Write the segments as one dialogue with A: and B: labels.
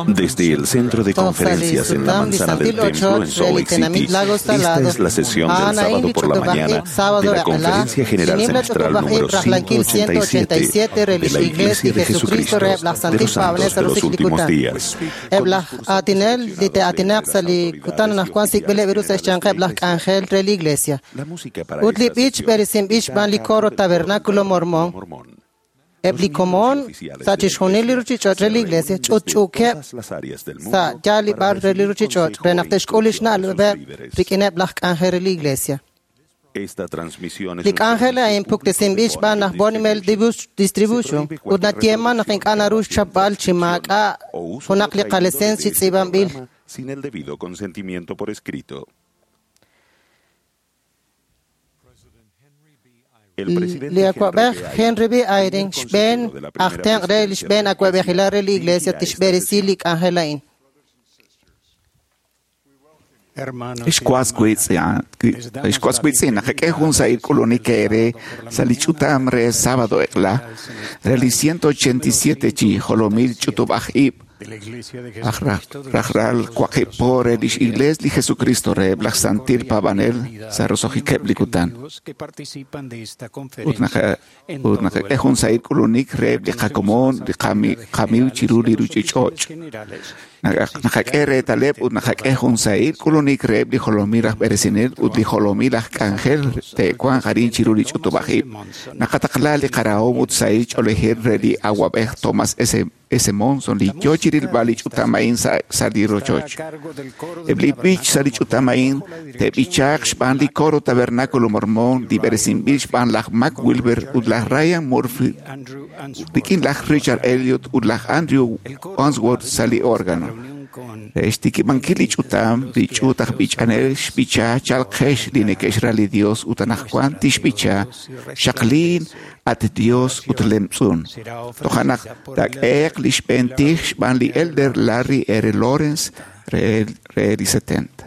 A: Desde el Centro de Conferencias en la Manzana del Templo en Salt Lake City, esta es la sesión del sábado por la mañana de la Conferencia General Semestral número 187 de la Iglesia de Jesucristo de los Santos de los Últimos Días.
B: La música para esta sesión está a cargo del
C: Coro Mormón. Eb li komon sa' chixjunil li ruchich'och' re li Iglesia ch'utch'uukeb' sa' yaal li b'ar re li ruchich'och' re naq te'xk'ul lix na'leb'eb' rik'ineb' laj k'anjel re li Iglesia. Li k'anjel a'in puktesinb'il xb'aan laj Bonimel Distribution ut nayeeman naq ink'a' naru xchapb'al chi maak'a' junaq li qaleseens chi tz'iib'anb'il.
A: Sin el debido consentimiento por escrito.
C: Li awa'b'ej Henry B. Eyring xb'een aj tenq' re li xb'een awa'b'ejilal re li Iglesia tixb'eresi li k'anjel a'in.
D: Ixkuaskuitzin, naqak'e jun sa'il k'ulunik ere sa' li ch'utam re sábado eq'la re li 187 chi jolomil ch'utub'aj ib' rajlal waqib' po re lix Iglesia li Jesucristo re laj Santil Paab'anel sa' roso'jikeb' li kutan. Ut naqak'e jun sa'il k'ulunik reheb' li qakomon li qamiiw chiru li ruchich'och'. Naqak'e reetaleb' ut naqak'e jun sa'il k'ulunik reheb' li jolomil aj b'eresinel ut li jolomil aj k'anjel te'wanq arin chiru li ch'utub'aj ib'. Naqataqla li qarahom ut sa'il ch'oolejil re li awa'b'ej Thomas S. Monson li yo chirilb'al li ch'utam a'in sa' li rochoch. Eb' li b'ich sa' li ch'utam a'in te'b'ichaaq xb'aan li Coro Tabernáculo Mormón li b'eresinb'il xb'aan laj Mac Wilber ut laj Ryan Murphy rik'in laj Richard Elliot ut laj Andrew Onsworth sa' li órgano. Re xtikib'ankil li ch'utam, li ch'uut aj b'ich'anel xb'icha chalqex li neke'xra li Dios ut anaqwan tixb'icha xaqliin at Dios ut lemtz'un. Toja' naq taak'ehe'q li xb'een tij xb'aan li Elder Larry R. Lawrence re li 70.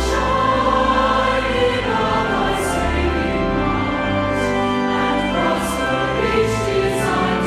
E: Shine in all thy saving might, and prosper each desire.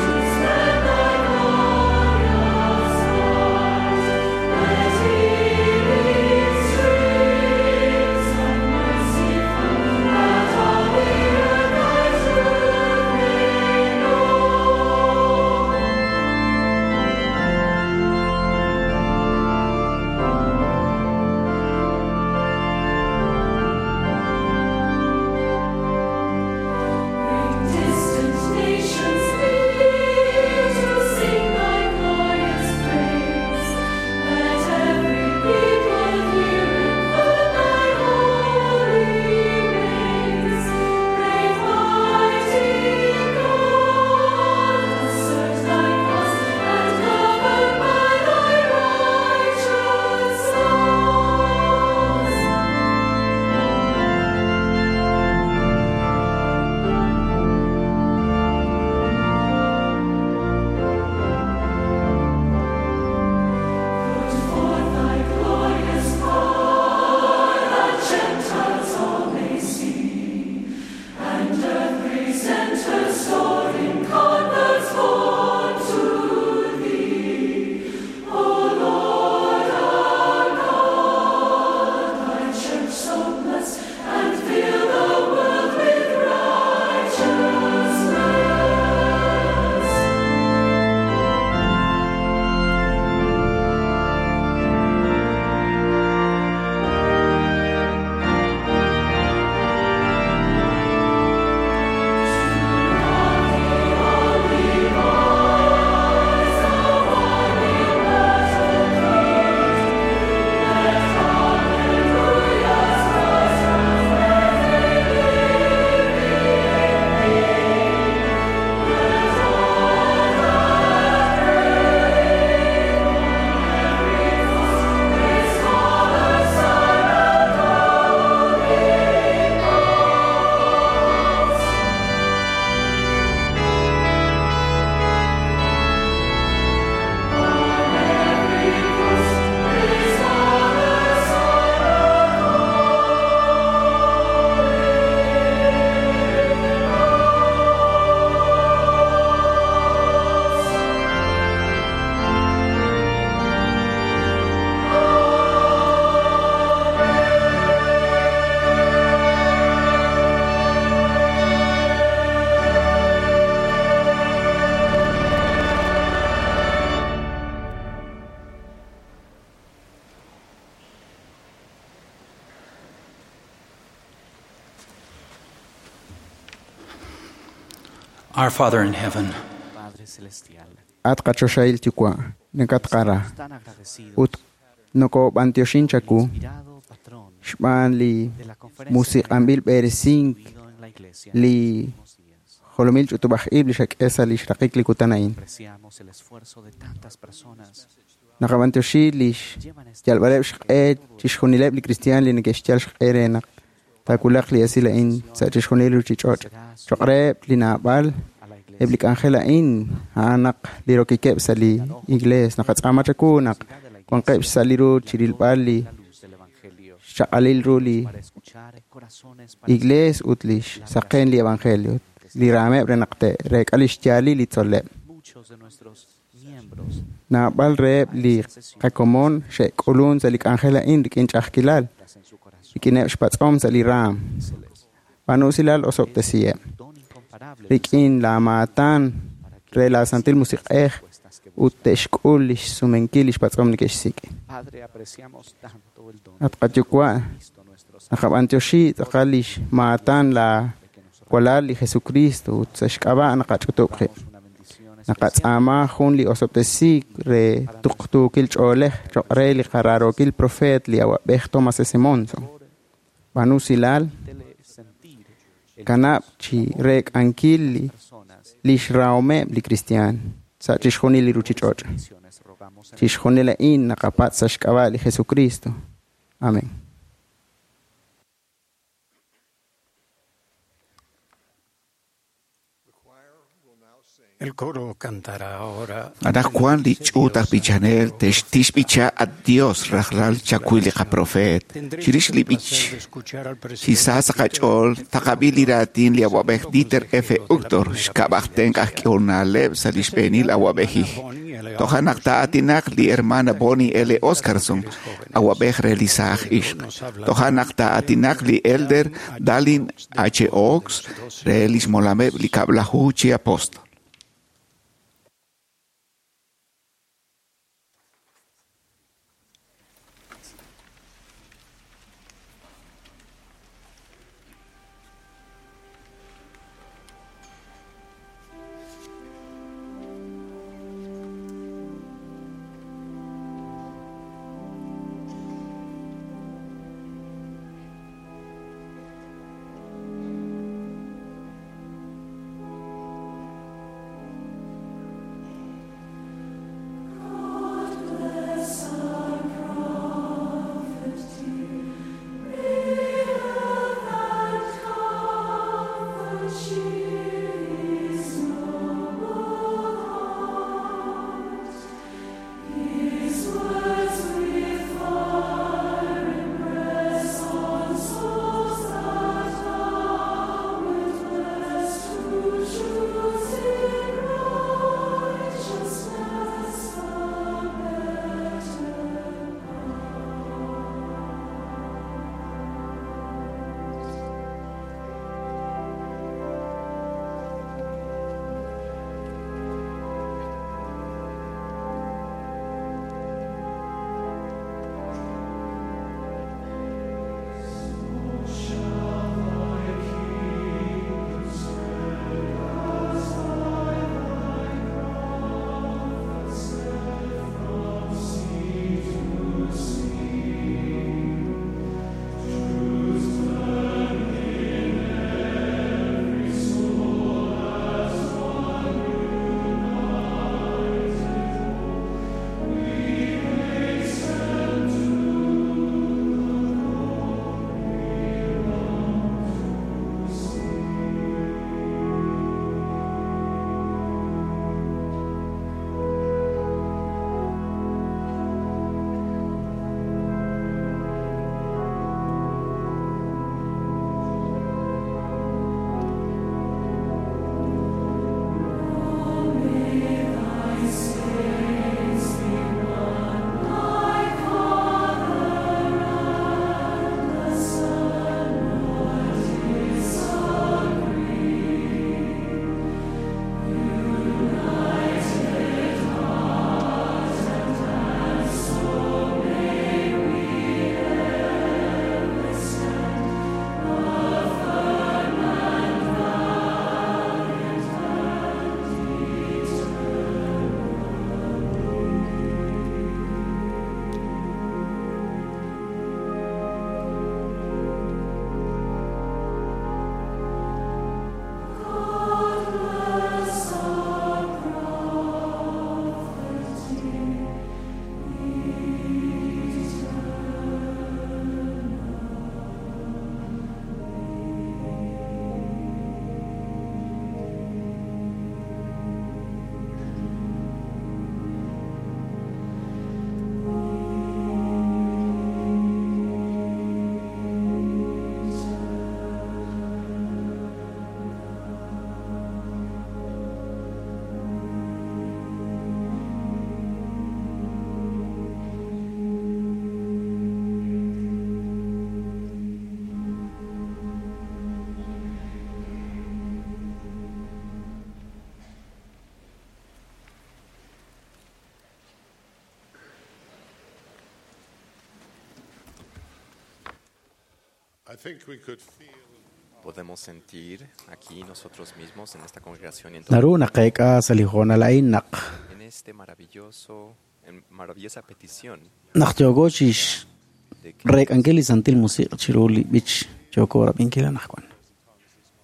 E: Our Father in heaven,
F: At qachoxahil yuwa', nakatqara ut nokob'antioxin chaku xb'aan li musiq'anb'il b'eresink li jolomil ch'utub'aj ib' li xak'e sa' li xraqik li kutan a'in. Naqab'antioxi li xyalb'aleb' xq'e chixjunileb' li cristian li neke'xyal xq'e re naq taawulaq li esil a'in sa' chixjunil li ruchich'och'. Choq' reheb' li naab'al eb' li k'anjel a'in a'an naq li rokikeb' sa' li iglees. Naqatz'aama chaku naq wanqeb' sa' li ru chirilb'al li xchaq'alil ru li iglees ut li xsaqen li evangelio li raameb' re naq te'reek'a li xyaalil li tzol'leb'. Naab'al reheb' li qakomon xe'k'ulun sa' li k'anjel a'in rik'in ch'a'ajkilal, rik'ineb' xpatz'om sa' li raam. B'aanu usilal osob'tesiheb'. Rik'in laamaatan re la Santil Musiq'ej ut te'xk'ul li xsumenkil li xpatz'om neke'xsik'. At qayuwa', naqab'antioxi tz'aqal li xmaatan la walal li Jesucristo ut sa' xk'ab'a' naqach'utub' qib'. Naqatz'aama jun li osob'tesiik re tuqtuukil ch'oolej choq' re li qaraarookil profeet li awab'ej Thomas S. Monson. B'aanu usilal, kanab' chi reek'ankil li xrahomeb' li cristian sa' chixjunil li ruchich'och'. Chixjunil a'in naqapatz' sa' xk'ab'a' li Jesucristo. Amén.
G: El coro cantará ahora.
D: Anaqwan li ch'uut aj b'ichanel te'xtixb'icha a Dios rajlal chakuy li qaprofeet. Chirix li b'ich chi sa sa' qach'ool taqab'i li raatin li awab'ej Dieter F. Uchtdorf xk'ab'aj tenq' aj k'ehonaleb' sa' li xb'eenil awab'ejij. Toja' naq taa'aatinaq li hermana Bonnie L. Oscarson, awab'ej re li saaj ixq. Toja' naq taa'aatinaq li elder Dallin H. Oaks re li xmolameb' li kab'laju chi apóstol.
E: Podemos sentir aquí nosotros mismos en esta congregación y en todo
H: Naru naqeek'a sa' li hoonal a'in naq
E: en este maravilloso, en maravillosa petición
H: naq yooko chix
E: de que
H: reek'ankil li Santil Musiq' chiru li b'ich yooko rab'inkil anaqwan.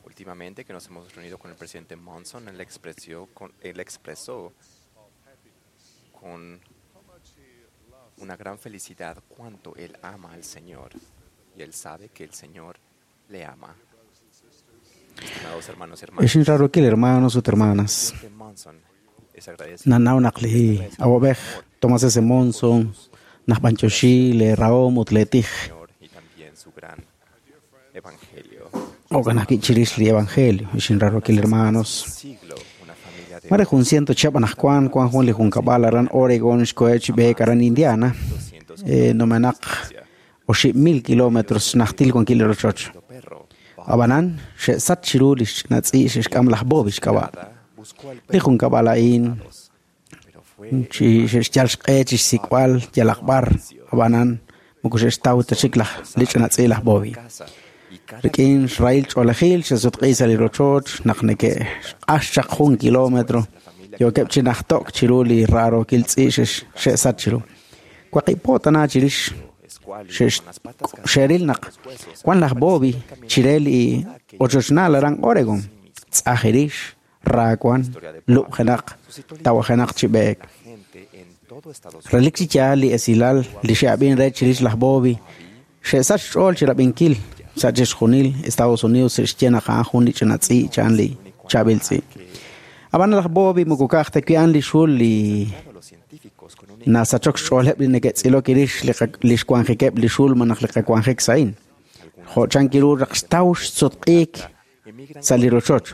E: últimamente que nos hemos reunido con el presidente Monson, él expresó con una gran felicidad cuánto él ama al Señor y él sabe que el Señor le ama. Estimados hermanos y hermanas,
H: Ixin rarokil hermanos ut hermanas.
E: el presidente Monson es agradecido
H: Nanaw naq li awab'ej Thomas S. Monson naj b'anch'oxi le rahom ut le tij
E: Señor y también su gran evangelio.
H: Okan ajwi' chirix li evangelio. Ixin rarokil hermanos.
E: Siglo, una familia de
H: Mare jun ciento chihab anaqwan kuan jun li junkab'al aran Oregon xkohe chi b'eek aran Indiana.
E: 200
H: Numenaq 8,000 kilómetros najtil wankil li rochoch.
E: perro
H: Ab'anan xe'sach chiru li xch'inatz'i' xe'xk'am laj Bobby xk'ab'a'.
E: buscó al
H: Li junkab'al a'in
E: pero fue
H: chi xe'xyal xq'e chi xsik'b'al yalaq b'ar ab'anan moko xe'xtaw ta chik laj li ch'inatz'i' laj Bobby.
E: casa y cada
H: Rik'in xrahil ch'oolejil xe'sutq'i sa' li rochoch naq neke'xq'ax chaq jun kilómetro yookeb' chi najtok chiru li raarookil tz'i' xe'sach chiru. Waqib' tana chirix
E: escuálido
H: xe'x-
E: con las patas
H: xe'ril naq wan laj Bobby chire li ochochnal aran Oregon tz'ajirix raawan lub'jenaq tawajenaq chi b'eek.
E: la gente en todo Estados Unidos
H: Relik chi yaal li esilal li xe'ab'in re chirix laj Bobby xe'sach xch'ool chi rab'inkil sa' chixjunil Estados Unidos xe'xye naq a'an jun li ch'ina tz'i' cha'an li chaab'il tz'i'. Ab'an laj Bobby moko ka'aj ta wi' a'an li xul li
E: los científicos con un
H: nasachok xch'ooleb' li neke'tz'ilok irix li xwanjikeb' li xul malaj li qawanjik sa'in. Jo' chan kiru raq xtaw xsutq'iik
E: emigran
H: sa' li rochoch.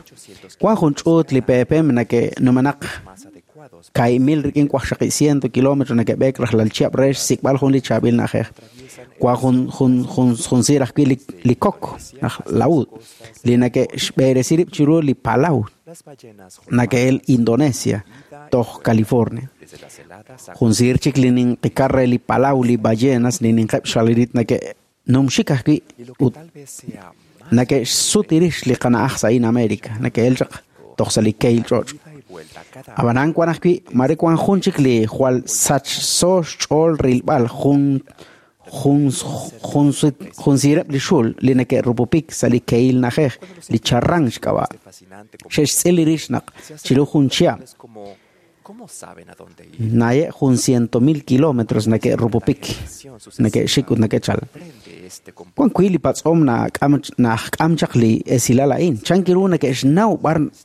H: Wan jun ch'uut li PPM nake'numenaq
E: más adecuados
H: 1,000 rik'in 800 kilómetros neke'b'eek rajlal chihab' re xsik'b'al jun li chaab'il na'ajej. Wan jun jun jun jun siir ajwi' li kok aj laúd li nake'xb'eresi rib' chiru li Palau
E: las ballenas
H: nake'el Indonesia toj California.
E: desde las heladas
H: Jun siir chik li ninqikar re li Palau li ballenas li ninqeb' xalirit nake'numxik ajwi'
E: y lo que
H: ut
E: tal vez sea más
H: nake'xsutirix li qana'aj sa'in América nake'el chaq toj sa' li keil ch'och'.
E: ida y vuelta cada
H: Ab'anan wan ajwi' mare wan jun chik li jwal sachso xch'ool rilb'al jun jun jun jun siireb' li xul li neke'rupupik sa' li keil na'ajej li charran xk'ab'a'.
E: fascinante como
H: Xe'xtz'il rix naq chiru jun chihab'
E: es como cómo saben a dónde ir
H: naye' jun 100,000 kilómetros neke'rupupik neke'xik ut neke'chal.
E: Aprende este
H: Wan wi' li patz'om na'ajk'am chaq li esilal a'in. Chan kiru neke'xnaw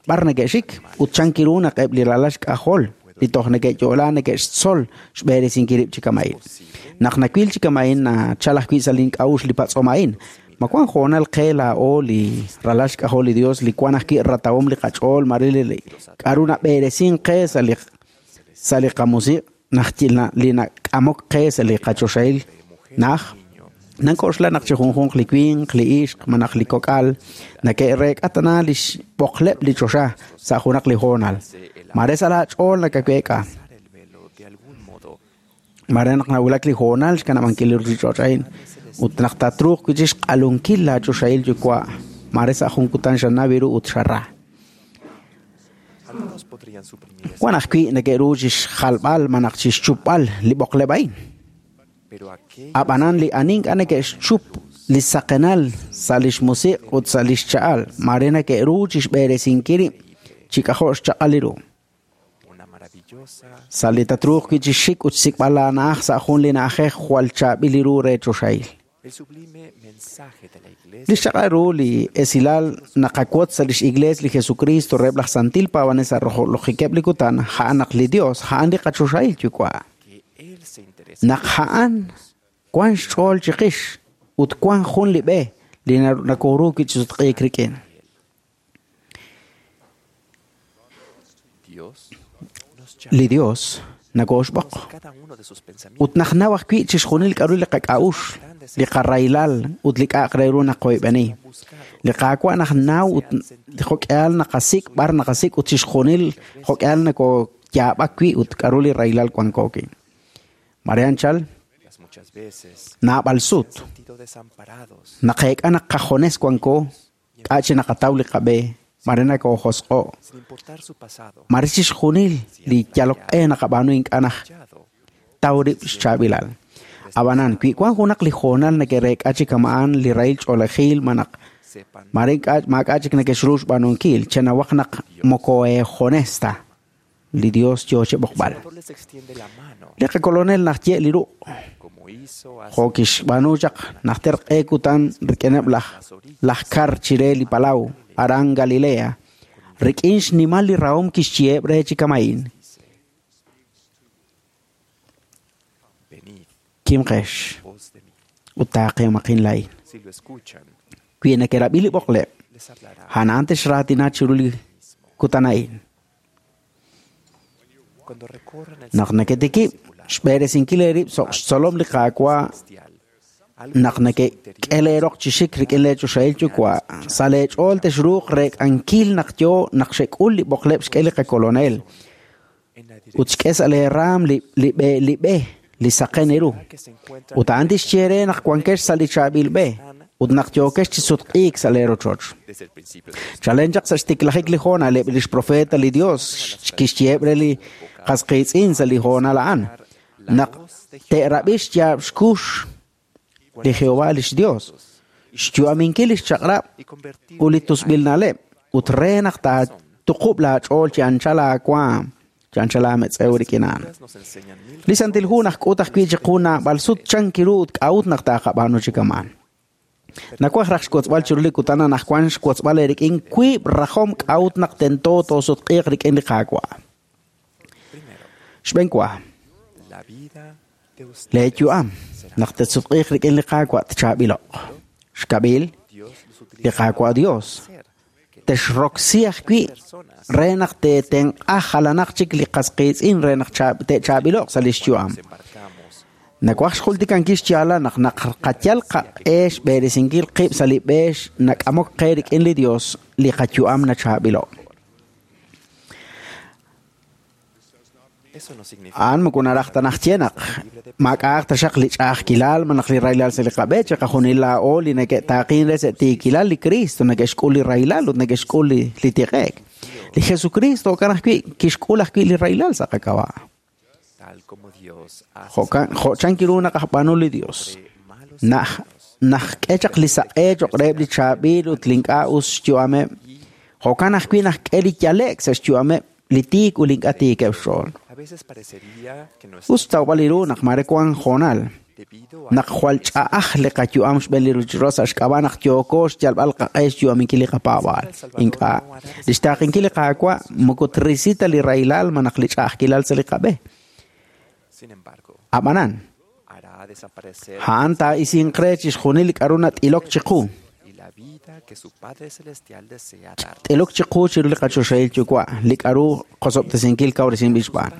H: b'ar neke'xik ut chan kiru naq eb' li ralal xk'ajol li toj neke'yo'la neke'xtzol xb'eresinkil rib' chi kama'in. Naq nawil chi kama'in nachal ajwi' sa' link'a'uxl li patz'om a'in. Ma wan hoonal qe laa'o li ralal xk'ajol li Dios li wan ajwi' ratawom li qach'ool mare li k'aru nab'eresin qe sa' li qamusiq naj li nak'amok qe sa' li qachoxahil naj. Nank'oxla naq chi junjunq li winq, li ixq, malaj li kok'al nake'reek'a tana li xb'oqleb' li choxa sa' junaq li hoonal. Mare sa' laach'ool nakaweek'a.
E: el velo de algún modo
H: Mare naq nawulak li hoonal xkanab'ankil li ruuchich'och' a'in ut naq tatruuq wi' chi xq'alunkil laachoxahil yuwa' mare sa' jun kutan xanaw ru ut xara.
E: algunos podrían suprimir
H: Wan ajwi' neke'ru chi xjalb'al malaj chi xchupb'al li b'oqleb' a'in.
E: pero aquellos
H: Ab'anan li ani ink'a' neke'xchup li saqenal sa' li xmusiq ut sa' li xcha'al mare neke'ru chi xb'eresinkil rib' chi k'ajo' xchaq'al li ru.
E: una maravillosa
H: Sa' li tatruuq wi' chi xik ut xsik'b'al laana'aj sa' jun li na'ajej jwal chaab'il li ru re choxahil.
E: el sublime mensaje de la iglesia
H: Li xchaq'al ru li esilal naqawotz sa' lix iglees li Jesucristo reheb' laj Santil Paab'anel sa' rojolojikeb' li kutan ja'an naq li Dios ja'an li qachoxahil yuwa'.
E: que él se interesa
H: Naq ja'an wan xch'ool chiqix ut wan jun li b'e li nakoru wi' chi sutq'iik rik'in.
E: Dios nos llama
H: Li Dios nakooxb'oq
E: cada uno de sus pensamientos
H: ut naqnaw ajwi' chixjunil k'aru li qak'a'uxl, li qarahilal ut li k'a'aq re ru naqoyb'eni. Li qaawa' naqnaw ut jo'k'ihal naqasik' b'ar naqasik' ut chixjunil jo'k'ihal nakoyaab'ak wi' ut k'aru li rahilal wanko wi'. Mare anchal
E: las muchas veces
H: naab'al sut. Naqeek'a naq qajones wanko k'a' chi naqataw li qab'e mare nakojosq'o mare chixjunil li yaloq'e naqab'aanu ink'a' naj taw rib' xchaab'ilal. Ab'anan wi wan junaq li hoonal neke'reek'a chi kama'an li rahil ch'oolejil manaq mare ink'a' maak'a' chik neke'xru xb'aanunkil chenawaq naq moko eejones ta li Dios yoo cheb'oqb'al. Li qakolonel najye' li ruq' jo' kixb'aanu chaq najter q'e kutan rik'ineb' laj kar chire li palaw aran Galilea rik'in xnimal li rahom kixchiheb' re chi kama'in. Kimqex ut taaqemaqin laa'in. Wi neke'rab'i li b'oqleb', a'an texraatina chiru li kutan a'in. Naq neketikib' xb'eresinkil eerib' so' xtzolom li Qaawa' naq nekek'e leeroq chi xik rik'in leechoxahil yuwa' sa' leech'ool texruuq reek'ankil naq yoo naq xek'ul li b'oqleb' xk'e li qakolonel ut xk'e sa' leeraam li b'e li saqen eeru ut a'an tixye re naq wankex sa' li chaab'il b'e ut naq yookex chi sutq'iik sa' leerochoch. Chalen chaq sa' xtiklajik li hoonal eb' lix profeta li Dios kixyeheb' re li qasqiitz'in sa' li hoonal a'an naq te'rab'i xyaab' xkux li Jehová lix Dios, xyu'aminkil lix chaq'rab' ut li tusb'il na'leb' ut re naq taatuqub' laach'ool chi anchal aawaam chi anchal aametz'ew rik'in a'an. Li Santil Hu najk'ut ajwi' chiqu naab'al sut chankiru ut k'a'ut naq taaqab'aanu chi kama'an. Nawaj raj xwotzb'al chiru li kutan anaqwan xwotzb'al eerik'in wiib' rajom k'a'ut naq tento toosutq'iiq rik'in li Qaawa'. Xb'een wa, leeyu'am naq te'sutq'iiq rik'in li Qaawa' tchaab'iloq. Xkab'il, li Qaawa' Dios texroksi ajwi' re naq teetenq'a jalanaq chik li qasqiitz'in re naq te'chaab'iloq sa' lix yu'am. Nawaj xjultikankil xyaala naq naqayal qaq'e xb'eresinkil qib' sa' li b'e nak'amok qe rik'in li Dios li qayu'am nachaab'iloq. A'an moko naraj ta najye naq maak'a'aq taxaq li ch'a'ajkilal malaj li rahilal sa' li qab'e chi qajunil laa'o li neke'taaqin re sa' tiikilal li Cristo neke'xk'ul li rahilal ut neke'xk'ul li tiq'e'k. Li Jesucristo jo'kan ajwi' kixk'ul ajwi' li rahilal sa' qak'ab'a'. Jo' chankiru naq ajb'aanu li Dios. Najk'e chaq li saq'e cho'q reheb' li chaab'il ut li ink'a' us xyu'ameb'. Jo'kan ajwi' najk'e li yale'k sa' xyu'ameb' li tiik ut li ink'a' tiikeb' xch'ool. Us tawb'al li ru naq mare wan hoonal naq jwal ch'a'aj li qayu'am xb'een li ruuchich'och' sa' xk'ab'a' naq yooko xyalb'al qaq'e xyu'aminkil li qapaab'aal. Ink'a' li xtaaqenkil li Qaawa' moko trisi ta li rahilal malaj li ch'a'ajkilal sa' li qab'e. Ab'anan, a'an taa'isinq re chixjunil li k'a'ru nat'ilok chiqu. T'ilok chiqu chiru li qachoxahil yuwa' li k'a'ru qosob'tesinkil kawresinb'il xb'aan.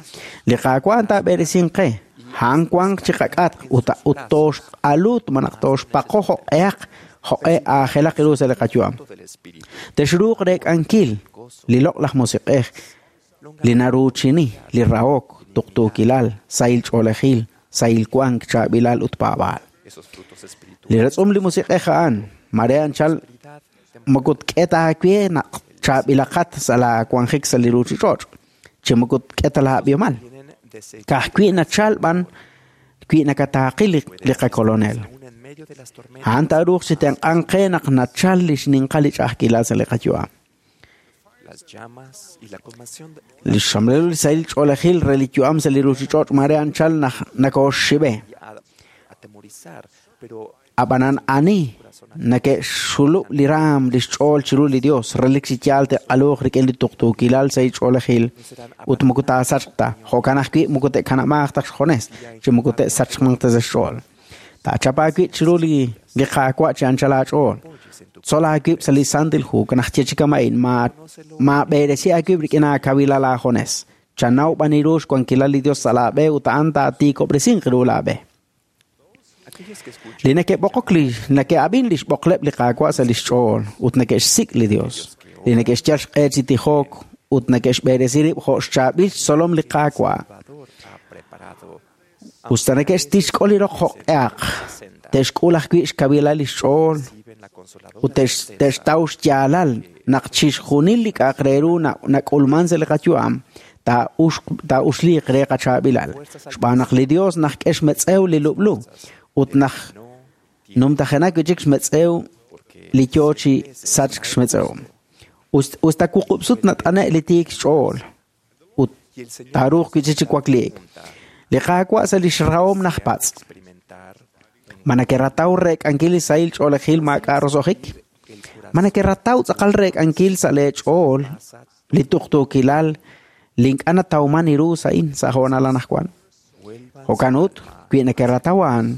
H: Li Qaawa' taab'eresinq qe, a'an wanq chi qak'atq ut tooxq'alut malaj tooxpaqo jo'q'ehaq jo'q'e aajelaq ru sa' li qayu'am. Texruuq reek'ankil li loq'laj musiq'ej li naruuchini, li rahok, tuqtuukilal, sahil ch'oolejil, sahil wank, chaab'ilal ut paab'aal. Li ratz'um li musiq'ej a'an mare anchal moko tk'e ta aawe naq chaab'ilaqat sa' laawanjik sa' li ruuchich'och' chi moko tk'e ta laab'ihomal. Ka'ajwi' nachal b'an wi nakataaqil li qakolonel. A'an taaruuq chi tenq'anq qe naq nachal li xninqal li ch'a'ajkilal sa' li qayu'am. Li xxamlel li sahil ch'oolejil re li yu'am sa' li ruuchich'och' mare anchal nakooxxib'e. Ab'anan ani neke'xxulub' li raam li xch'ool chiru li Dios relik chi yaal te'q'aluuq rik'in li tuqtuukilal sa' ch'oolejil ut moko taasachq ta jo'kan ajwi' moko te'kanab'aaq ta xjones chi moko te'sachmanq ta sa' xch'ool. Taachap aawib' chiru li Qaawa' chi anchal aach'ool. Tzol aawib' sa' li Santil Hu kanajye chi kama'in maab'eresi aawib' rik'in aakawilal aajones. Chanaw b'an ru xwankilal li Dios sa' laab'e ut a'an taatiikob'resinq ru laab'e. Li neke'b'oqok li neke'ab'in li xb'oqleb' li Qaawa' sa' lix ch'ool ut neke'xsik' li Dios. Li neke'xyal xq'e chi tijok ut neke'xb'eresi rib' jo' xchaab'il xtzolom li Qaawa'. Usta neke'xtixk'ol li roq jo'q'ehaq. Te'xk'ul ajwi' xkawilal li xch'ool ut te'xtaw xyaalal naq chixjunil li k'a'aq re ru nak'ulman sa' li qayu'am taa'uxliiq re qachaab'ilal. Xb'aan naq li Dios najk'e xmetz'ew li lub'lu ut naj numtajenak wi' chik xmetz'ew li yoo chi sachk xmetz'ew. Us ta wuqub' sut nat'ane' li tiik xch'ool ut taaruuq wi' chik chi wakliik. Li Qaawa' sa' li xrahom najpatz'. Ma nakerataw reek'ankil li sahil ch'oolejil maak'a' roso'jik? Ma nakerataw tz'aqal reek'ankil sa' lee ch'ool li tuqtuukilal li ink'a' natawman ru sa'in sa' hoonal anaqwan? Jo'kan ut, wi nakerataw a'an,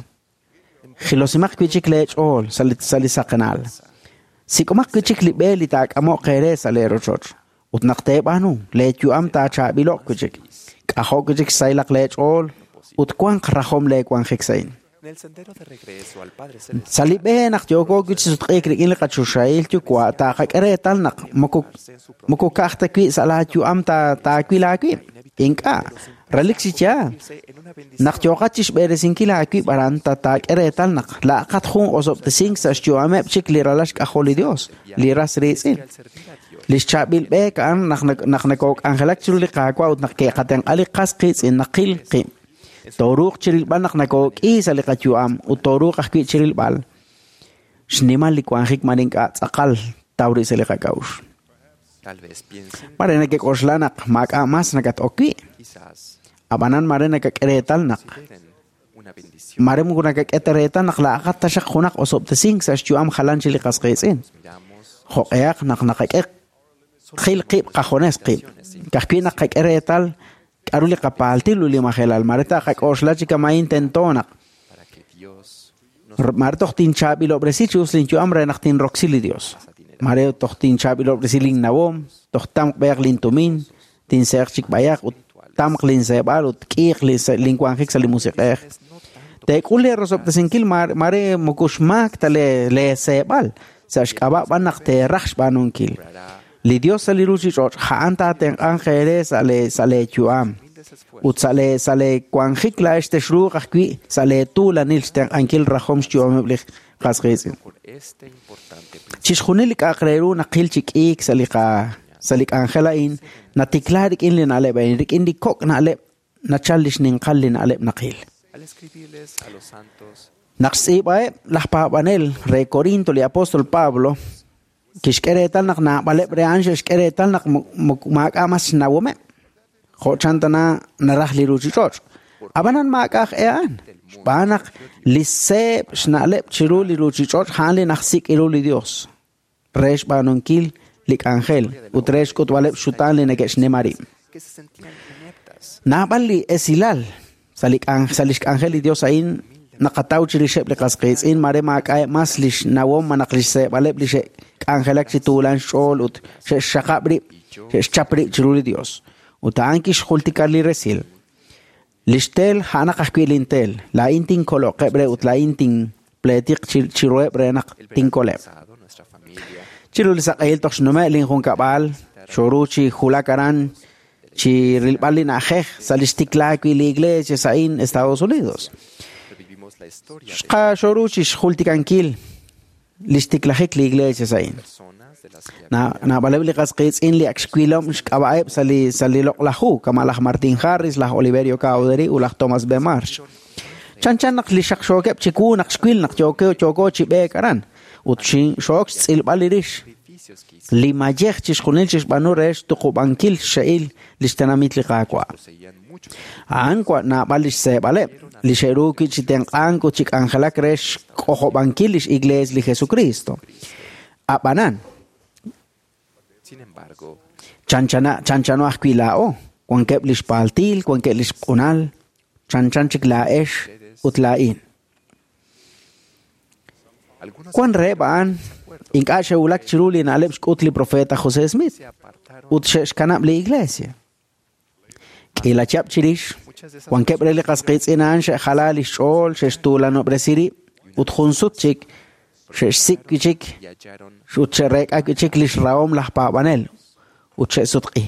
H: jilosimaq wi' chik lee ch'ool sa' li saqenal. Sik'omaq wi' chik li b'e li taak'amo'q eere sa' lee rochoch. Ut naq teeb'aanu, lee yu'am taachaab'ilo'q wi' chik. K'ajo' wi' chik xsahilaq lee ch'ool ut wanq rajom lee wanjik sa'in. Sa' li b'e naq yooko wi' chi sutq'iik rik'in li qachoxahil yuwa' taaqak'e reetal naq moko ka'aj ta wi' sa' laayu'am taawil aawib'. Ink'a', relik chi yaal. Naq yooqat chi xb'eresinkil aawib' aran taak'e reetal naq laaqat jun osob'tesink sa' xyu'ameb' chik li ralal xk'ajol li Dios, li ras riitz'in. Li xchaab'il b'eek a'an naq nakok'anjelak chiru li Qaawa' ut naq ke'qatenq'a li qas qiitz'in naqil qib'. Tooruuq chirilb'al naq nakok'i sa' li qayu'am ut tooruuq ajwi' chirilb'al. Xnimal li wanjik man ink'a' tz'aqal tawri sa' li qak'a'uxl. Mare nakek'oxla naq maak'a' mas nakat'ok wi'. Ab'anan mare nakak'e reetal naq mare moko nakak'e ta reetal naq laaqat taxaq junaq osob'tesink sa' xyu'am jalan chi li qas qiitz'in. Jo'q'ehaq naq naqak'e qil qib' qajones qib'. Ka'ajwi' naq qak'e reetal k'aru li qapaaltil ut li majelal. Mare taaqak'oxla chi kama'in tento naq mare toj tinchaab'ilob'resi chi us linyu'am re naq tinroksi li Dios. Mare toj tinchaab'ilob'resi linnawom, toj tamq b'eeq lintumin, tinseeq chik b'ayaq ut tamq linseeb'al ut k'iiq linwanjik sa' li musiq'ej. Teek'ul lee rosob'tesinkil mare moko xmaak ta lee seeb'al sa' xk'ab'a' b'an naq teeraj xb'aanunkil. Li Dios sa' li ruuchich'och' a'an taatenq'anq eere sa' lee yu'am. Ut sa' lee wanjik laa'ex texruuq ajwi' sa' lee tuulanil xtenq'ankil rajom xyu'ameb' li qas qiitz'in. Chixjunil li k'a'aq re ru naqil chi k'iik sa' li k'anjel a'in natikla rik'in li na'leb' a'in, rik'in li kok' na'leb' nachal li xninqal li na'leb' naqil. Naq xtz'iib'aheb' laj paab'anel re Corinto li apóstol Pablo kixk'e reetal naq naab'aleb' re a'an xe'xk'e reetal naq maak'a' mas xnawomeb'. Jo' chan tana naraj li ruuchich'och'. Ab'anan maak'a' aj e a'an. Xb'aan naq li seeb' xna'leb' chiru li ruuchich'och' a'an li najsik' ru li Dios re xb'aanunkil li k'anjel ut re xk'utb'aleb' xutaan li neke'xnima rib'. Naab'al li esilal sa' li xk'anjel li Dios a'in naqataw chirixeb' li qas qiitz'in mare maak'a'eb' mas li xnawom malaj li xseeb'aleb' li xe'k'anjelak chi tuulan xch'ool ut xe'xxaqab' rib', xe'xchap rib' chiru li Dios. Ut a'an kixjultika li resil. Li xtel a'anaq ajwi' lintel, laa'in tinkoloqeb' re ut laa'in tinpleetiq chiruheb' re naq tinkoleb'. Chiru li saq'ehil toj xnume' linjunkab'al, xoru chi julak aran chi rilb'al li na'ajej sa' li xtiklaak wi' li iglesia sa'in Estados Unidos. Xqa xoru chi xjultikankil li xtiklajik li iglesia sa'in. Naab'aleb' li qas qiitz'in li ak xwilom xk'ab'a'eb' sa' li loq'laj hu, kama' laj Martin Harris, laj Oliverio Cowdery ut laj Thomas B. Marsh. Chanchan naq li xaqxookeb' chiwu naq xwil naq yooko chi b'eek aran ut xook xtz'ilb'al li rix. Li mayej chixjunil chixb'aanu re xtuqub'ankil xxe'il li xtenamit li Qaawa'. A'an naab'al li xseeb'aleb', li xe'ru wi' chi tenq'ank ut chi k'anjelak re xk'ojob'ankil lix iglees li Jesucristo. Ab'anan, chanchano ajwi' laa'o, wankeb' li xpaaltil, wankeb' li xq'unal, chanchan chik laa'ex ut laa'in. Wan reheb' a'an ink'a' xe'wulak chiru li na'leb' xk'ut li profeta José Smith ut xe'xkanab' li iglesia. K'iila chihab' chirix, wankeb' re li qas qiitz'in a'an xe'jala li xch'ool, xe'xtuulanob'resi rib' ut jun sut chik xe'xsik' wi' chik ut xe'reek'a wi' chik li xrahom laj paab'anel ut xe'sutq'i.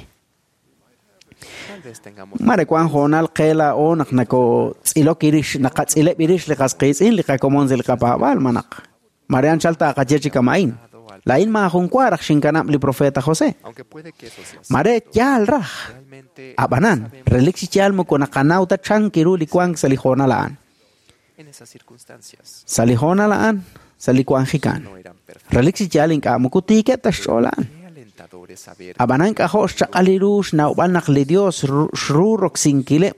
H: Mare wan hoonal qe laa'o naq nakotz'ilok irix naqatz'ileb' irix li qasqiitz'in li qakomon sa' li qapaab'aal manaq. Mare anchal taqaye chi kama'in. Laa'in maajun wa raj xinkanab' li profeta José. Mare yaal raj. Ab'anan, relik chi yaal moko naqanaw ta chan kiru li wank sa' li hoonal a'an. Sa' li hoonal a'an, sa' li wanjikan. Relik chi yaal ink'a' moko tiikeb' ta xch'ool a'an. Ab'anan k'ajo' xchaq'al li ru xnawb'al naq li Dios xru roksinkileb'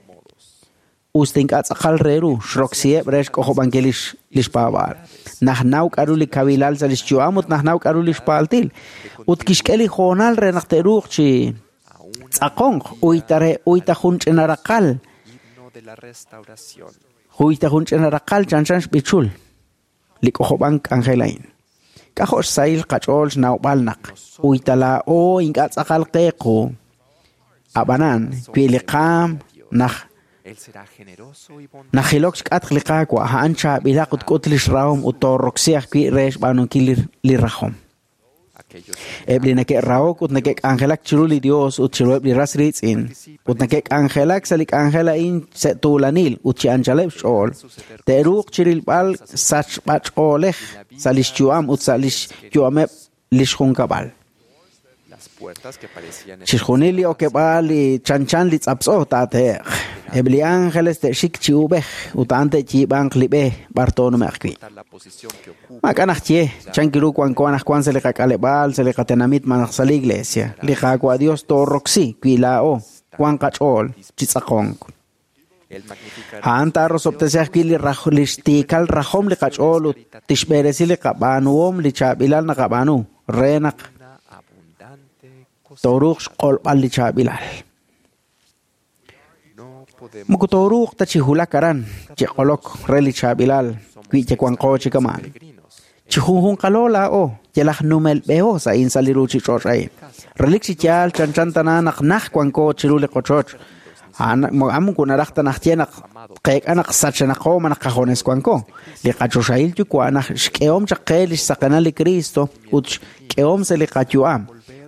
H: us ta ink'a' tz'aqal re ru xroksiheb' re xk'ojob'ankil lix paab'aal. Najnaw k'aru li kawilal sa' lix yu'am ut najnaw k'aru lix paaltil. Ut kixk'e li hoonal re naq te'ruuq chi tz'aqonq uyta re uyta jun ch'ina raqal. Uyta jun ch'ina raqal chanchan xb'ichul li k'ojob'ank k'anjel a'in. K'ajo' xsahil qach'ool xnawb'al naq uyta laa'o ink'a' tz'aqal qe qu. Ab'anan, wi li qaam naj najilok xk'atq li Qaawa' a'an chaab'ilaq ut k'ut lix rahom ut tooroksi ajwi' re xb'aanunkil li rajom. Eb' li neke'rahok ut neke'k'anjelak chiru li Dios ut chiruheb' li ras riitz'in ut neke'k'anjelak sa' li k'anjel a'in sa' tuulanil ut chi anchaleb' xch'ool, te'ruuq chirilb'al sachb'ach'oolej sa' lix yu'am ut sa' lix yu'ameb' lix junkab'al. Chixjunil li okeb'aal li chanchan li tz'aptz'o taate'q. Eb' li ángeles te'xik chi ub'ej ut a'an te'yiib'anq li b'e b'ar toonume'q wi'. Maak'a' naj ye, chan kiru wanko anaqwan sa' li qak'aleb'aal, sa' li qatenamit malaj sa' li iglesia. Li Qaawa' Dios tooroksi wi laa'o wan qach'ool chi tz'aqonk. A'an taarosob'tesi ajwi' li lix tiikal rajom li qach'ool ut tixb'eresi li qab'aanuhom li chaab'ilal naqab'aanu re naq tooruuq xq'olb'al li chaab'ilal. Moko tooruuq ta chi hulak aran chi q'olok re li chaab'ilal wi yawanqo chi kamaan. Chi junjunqalo laa'o yalaj numel b'eho sa' in sa' li ruuchich'och' a'in. Relik chi yaal chanchan tana naq naj wanko chiru li qochoch. A'an moko naraj ta naj ye naq qeek'a naq sachanaqo ma naq qajones wanko. Li qachoxahil yuwa' naj xk'ehom chaq qe lix saqenal li Cristo ut xk'ehom sa' li qayu'am.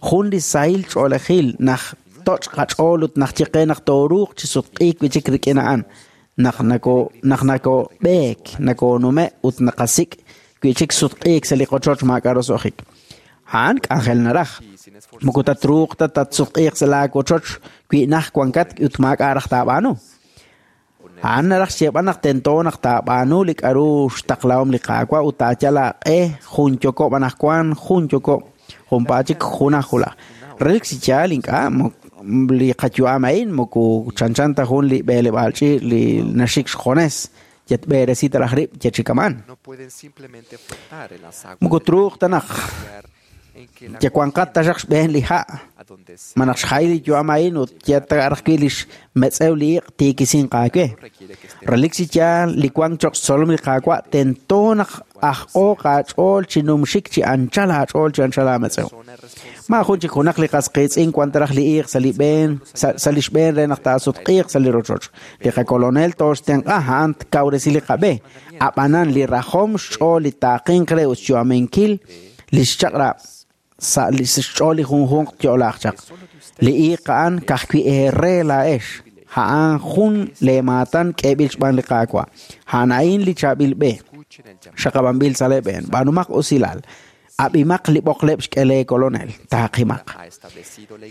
H: Jun li sahil ch'oolejil naj toch' qach'ool ut naj ye qe naq tooruuq chi sutq'iik wi' chik rik'in a'an. Naq nako naq nakob'eek nakonume' ut naqasik' wi' chik sutq'iik sa' li qochoch maak'a' roso'jik. A'an k'anjel naraj. Moko tatruuq ta tatsutq'iiq sa' laawochoch wi' naj wankat ut maak'a' raj taab'aanu. A'an naraj xyeeb'al naq tento naq taab'aanu li k'aru xtaqlahom li Qaawa' ut taayal aaq'e jun yokob' anaqwan jun yokob' junpaat chik junaj julaj. Relik chi yaal ink'a' li qayu'am a'in moko chanchan ta jun li b'eleb'aal ch'iich' li naxik xjones yatb'eresi ta raj rib' yachikaman. Moko truuq ta naq yawanqat ta xaq xb'een li ha' manaq xjay li yu'am a'in ut yataraj wi' lix metz'ew li iq' tiikisin qaawe. Relik chi yaal li wank choq' xtzolom li Qaawa' tento naq aj'o qach'ool chi numxik chi anchal aach'ool chi anchal aametz'ew. Maajun chik junaq li qasqiitz'in wan ta raj li iiq sa' li b'een sa' lix b'een re naq taasutq'iiq sa' li rochoch. Li qakolonel tooxtenq'a a'an tkawresi li qab'e. Ab'anan li rajom xch'ool li taaqinq re ut xyu'aminkil lix chaq'rab' sa' li xch'ool li junjunq yo'laaq chaq. Li iiq a'an ka'ajwi' eere laa'ex. A'an jun leemaatan k'eeb'il xb'aan li Qaawa'. A'an a'in li chaab'il b'e. Xaqab'anb'il sa' leeb'een. B'aanumaq usilal. Ab'imaq li b'oqleb' xk'e lee kolonel. Taaqimaq.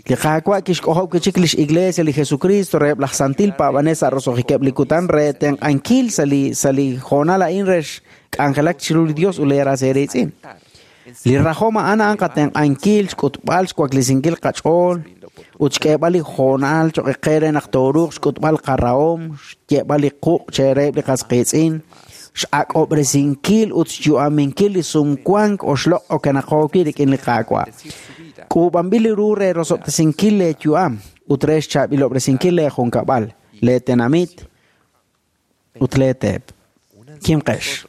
H: Li Qaawa' kixk'ojob' wi' chik lix iglesia li Jesucristo reheb' laj santil paab'anel sa' roso'jikeb' li kutan re tenq'ankil sa' li hoonal a'in re xk'anjelak chiru li Dios ut leeras eeriitz'in. Li rajom a'an a'an qatenq'ankil xk'utb'al xwaklisinkil qach'ool ut xk'eeb'al li hoonal choq' qe re naq tooruuq xk'utb'al qarahom, xyeeb'al li quq' chereheb' li qasqiitz'in, x'ak'ob'resinkil ut xyu'aminkil li sumwank oxloq' okenaqo wi' rik'in li Qaawa'. K'uub'anb'il li ru re rosob'tesinkil lee yu'am ut re xchaab'ilob'resinkil lee junkab'al, lee tenamit ut lee teep. Kimqex.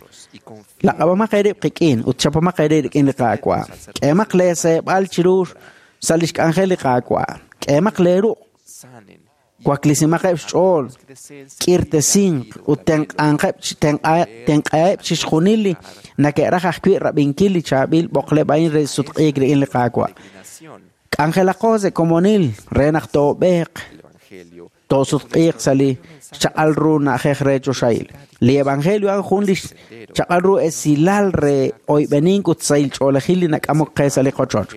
H: Laq'ab'amaq eerib' qik'in ut chapamaq eerib' rik'in li Qaawa'. K'eemaq lee seeb'al chiru sa' lix k'anjel li Qaawa'. K'eemaq lee ruq'. Waklisimaq xch'ool, k'irtesinq ut tenq'anqeb' tenq'aheb' chixjunil li neke'raj ajwi' rab'inkil li chaab'il b'oqleb' a'in re sutq'iik rik'in li Qaawa'. K'anjelaqo sa' komonil re naq toob'eeq Toosutq'iiq sa' li xchaq'al ru na'ajej re choxahil. Li evangelio a'an jun li xchaq'al ru esilal re oyb'enink ut sahil ch'oolejil li nak'amok qe sa' li qochoch.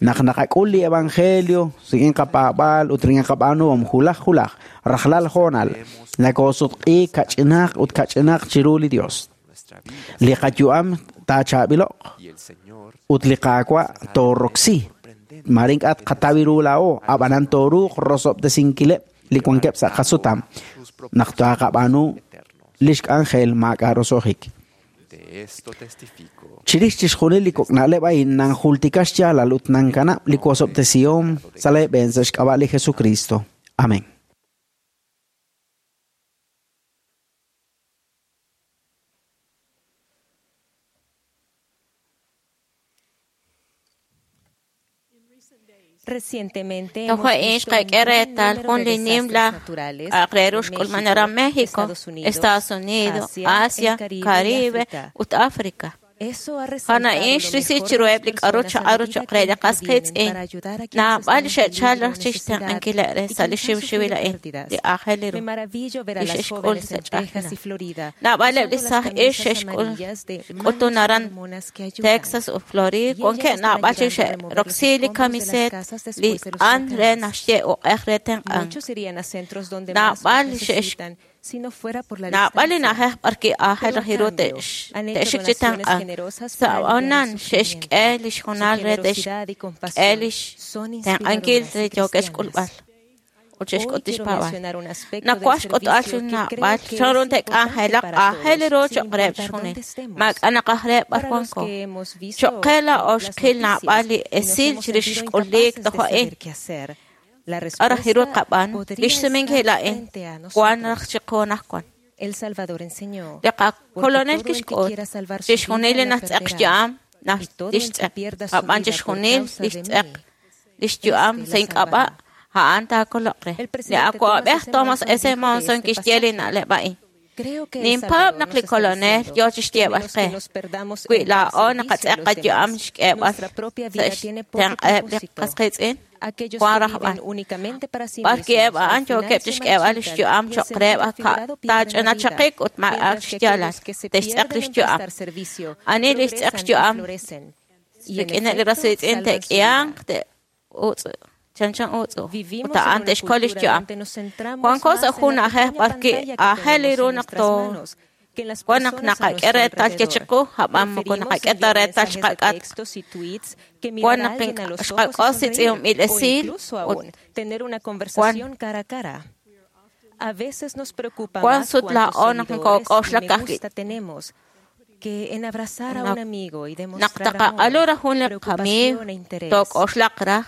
H: Naq naqak'ul li evangelio rik'in qapaab'aal ut rik'in qab'aanuhom julaj julaj rajlal hoonal nakoosutq'iik kach'inaq ut kach'inaq chiru li Dios. Li qayu'am taachaab'iloq ut li Qaawa' tooroksi. Mare ink'a' tqataw ru laa'o, ab'anan tooruuq rosob'tesinkileb' li wankeb' sa' qasutam naq taaqab'aanu lix k'anjel maak'a' roso'jik. Chirix chixjunil li kok' na'leb' a'in nanjultika xyaalal ut nankanab' li wosob'tesihom sa' leeb'een sa' xk'ab'a' li Jesucristo. Amén.
I: Recientemente
J: Tojo
I: hemos
J: ix
I: visto un
J: qak'e
I: gran
J: reetal
I: número
J: jun
I: de
J: li
I: desastres
J: nimla
I: naturales
J: aqreru
I: en
J: xk'ulman aran
I: México,
J: México,
I: Estados Unidos,
J: Estados Unidos,
I: Asia, el
J: Asia,
I: Caribe y
J: Caribe
I: África.
J: ut África.
I: Eso ha
J: Jana
I: resaltado
J: ix
I: lo
J: risi
I: mejor de
J: chiruheb
I: las
J: li k'aru
I: personas a
J: chaq'aru
I: medida
J: choq'
I: que
J: re li qas
I: intervienen
J: qiitz'in.
I: para ayudar a quienes
J: Naab'al
I: están en
J: xe'chal
I: peligro o
J: raj chixtenq'ankileb'
I: necesidad
J: re
I: y
J: sa' li
I: quienes han
J: xiwxiwil
I: sufrido
J: a'in
I: pérdidas.
J: li aajel ru
I: Me maravillo ver a
J: li
I: las
J: xe'xk'ul
I: jóvenes
J: sa'
I: en Texas
J: ch'a'ajkilal.
I: y Florida
J: Naab'aleb' li
I: usando las
J: saj ix
I: camisas
J: xe'xk'ul
I: amarillas de
J: xk'utun
I: manos
J: aran
I: mormonas que ayudan.
J: Texas ut Florida
I: Y ellas
J: wankeb'
I: están
J: naab'al chik
I: ayudando a remover los
J: xe'roksi li
I: escombros de las
J: kamiseet
I: casas
J: li
I: después de los
J: q'an re
I: huracanes.
J: naxye uq'ej re tenq'ank.
I: Muchos irían a centros donde más los
J: Naab'al
I: necesitan si no fuera por la
J: Naab'al li
I: distancia.
J: na'ajej b'arwi' aajel
I: Pero a
J: raj ru
I: cambio, han hecho
J: te'xik chi
I: donaciones
J: tenq'ank.
I: generosas
J: Sa'
I: para aliviar el
J: anan
I: sufrimiento.
J: xe'xk'e li
I: Su
J: xjunal re
I: generosidad y
J: te'xk'e
I: compasión
J: li
I: son
J: tenq'ankil
I: inspiradoras
J: re
I: y
J: yookeb'
I: cristianas.
J: xk'ulb'al ut
I: Hoy
J: xe'xk'ut
I: quiero
J: xpaab'al.
I: mencionar un aspecto del
J: Nakuaj xk'utb'al
I: servicio
J: jun
I: que creo
J: naab'al
I: que
J: chan ru
I: es importante
J: te'k'anjelaq
I: para
J: aajel
I: todos,
J: ru
I: sin
J: choq' reheb'
I: importar
J: xjunil.
I: dónde estemos.
J: Maak'a' naqaj re b'ar
I: Para los
J: wanko.
I: que hemos visto
J: Choq' qe laa'o
I: las
J: xqil naab'al
I: noticias
J: li
I: y nos
J: esil
I: hemos
J: chirix
I: sentido
J: xk'ulik
I: incapaces de
J: toj a'in.
I: saber qué hacer, la
J: K'a raj ru
I: respuesta
J: tqab'aanu. Li
I: podría
J: xsumenkil
I: estar
J: a'in
I: frente a
J: wan
I: nosotros.
J: raj chiqu anaqwan.
I: El Salvador enseñó,
J: Li
I: porque
J: qakolonel
I: todo el que
J: kixk'ut
I: quiera salvar su
J: chixjunil
I: vida
J: li
I: la
J: naxtz'eq
I: perderá,
J: xyu'am naj
I: y todo el que
J: tixtz'eq
I: pierda su
J: ab'an
I: vida por
J: chixjunil
I: causa
J: li
I: de
J: xtz'eq
I: mí,
J: li xyu'am
I: este
J: sa'
I: la
J: ink'ab'a'
I: salvará.
J: a'an taakoloq re.
I: El
J: Li
I: presidente
J: awa'b'ej
I: Thomas
J: Thomas
I: S.
J: S.
I: Monson
J: Monson
I: dijo de este
J: kixye li
I: pasaje.
J: na'leb' a'in.
I: Creo que el
J: Ninpaab'
I: Salvador
J: naq
I: nos
J: li
I: está
J: kolonel
I: diciendo
J: yoo
I: que a
J: chixyeeb'al
I: menos
J: qe.
I: que nos perdamos
J: Wi
I: en el
J: laa'o
I: servicio a
J: naqatz'eq
I: los
J: qayu'am
I: demás,
J: xk'eeb'al
I: nuestra propia
J: sa'
I: vida tiene poco
J: xtenq'eb' li
I: propósito.
J: qas qiitz'in
I: Aquellos
J: wan
I: que
J: rajb'al.
I: viven únicamente para sí
J: B'arwi' eb'
I: mismos, al
J: a'an
I: final
J: yookeb'
I: se
J: chixk'eeb'al li
I: marchitan
J: xyu'am
I: y en
J: choq'
I: sentido
J: reheb'
I: figurado pierden la vida,
J: taach'anachaqik ut maak'a'
I: mientras que
J: xyaalal
I: aquellos que se
J: te'xtz'eq
I: pierden
J: li
I: en
J: xyu'am.
I: prestar servicio
J: Ani li xtz'eq
I: progresan y
J: xyu'am
I: florecen, y en
J: rik'ineb' li
I: efecto
J: ras riitz'in
I: salvan su
J: te'k'ihanq
I: vida.
J: te'utz' chanchan utz' ut
I: Vivimos en
J: a'an
I: una
J: te'xkol li
I: cultura
J: xyu'am.
I: donde nos centramos
J: Wanko
I: más
J: sa'
I: en
J: jun
I: la
J: na'ajej
I: pequeña
J: b'arwi'
I: pantalla que
J: aajel
I: tenemos
J: ru
I: en
J: naq
I: nuestras
J: too
I: manos que en las
J: wan naq
I: personas a
J: naqak'e
I: nuestro
J: reetal
I: alrededor.
J: chiqu ab'an moko
I: Preferimos
J: naqak'e ta
I: enviar
J: reetal
I: mensajes de
J: xqak'at
I: textos y tweets que
J: wan
I: mirar a
J: naq
I: alguien a los ojos y
J: xqak'os li
I: sonreír,
J: tz'iunb'il
I: o
J: esil
I: incluso
J: ut
I: aún tener una
J: wan
I: conversación cara a cara. A veces nos preocupa
J: wan
I: más
J: sut
I: cuántos
J: laa'o naq
I: seguidores y
J: nokok'oxlak
I: me
J: ka'ajwi'
I: gusta tenemos que en abrazar a
J: naq
I: un amigo y
J: naq
I: demostrar
J: taqaq'alu
I: amor,
J: raj jun li qamiiw
I: preocupación e interés.
J: took'oxlaq raj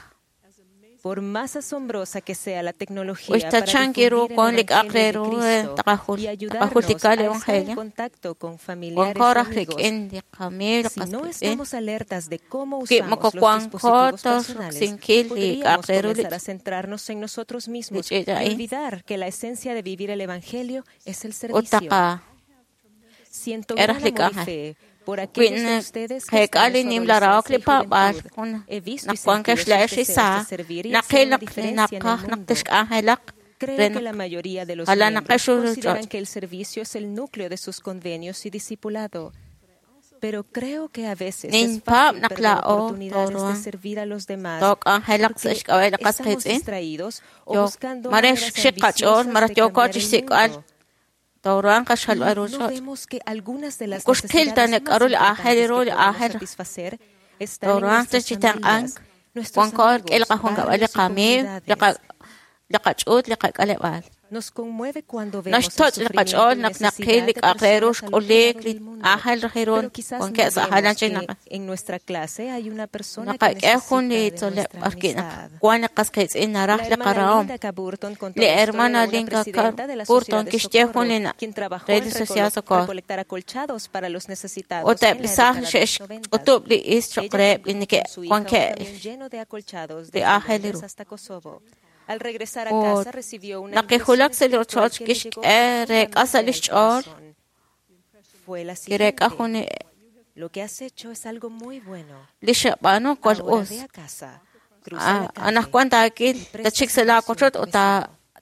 I: Por más asombrosa que sea la tecnología
J: Uy,
I: para
J: tachanki ru
I: difundir el
J: wan li k'aq re
I: Evangelio de
J: ru
I: Cristo
J: taqajul
I: y ayudarnos
J: taqajultika
I: a
J: li
I: estar en
J: evangelio
I: contacto con
J: wan
I: familiares
J: ko
I: y
J: raj
I: amigos,
J: rik'in li qamiiw li
I: si
J: qas
I: no
J: qiitz'in
I: estamos alertas de cómo
J: wi moko
I: usamos los
J: wanko
I: dispositivos
J: toj
I: personales,
J: roksinkil li
I: podríamos
J: k'aq re ru li
I: comenzar a centrarnos en nosotros
J: li
I: mismos
J: ch'iich'
I: y
J: a'in
I: olvidar que la esencia de vivir el Evangelio es el
J: ut
I: servicio.
J: taqa
I: Siento
J: k'e
I: gran
J: raj li
I: amor y
J: k'anjel.
I: fe por
J: Wi
I: aquellos de ustedes que
J: qeek'a
I: están
J: li
I: en su
J: nimla rahok
I: adolescencia
J: li
I: y
J: paab'al
I: juventud.
J: jun
I: He visto y
J: naq wankeb'
I: sentido sus
J: xla'ex
I: deseos de
J: isaa
I: servir y
J: naqil
I: hacer una
J: naq li
I: diferencia en el
J: naqaj naq
I: mundo.
J: texk'anjelaq re
I: Creo que
J: naq
I: la mayoría de los
J: jalan
I: miembros
J: naqex ru
I: consideran
J: ch'och'.
I: que el servicio es el núcleo de sus convenios y discipulado. Pero creo que a veces es
J: Ninpaab'
I: fácil
J: naq
I: perder
J: laa'o
I: oportunidades de
J: tooruhan
I: servir a los demás
J: took'anjelaq sa'
I: porque
J: xk'ab'a' li qas
I: estamos
J: qiitz'in
I: distraídos o
J: yo
I: buscando
J: mare
I: maneras
J: xik qach'ool
I: ambiciosas
J: maraj
I: de
J: yooko
I: cambiar el
J: chixsik'b'al
I: mundo.
J: tooruhan
I: Y
J: qaxjalb'al ru
I: no
J: ch'och'.
I: vemos que algunas de las
J: Moko xqil ta
I: necesidades
J: naq
I: más
J: k'aru li aajel
I: importantes
J: ru
I: que
J: li
I: podemos
J: aajel
I: satisfacer están en
J: tooruhan
I: nuestras
J: chi tenq'ank
I: familias, nuestros
J: wanko rik'in li
I: amigos,
J: qajunkab'al li
I: barrios y
J: qamiiw li
I: comunidades.
J: li qach'uut li qak'aleb'aal.
I: Nos conmueve cuando vemos el
J: Naxtoch' li
I: sufrimiento
J: qach'ool
I: y
J: naq naqil
I: necesidad
J: li
I: de
J: k'aq re ru
I: personas al otro
J: xk'ulik
I: lado
J: li
I: del mundo.
J: aajel raj ru
I: Pero quizás no
J: wankeb' sa' jalan
I: vemos
J: chik
I: que
J: naq
I: en nuestra clase hay una persona que
J: naqak'e jun li
I: necesita de
J: tzoleb'
I: nuestra
J: b'arwi' naq
I: amistad.
J: wan li qas qiitz'in naraj
I: La
J: li
I: hermana
J: qarahom.
I: Linda K. Burton contó
J: Li
I: la historia
J: hermana
I: de una
J: Linda K.
I: presidenta de la
J: Burton
I: Sociedad de
J: kixye jun
I: Socorro,
J: li na-
I: quien trabajó
J: re
I: en
J: li Sociedad Socorro.
I: recolectar acolchados para los necesitados
J: Ut eb'
I: en
J: li
I: la
J: saaj
I: década de los 90.
J: xe'xk'utub' li is choq'
I: Ella
J: reheb' li
I: condujo
J: neke'
I: con su hija un
J: wankeb'
I: camión lleno de acolchados
J: li
I: desde
J: aajel
I: Londres
J: ru.
I: hasta Kosovo. Al regresar a
J: Ut
I: casa recibió una
J: naq
I: impresión
J: kijulak sa' li
I: espiritual
J: rochoch
I: que le llegó
J: kixk'e reek'a sa'
I: profundamente
J: li
I: al
J: xch'ool
I: corazón. Fue la
J: kireek'a
I: siguiente.
J: jun li
I: Lo que has hecho es algo muy bueno.
J: li xab'aanu cual
I: Ahora
J: us.
I: ve a casa, cruza la calle
J: Anaqwan taakil
I: y presta
J: tachik sa' laa
I: servicio
J: kochoch
I: a tu
J: ut ta
I: vecino.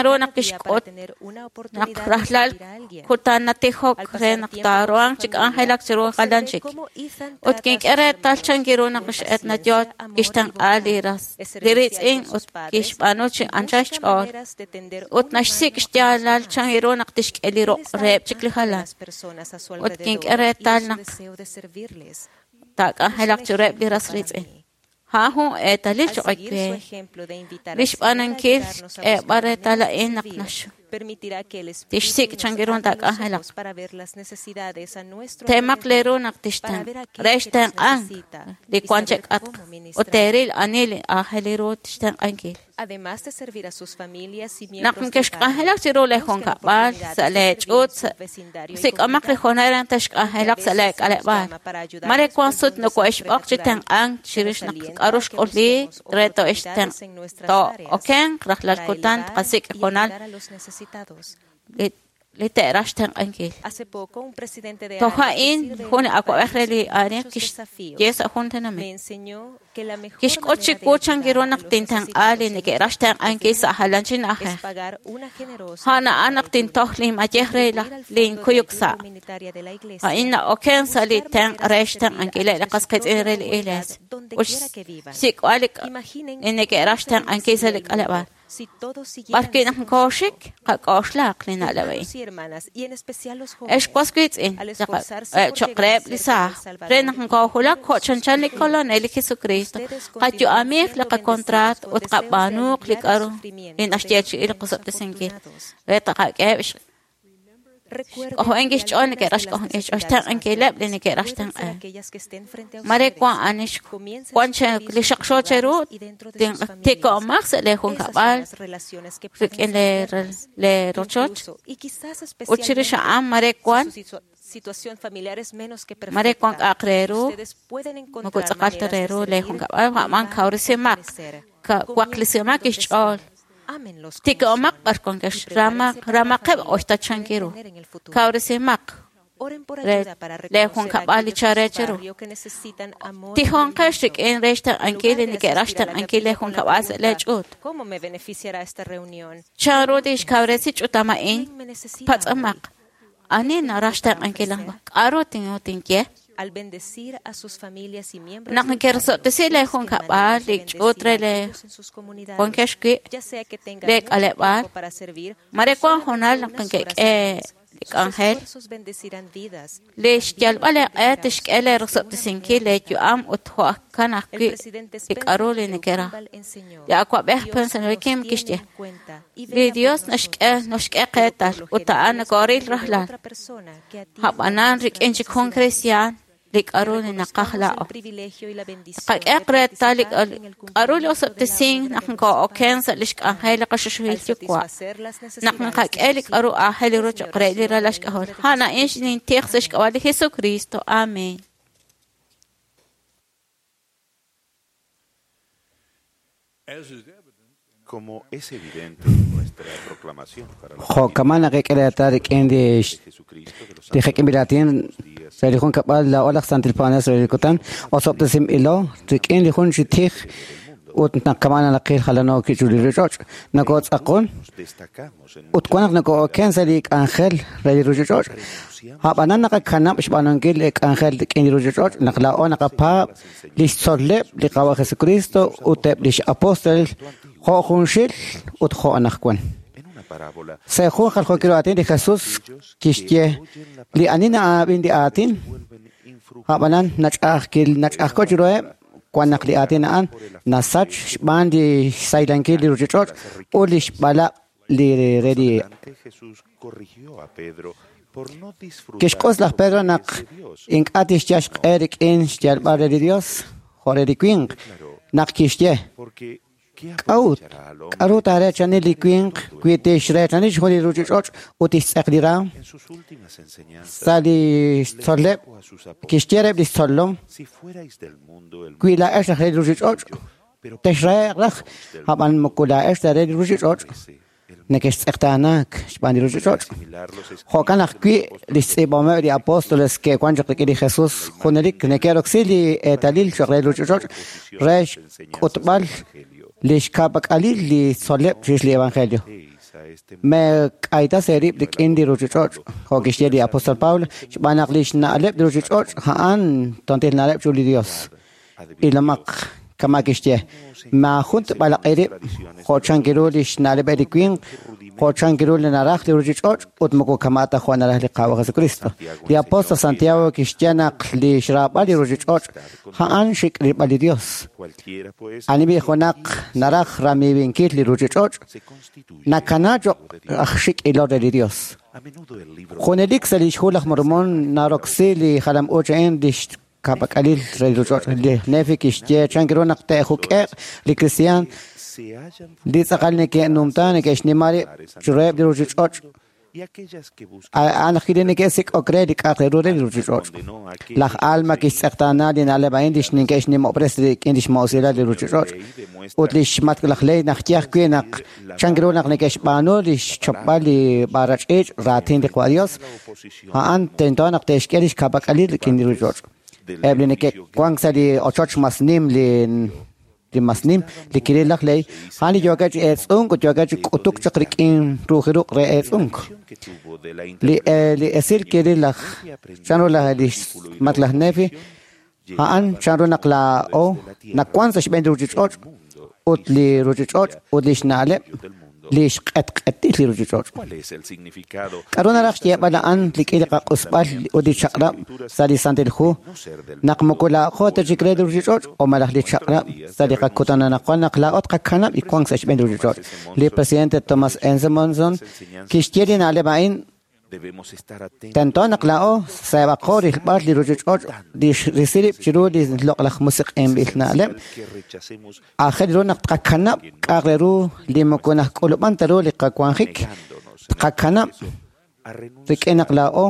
J: Chanru naq kixk'ut naq rajlal kutan natijok re naq taaruhanq chi k'anjelak chiru jalan chik. Ut kink'e reetal chan ru naq x'Edna yoo kixtenq'a li ras li riitz'in ut kixb'aanu chi anchal xch'ool. Ut naxsik' xyaalal chan ru naq tixk'e li ruq' reheb' chik li jalan. Ut kink'e reetal naq taak'anjelaq chiruheb' li ras riitz'in. A'an jun eetalil
I: Al
J: choq'
I: seguir su
J: we.
I: ejemplo de invitar
J: Li
I: al Señor a
J: xb'aanunkil
I: ayudarnos a
J: xk'eeb'al
I: buscar una
J: reetal
I: manera de
J: a'in naq
I: servir,
J: nax
I: permitirá que el Espíritu
J: tixsik'
I: nos
J: chan ru
I: abra los
J: taak'anjelaq.
I: ojos para ver las necesidades a nuestro
J: Teemaq
I: alrededor,
J: leeru naq
I: para
J: tixten
I: ver
J: re
I: aquel que nos
J: xtenq'ank
I: necesita
J: li
I: y
J: wan
I: saber
J: chek'atq
I: cómo
J: ut
I: ministrar.
J: teeril ani li aajel ru tixtenq'ankil.
I: Además de servir a sus familias y
J: Naq
I: miembros del barrio,
J: nkexk'anjelaq chiru lee
I: busquen
J: junkab'al
I: oportunidades
J: sa'
I: de
J: lee
I: servir en
J: ch'uut
I: su
J: sa'
I: vecindario y
J: sik'omaq li
I: comunidad.
J: hoonal re
I: Aunque a
J: texk'anjelaq sa'
I: veces
J: lee
I: se nos
J: k'aleb'aal.
I: llama para ayudar
J: Mare
I: después
J: wan
I: de
J: sut
I: un desastre
J: nokohixb'oq chi
I: natural,
J: tenq'ank
I: se
J: chirix
I: nos
J: naq
I: alienta
J: k'aru
I: a que
J: xk'ulliik
I: busquemos
J: re
I: oportunidades en nuestras áreas
J: to'okenq rajlal
I: para
J: kutan
I: elevar
J: tqasik'
I: y
J: hoonal
I: ayudar a los necesitados.
J: li te'raj xtenq'ankil.
I: Hace poco, un presidente de
J: Toj
I: área que
J: a'in
I: sirve en
J: jun
I: un
J: awab'ej re
I: país
J: li
I: con
J: área
I: muchos
J: kixye
I: desafíos
J: sa' jun
I: me
J: tenamit.
I: enseñó que la mejor
J: Kixk'ut
I: manera de
J: chiwu chan ru
I: ayudar a
J: naq
I: los
J: tintenq'a li
I: necesitados en
J: neke'raj
I: nuestros
J: xtenq'ankil sa'
I: vecinos
J: jalan chi
I: es
J: na'ajej.
I: pagar una generosa
J: A'an
I: ofrenda
J: a'an
I: de
J: naq
I: ayuno,
J: tintoj linmayej re laj
I: contribuir al fondo de
J: linkuyuk
I: ayuda
J: sa'.
I: humanitaria de la iglesia
J: A'in
I: y
J: na'oken sa' li
I: buscar
J: tenq'
I: maneras
J: re
I: de servir a
J: xtenq'ankileb'
I: los
J: li
I: de
J: qas
I: su
J: qiitz'in
I: propia
J: re li
I: comunidad
J: iglesia.
I: donde
J: Ut
I: quiera que vivan.
J: xsik'b'al li
I: Imaginen
J: li neke'raj
I: cómo se
J: xtenq'ankil sa'
I: bendeciría
J: li
I: el mundo
J: k'aleb'aal.
I: si todos siguieran
J: B'arwi'
I: este
J: naq
I: consejo.
J: nkooxik qak'oxlaq li na'leb' a'in.
I: Hermanos y hermanas, y en especial los
J: Ex
I: jóvenes,
J: was qiitz'in
I: al esforzarse por
J: choq
I: llegar a
J: reheb' li
I: ser como
J: saaj
I: el
J: re
I: Salvador
J: naq
I: y
J: nkoojulak
I: cumplir
J: jo'
I: sus
J: chanchan li
I: sueños,
J: Kolonel li Jesucristo
I: ustedes continúan
J: qayu'amij li
I: siendo bendecidos
J: qacontraat
I: con
J: ut
I: deseos de
J: qab'aanuuq li
I: aliviar el
J: k'aru li
I: sufrimiento de los
J: naxyeechi'i li
I: menos
J: qosob'tesinkil
I: afortunados.
J: re taqak'eheb'
I: Recuerden
J: xk'ojo'en
I: que
J: kixch'ool
I: algunas de
J: neke'raj
I: las
J: xk'ojo'en
I: necesidades más
J: xtenq'ankileb' li
I: grandes
J: neke'raj
I: pueden ser
J: xtenq'an.
I: aquellas que estén frente a
J: Mare
I: ustedes.
J: wan anix
I: Comiencen
J: wan
I: sus
J: che li
I: servicios en sus
J: xaqxo cheru
I: hogares y dentro de sus familias.
J: tiko'omaj sa' lee
I: Esas son
J: junkab'al
I: las relaciones que pueden
J: rik'in
I: ser
J: lee
I: eternas.
J: lee rochoch
I: Incluso, y quizás
J: ut chirix
I: especialmente,
J: a'an mare
I: si
J: wan
I: su situación familiar es menos que
J: mare wan
I: perfecta,
J: k'aq re ru
I: ustedes pueden
J: moko
I: encontrar
J: tz'aqal ta
I: maneras
J: re
I: de
J: ru lee
I: servir,
J: junkab'al ja'man
I: elevar y
J: kawrisimaq
I: fortalecer.
J: waqlisimaq
I: Comiencen donde
J: kixch'ool
I: estén. Ámenlos como
J: tiko'omaq
I: son
J: b'ar wankex
I: y prepárense para la
J: ramaqeb'
I: familia que
J: oxtachan
I: pueden
J: kiru
I: tener en el futuro.
J: kawrisimaq
I: Oren por
J: re
I: ayuda para
J: lee
I: reconocer a
J: junkab'al li
I: aquellos en
J: cha re
I: su
J: cheru
I: barrio que necesitan amor y
J: tijonqex
I: aliento.
J: rik'in re
I: En
J: xtenq'ankil
I: lugar
J: li
I: de
J: neke'raj
I: asistir a la
J: xtenq'ankil lee
I: capilla con la
J: junkab'al sa' lee
I: pregunta,
J: ch'uut.
I: ¿cómo me beneficiará esta reunión?
J: Chan ru tixkawresi ch'utam a'in
I: ¿Quién me necesita hoy?
J: patz'amaq ani
I: ¿Qué
J: naraj
I: tengo para
J: xtenq'ankil
I: ofrecer?
J: k'aru tinye
I: Al bendecir a sus familias y miembros
J: naq
I: del barrio,
J: nkerosob'tesi lee
I: busquen
J: junkab'al
I: maneras de
J: li ch'uut
I: bendecir
J: re
I: a
J: lee
I: aquellos en sus comunidades,
J: wankex wi'
I: ya sea que tengan
J: lee
I: mucho
J: k'aleb'aal
I: tiempo para servir
J: mare
I: o
J: wan
I: solamente
J: hoonal naq
I: unas horas
J: nkek'e
I: al mes.
J: li
I: Sus
J: k'anjel
I: esfuerzos bendecirán vidas y
J: li
I: también
J: xyalb'al
I: los
J: leeq'e
I: bendecirá a
J: tixk'e lee
I: ustedes de una
J: rosob'tesinkil
I: manera
J: lee
I: notable.
J: yu'am ut jo'kan
I: El
J: ajwi'
I: presidente
J: li k'aru
I: Spencer
J: li
I: W.
J: neke'raj.
I: Kimball enseñó,
J: Li awab'ej
I: Dios
J: Spencer
I: nos
J: Kim
I: tiene
J: kixye
I: en cuenta y
J: li
I: vela por
J: Dios naxk'e
I: nosotros,
J: noxk'e
I: pero por
J: qeetal
I: lo
J: ut
I: general
J: a'an
I: es por
J: nokooril
I: medio de
J: rajlal
I: otra persona que atiende a
J: a'b'anan
I: nuestras
J: rik'in chik jun
I: necesidades.
J: cristian li
I: Que
J: k'aru li naqaj
I: reconozcamos el
J: laa'o.
I: privilegio y la bendición
J: Taqak'e
I: de
J: reetal li
I: participar en el
J: k'aru li
I: cumplimiento de la
J: osob'tesink
I: obra
J: naq
I: de nuestro
J: nkoo'oken
I: Padre
J: sa' li xk'anjel
I: Celestial.
J: li qaxuxuhil
I: Al
J: yuwa'
I: satisfacer las
J: naq
I: necesidades de
J: nqak'e li
I: sus
J: k'aru
I: hijos,
J: aajel ru
I: es mi
J: choq' re li
I: oración en
J: ralal
I: el
J: xk'ajol.
I: nombre de
J: A'an a'in
I: Jesucristo.
J: xnintij sa'
I: Amén.
J: xk'ab'a' li Jesucristo. Amén.
A: Como es evidente en nuestra proclamación para la
H: Jo'kaman naqek'e rik'in li
A: de Jesucristo de los
H: li
A: santos
H: jek'inb'ilatin re li jun kab'al la'ol aj santil paanel re li kutan osob'tesinb'ilo rik'in li jun chi tij ut naq kaman naqil jalano kichu li ruchich'och' nakotz'aqon
A: nos destacamos en
H: ut wan naq nakooken sa' li k'anjel re li ruchich'och' a'b'anan naqakanab' xb'aanunkil li k'anjel rik'in li ruchich'och' naq la'o naqapaab' li xtzol'leb' li Qawa' Jesucristo ut eb' lix apóstol jo' junxil ut jo' anaqwan.
A: en una parábola
H: Sa jun jaljo'kil aatin li Jesús kixye li ani na'ab'in li aatin
A: vuelven infructuosos
H: a'b'anan nach'ajkil nach'ajko chiruheb' wan naq li aatin a'an nasach xb'aan li xsaylankil li ruchich'och' ut li xb'alaq' li re li
A: Ante Jesús corrigió a Pedro por no disfrutar
H: Kixk'os laj
A: los
H: Pedro
A: bienes
H: naq
A: de Dios.
H: ink'a' tixyal xq'e rik'in xyalb'al re li Dios jo' re li winq naq kixye
A: Porque ¿qué
H: k'a'ut
A: aprovechará al hombre
H: k'aru taarechani li winq wi tixrechani xjun li ruchich'och' ut tixtz'eq li raam
A: en sus últimas enseñanzas?
H: sa' li
A: Le
H: xtzol'leb'
A: dijo a sus apóstoles,
H: kixye reheb' li xtzolom
A: si fuerais del mundo, el
H: wi
A: mundo
H: laa'ex raj re li ruchich'och'
A: suyo, pero
H: texrahe'q raj a'b'an moko la'ex ta re li ruchich'och'
A: parece el mundo.
H: neke'xtz'eqtaanaak xb'aan li ruchich'och'
A: Asimilar los
H: Jo'kan
A: escritos de
H: ajwi'
A: los
H: li
A: apóstoles
H: xtz'iib'ahomeb' li apóstoles ke'wan chaq rik'in li Jesús junelik neke'roksi li eetalil choq' re li ruchich'och' re xk'utb'al li xka'pak'alil li tzol'leb' chirix li evangelio.
A: a este
H: Me k'ayta seerib' rik'in li ruchich'och' jo' kixye li apóstol Pablo xb'aan naq li xna'leb' li ruchich'och' a'an tontil na'leb' chu li Dios. Ilomaq Kama kixye maajun tb'alaq'i rib' jo' chankiru li xna'leb' li winq, jo' chankiru li naraj li ruuchich'och' ut moko kama ta jo' naraj li Qaawa' Jesucristo. Li apóstol Santiago kixye naq li xraab'al li ruuchich'och' a'an xik' rilb'al li Dios. Ani b'i junaq naraj ramiiwinkil li ruuchich'och' nakana cho'q aj xik' ilol re li Dios. Junelik sa' li xhu laj Mormón naroksi li jalam-uuch a'in li xka'pak'alil re li ruuchich'och'. Li Nefi kixye chankiru naq te'juk'e'q li kristiaan li tz'aqal neke'numta neke'xnima rib' chiruheb' li ruuchich'och', a'an ajwi' li neke'sik'ok re li k'a'aq re ru re li ruuchich'och'. Laj Alma kixtz'eqtaana li na'leb' a'in li neke'xnimob'res rik'in li xmoosilal li ruuchich'och', ut li xmatk' laj Lehi naxye ajwi' naq chankiru naq neke'xb'aanu li xchopb'al li b'arach'iich' raatin li Qaawa' Dios, a'an tento naq te'xk'e li xka'pak'alil rik'in li ruuchich'och'. Eb' li neke'wank sa' li ochoch mas nim li mas nim li kiril laj Lehi, a'an li yookeb' chi eetz'unk ut yookeb' chi k'utuk chaq rik'in ruujiruq' re eetz'unk. Li esil kiril laj chanru li xmatk' laj Nefi, a'an chanru naq laa'o nawank sa' xb'een li ruuchich'och' ut li ruuchich'och' ut li xna'leb' li xq'etq'etil li ruuchich'och'. K'aru naraj xyeeb'al a'an rik'in li qaq'usb'al ut li chaq'rab' sa' li Santil Hu naq moko laa'o ta chik re li ruuchich'och' o malaj li chaq'rab' sa' li qakutan anaqwan naq laa'o tqakanab' li wank sa' xb'een li ruuchich'och'. Li presidente Thomas S. Monson kixye li na'leb' a'in: tento naq laa'o seeb'aqo rilb'al li ruuchich'och' li xrisi rib' chiru li loq'laj musiq'inb'il na'leb'. Aajel ru naq tqakanab' k'a'aq re ru li moko najk'ulub'an ta ru li qawanjik, tqakanab' rik'in naq laa'o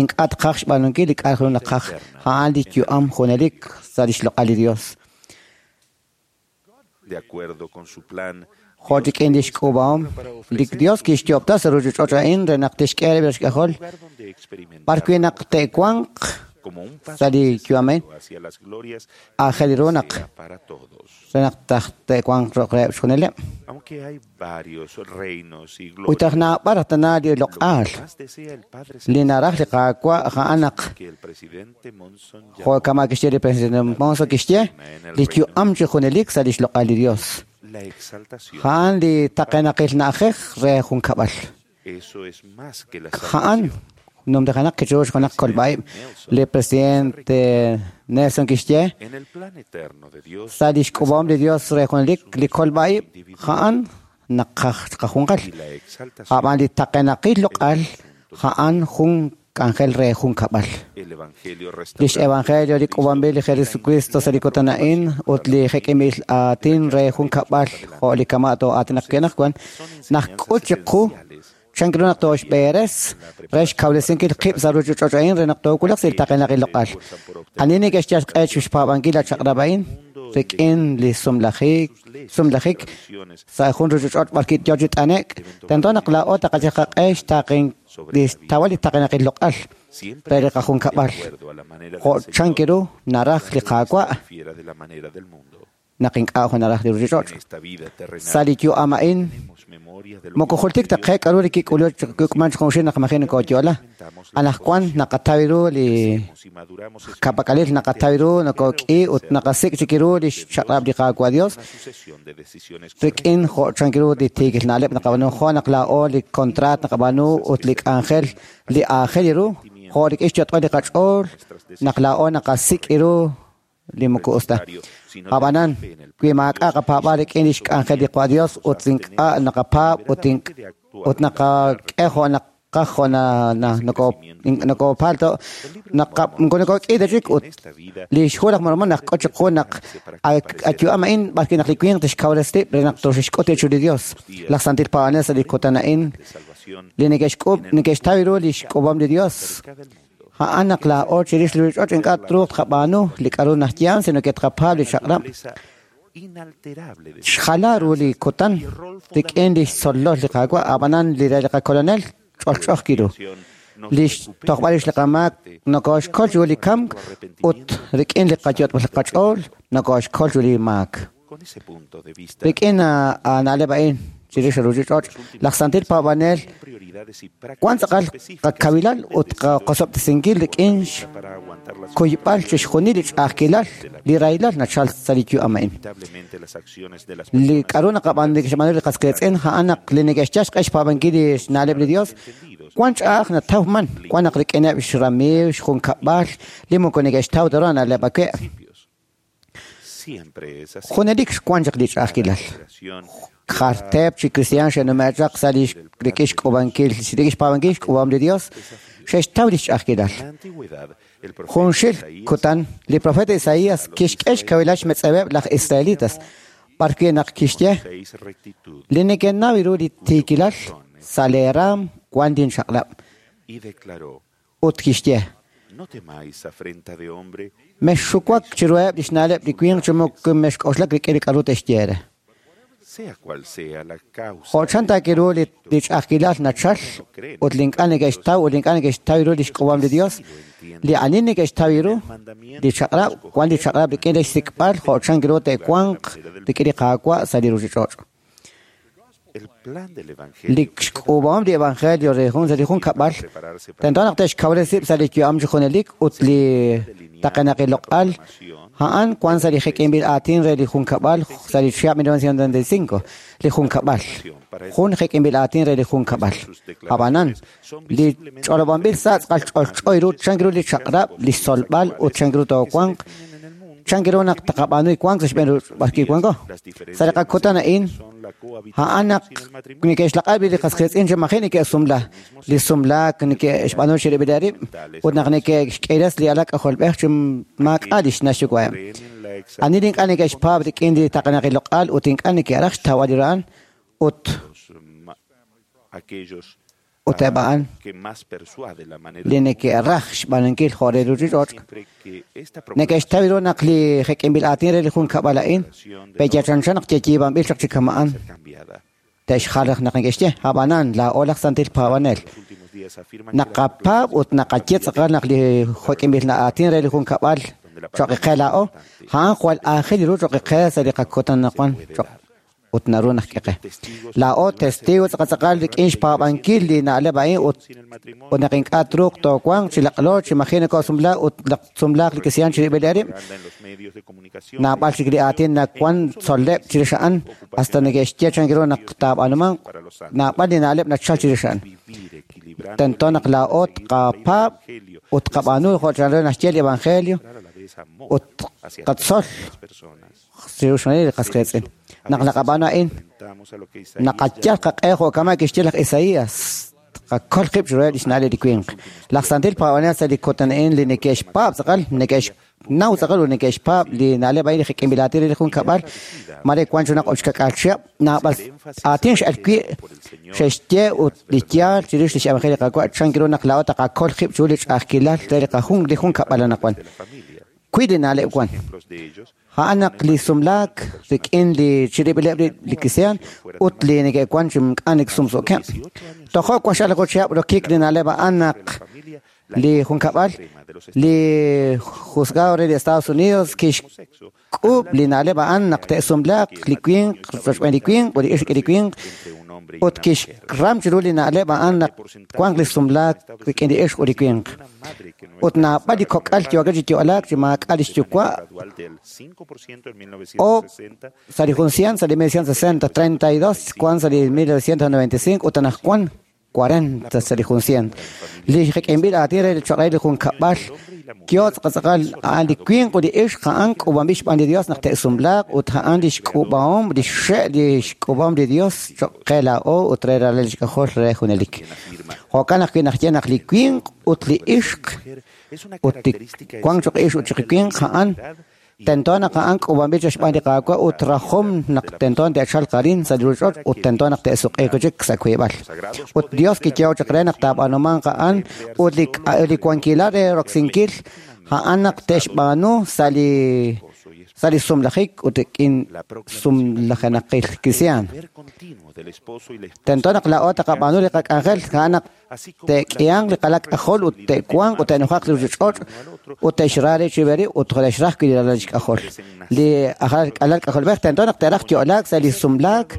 H: ink'a' tqaj xb'aanunkil li k'a'aq ru naqaj, a'an li yu'am junelik sa' li xloq'al li Dios. Jo' rik'in li xk'uub'ahom li Dios kixyoob'ta sa' ruuchich'och' a'in re naq tixk'e rib' xk'ajol b'arwi' naq te'wanq sa' li yu'am a'in. Aajel ru naq re naq te'wanq reheb' xjunileb'. Ut aj naab'al tana li loq'al li naraj li Qaawa' a'an naq jo' kama kixye li presidente Monson kixye li yu'am chi junelik sa' li xloq'al li Dios. A'an li taqenaqil na'ajej re jun kab'al. A'an numtajenaq kichiru junaq kolb'a'ib'. Li presidente Nelson kixye sa' li xk'ub'ahom li Dios re junelik li kolb'a'ib' a'an naq qajunqal. Ab'an li taqenaqil loq'al a'an jun k'anjel re jun kab'al. Lix evangelio li k'uub'anb'il li Jesucristo sa' li kutan a'in ut li jek'inb'il aatin re jun kab'al jo' li kama' too'aatinaq wi' anaqwan najk'ut chiqu chankiru naq tooxb'eeres re xkawresinkil qib' sa' ruuchich'och' a'in re naq toowulaq sa' li taqenaqil loq'al. Ani neke'xyal xq'e chixpaab'ankil la chaq'rab' a'in rik'in li sumlajik sa' jun ruuchich'och' b'arwi' yo chi t'ane'k, tento naq laa'o taqayal qaq'e xtaaqen li xtawal li taqenaqil loq'al re li qajunkab'al jo' chankiru naraj li Qaawa' naq ink'a' jo' naraj li ruuchich'och'. Sa' li yu'am a'in moko jultik ta qe k'aru li kik'ulman junxil naq maji' nokooyo'la. Anaqwan naqataw ru li ka'pak'alil, naqataw ru nokok'i ut naqasik' chik ru li xchaq'rab' li Qaawa' Dios rik'in jo' chankiru li tiikil na'leb' naqab'aanu, jo' naq laa'o li kontraat naqab'aanu ut li k'anjel li aajel ru, jo' rik'in xyot'b'al li qach'ool naq laa'o naqasik' ru li moko us ta. Ab'anan wi maak'a' qapaab'al rik'in li xk'anjel li Qaawa' Dios ut ink'a' naqapaab' ut naqak'e jo' naqaj jo' nokopalto nokok'i ta chik ut li xhu laj Mormón najk'ut chiqu naq ayu'am a'in b'arwi' naq li winq tixkawresi rib' re naq toxixk'ut chiru li Dios. Laj Santil Paab'anel sa' li kutan a'in li neke'xk'ub' neke'xtaw ru li xk'uub'om li Dios a'an naq laa'o chirix li ruuchich'och' ink'a' truuq tqab'aanu li k'aru naxye sino ke tqapaab' li chaq'rab'. Xjala ru li kutan rik'in li xtzolol li Qaawa', ab'anan li re li qakolonel ch'olch'oj kiru. Li xtojb'al rix li qamaak nokooxkol chiru li kamk ut rik'in li qayot'b'al qach'ool nokooxkol chiru li maak. Rik'in na'leb' a'in chirix ruchich'och' laj santil paab'anel wan tz'aqal qakawilal ut qasob'tesinkil rik'in xkuyb'al chixjunil li ch'a'ajkilal li rahilal nachal sa' li yu'am a'in. Li k'aru naqab'aanu neke'xb'aanu li qas qiitz'in a'an naq li neke'xyal xq'e xpaab'ankil li xna'leb' li Dios wan ch'a'aj natawman wan naq rik'ineb' xramiiw xjunkab'al li moko neke'xtaw ta ru na'leb' awe'. Junelik xwan chaq li ch'a'ajkilal. Jarteb chi cristian xe'nume'chaq sa' li rik'in xk'ub'ankil rik'in xpaab'ankil xk'ub'ahom li Dios xe'xtaw li xch'a'ajkilal. Junxil kutan li profeta Isaías kixk'e xkawilal xmetz'eweb' laj israelitas b'arwi' naq kixye li neke'naw ru li tiikilal sa' lee raam wan linchaq'lab'. Ut kixye mexxuwak chiruheb' li xna'leb' li winq chi moko mexk'oxlak rik'in li k'aru te'xye re. Jo' chan taakiru li ch'a'ajkilal nachal ut li ink'a' neke'xtaw ut li ink'a' neke'xtaw ru li xk'ub'ahom li Dios, li ani neke'xtaw ru li chaq'rab' wan li chaq'rab' rik'in li xsik'b'al jo' chan ru te'wanq rik'in li Qaawa' sa' li ruchich'och'. Li xk'ub'ahom li evangelio re jun sa' li junkab'al tento naq te'xkawresi rib' sa' li yu'am chi junelik ut li taqenaqil loq'al a'an wan sa' li jek'inb'il aatin re li junkab'al sa' li chihab' 1995 li junkab'al jun jek'inb'il aatin re li junkab'al. Ab'anan li ch'olob'anb'il sa' tz'aqal ch'olch'o ru chan ru li chaq'rab' li xtzolb'al ut chan ru toowanq chan ru naq taqab'aanu wank sa' xb'een b'arwi' wanko. Sa' li qakutan a'in a'an naq neke'xlaq'ab' li qas qiitz'in chi maji' neke'sumla li sumlaak neke'xb'aanu chirib'il rib' ut naq neke'xk'iiras li alak k'ajolb'ej chi maak'a' li xna' xyuwa'eb'. Ani li ink'a' neke'xpaab' rik'in li taqenaqil loq'al ut ink'a' neke'raj xtawb'al li ra'an ut ut eb' a'an li neke'raj xb'aanunkil jo' re ruchich'och' neke'xtaw ru naq li jek'inb'il aatin re li junkab'al a'in pe'yachanchan naq yeyiib'anb'il chaq chi kama'an te'xjal raj naq neke'xye ab'anan laa'o laj santil paab'anel naqapaab' ut naqaye tz'aqal naq li jek'inb'il aatin re li junkab'al choq' qe laa'o a'an jwal aajel ru choq' qe sa' li qakutan naqwan choq' ut naru naq k'eqe. Laa'o testigo tz'aqal rik'in xpaab'ankil li na'leb' a'in ut naq ink'a' truuq toowanq chi laq'lo chi maji' nakosumla ut sumlaaq li kristiaan chirib'il rib' naab'al chik li aatin nawan tzol'leb' chirix a'an hasta neke'xye chan ru naq taab'anumanq naab'al li na'leb' nachal chirix a'an. Tento naq laa'o tqapaab' ut tqab'aanu jo' chan ru naxye li evangelio ut qatzol chirix li qas qiitz'in. Naq naqab'aanu a'in naqayal qaq'e jo' kama' kixye laj Isaías qakol qib' chiruheb' li xna'leb' li winq. Laj santil paab'anel sa' li kutan a'in li neke'xpaab' tz'aqal neke'xnaw tz'aqal ut neke'xpaab' li na'leb' a'in li jek'inb'il aatin re li junkab'al mare wan junaq oxkak'aal chihab' naab'al aatin x'el wi' xe'xye ut li yaal chirix li x'evangelio li Qaawa' chan ru naq laa'o taqakol qib' chiru li ch'a'ajkilal re li qajun li junkab'al anaqwan. Wi li na'leb' wan. A'an naq li sumlaak rik'in li chirib'ileb' li kristiaan ut li neke'wan chi ink'a' neke'sumsuukeb'. Tojo' waxal chihab' rokik li na'leb' a'an naq li junkab'al li juzgado re li Estados Unidos kixk'ub' li na'leb' a'an naq te'sumlaaq li winq rochb'een li winq ut li ixq li winq ut kixram chiru li na'leb' a'an naq wanq li sumlaak rik'in li ixq ut li winq. Ut naab'al li kok'al yookeb' chi yo'laak chi maak'a' li xyuwa' o sa' li jun cien sa' li 1960 32 wan sa' li 1995 ut anaqwan 40 sa' li jun cien. Li jek'inb'il aatin re li choq' re li junkab'al yo tz'aqal a'an li winq ut li ixq a'an k'ub'anb'il xb'aan li Dios naq te'sumlaaq ut a'an li xk'ub'ahom li xxe' li xk'ub'ahom li Dios choq' qe laa'o ut re ralal xk'ajol re junelik. Jo'kan ajwi' naq ye naq li winq ut li ixq ut li wank choq' ixq ut choq' winq a'an tento naq a'an k'ub'anb'il chaq xb'aan li Qaawa' ut rajom naq tento te'chalq arin sa' li ruchich'och' ut tento naq te'suq'iiq chik sa' wiib'al. Ut Dios kiyeho chaq re naq taab'aanumanq a'an ut li wankilal re roksinkil a'an naq te'xb'aanu sa' li
K: sa' li sumlajik ut rik'in sumlajenaqil kristiaan. Tento naq laa'o taqab'aanu li qak'anjel a'an naq te'k'ihanq li qalal k'ajol ut te'wanq ut te'nujaq li ruuchich'och' ut te'xra rib' chi rib' ut te'xraj wi' li ralal xk'ajol. Li alal k'ajolb'ej tento naq te'raj yo'laak sa' li sumlaak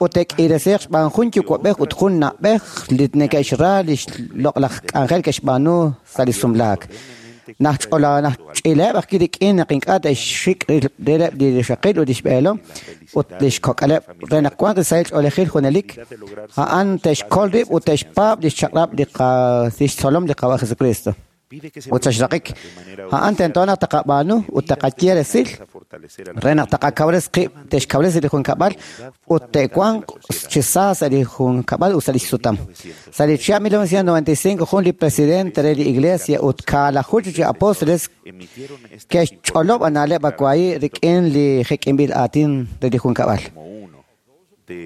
K: ut te'k'iiresiiq xb'aan jun yuwa'b'ej ut jun na'b'ej li neke'xra li xloq'laj k'anjel ke'xb'aanu sa' li sumlaak. Naq ch'ileb' ajwi' rik'in naq ink'a' te'xxik' rileb' li rixaqil ut li xb'eelom ut li xkok'aleb' re naq wanq li sahil ch'oolejil junelik, a'an te'xkol rib' ut te'xpaab' li xchaq'rab' li xtzolom li Qaawa' Jesucristo. Ut sa' xraqik, a'an tento naq taqab'aanu ut taqaye resil re naq taqakawres qib' te'xkawresi li junkab'al ut te'wanq chi sa sa' li junkab'al ut sa' li xsutam. Sa' li chihab' 1995 jun li presidente re li Iglesia ut kaalaju chi apóstoles ke'xch'olob' na'leb' akwahi rik'in li jek'inb'il aatin re li junkab'al.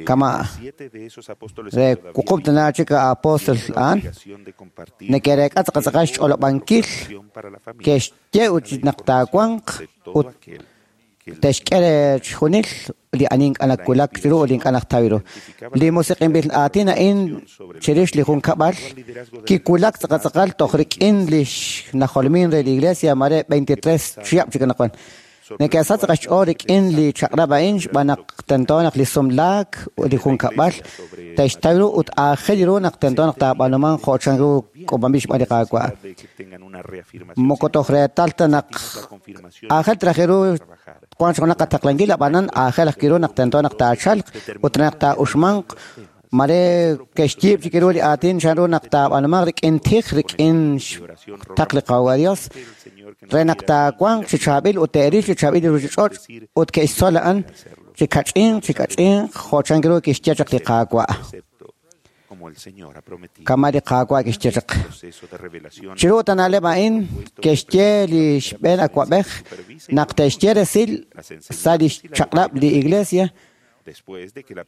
K: Kama re wuqub' tana chik apóstol a'an neke'reek'a tz'aqatz'aqal xch'olob'ankil ke'xye ut naq taawanq ut te'xk'e re chixjunil li ani ink'a' nawulak chiru ut li ink'a' najtaw ru. Li musiq'inb'il aatin a'in chirix li junkab'al kiwulak tz'aqatz'aqal toj rik'in li xnajolmin re li Iglesia mare 23 chihab' chik anaqwan. Neke'sach xch'ool rik'in li chaq'rab' a'in xb'aan naq tento naq li sumlaak ut li junkab'al te'xtaw ru ut aajel ru naq tento naq taab'aanumanq jo' chanru k'uub'anb'il xb'aan li Qaawa'. Moko toj reetal ta naq aajel traj ru wank junaq qataqlankil ab'anan aajel ajwi' ru naq tento naq taachalq ut naq taa'uxmanq mare ke'xyiib' chik ru li aatin chanru naq taab'aanumanq rik'in tij rik'in xtaql li Qaawa' Dios re naq taawanq chi chaab'il ut te'ril chi chaab'il li ruuchich'och' ut ke'xtzol a'an chi kach'inq chi kach'inq jo' chanru ru kixye chaq li Qaawa'. Kama li Qaawa' kixye chaq. Chiru ut na'leb' a'in ke'xye li xb'een awa'b'ej naq te'xye resil sa' li xchaq'rab' li Iglesia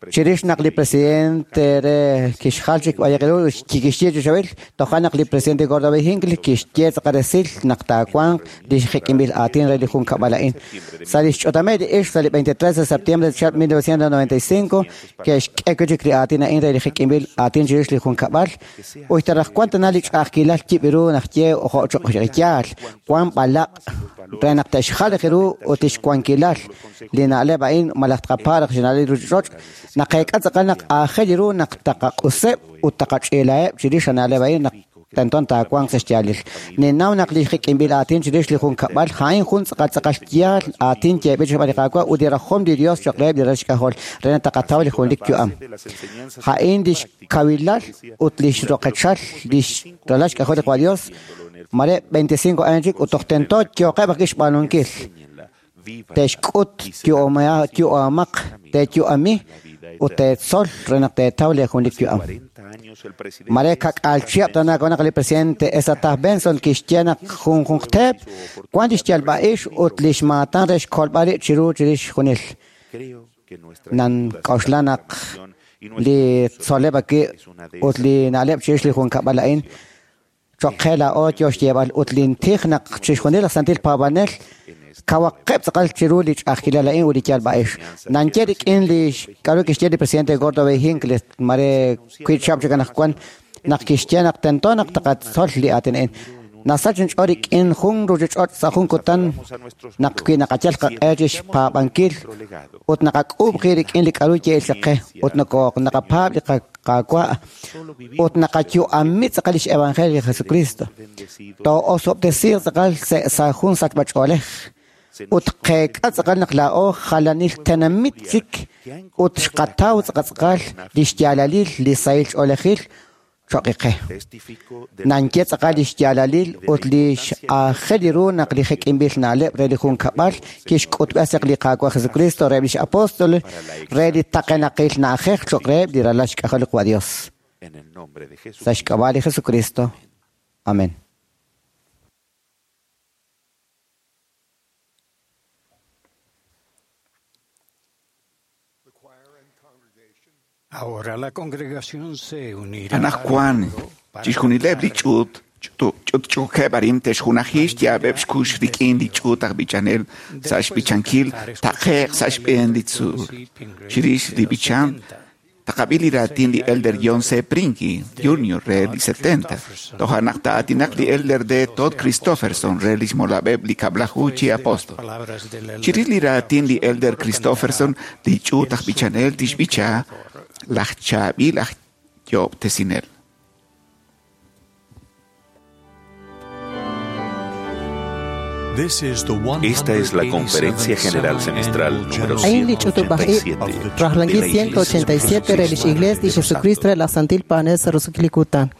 K: chirix naq li presidente re kixjal chik b'ayaq ru kixye chi xawil toja' naq li presidente Gordon B. Hinckley kixye tz'aqal resil naq taawanq li jek'inb'il aatin re li junkab'al a'in. Sa' li xch'otamej li ixq sa' li 23 de septiembre de 1995 ke'xk'e wi' chik li aatin a'in re li jek'inb'il aatin chirix li junkab'al ut taraj wan tana li ch'a'ajkilal yib' ru naq ye jo' choq' yaal wan b'alaq' re naq te'xjal ru ut li xwankilal li na'leb' a'in malaj tqapaaraq xna'leb' ruuchich'och' naqeek'a tz'aqal naq aajel ru naq taqaq'useb' ut taqach'iilaheb' chirix na'leb' a'in naq tento taawanq sa' xyaalil. Ninnaw naq li jek'inb'il aatin chirix li junkab'al a'in jun tz'aqal tz'aqal yaal aatin yeeb'il xb'aan li Qaawa' ut li rajom li Dios choq' reheb' li ralal xk'ajol re naq taqataw li junelik yu'am. A'in li xkawilal ut li xroqechal li ralal xk'ajol li Qaawa' Dios mare 25 años chik ut toj tento yooqeb' ajwi' xb'aanunkil. Te'xk'ut yu'amaq te'yu'ami ut te'tzol re naq te'taw li junelik yu'am. Mare kak'al chihab' tana naq li presidente Ezra Taft Benson kixye naq junjunqteeb' wan li xyalb'a'ix ut li xmaatan re xkolb'al rib' chiru chirix junil. Nan k'oxla naq li tzoleb' ajwi' ut li na'leb' chirix li junkab'al a'in choq' qe laa'o yo xyeeb'al ut lintij naq chixjunil laj santil paab'anel kawaqeb' tz'aqal chiru li ch'a'ajkilal a'in ut li yalb'a'ix. Nanye rik'in li k'aru kixye li presidente Gordon B. Hinckley mare wiib' chihab' chik anaqwan naq kixye naq tento naq taqatzol li aatin a'in. Nasach inch'ool rik'in jun ruuchich'och' sa' jun kutan naq wi naqayal qaq'e chi xpaab'ankil ut naqak'uub' qi rik'in li k'aru ye'il chaq qe ut naqapaab' li Qaawa' ut naqayu'ami tz'aqal li xevangelio li Jesucristo. Too'osob'tesiiq tz'aqal sa' jun sachb'ach'oolej ut qeek'a tz'aqal naq laa'o jalanil tenamit chik ut xqataw tz'aqatz'aqal li xyaalalil li sahil ch'oolejil choq' qe. Nanye tz'aqal li xyaalalil ut li x'aajel ru naq li jek'inb'il na'leb' re li junkab'al kixk'utb'es chaq li Qaawa' Jesucristo reheb' li x'apóstol re li taqenaqil na'ajej choq' reheb' li ralal xk'ajol li Qaawa' Dios. Sa' xk'ab'a' li Jesucristo. Amén.
G: Ahora la congregación se unirá
D: Anajwan, chixjunileb' li ch'uut Ch'utch'uukeb' arin te'xjunaji xyaab'eb' xkux rik'in li ch'uut aj b'ichanel sa' xb'ichankil taqe'q sa' xb'een li tzuul. Chirix li b'ichan taqab'i li raatin li Elder John C. Prinky Jr. re li 70. Toja' naq ta'aatinaq li Elder D. Todd Christofferson re lix molab'eb' li kab'laju chi apóstol. Chirix li raatin li Elder Christofferson li ch'uut aj b'ichanel tixb'icha laj chaab'il aj yoob'tesinel.
A: Esta es la Conferencia General Semestral número
C: Ain li ch'utub'aj ib'
A: 187
C: rajlankil
A: de la Iglesia de
C: 187 re lix Iglesia li Jesucristo re laj Santil Paanel sa' roso'jil li kutan.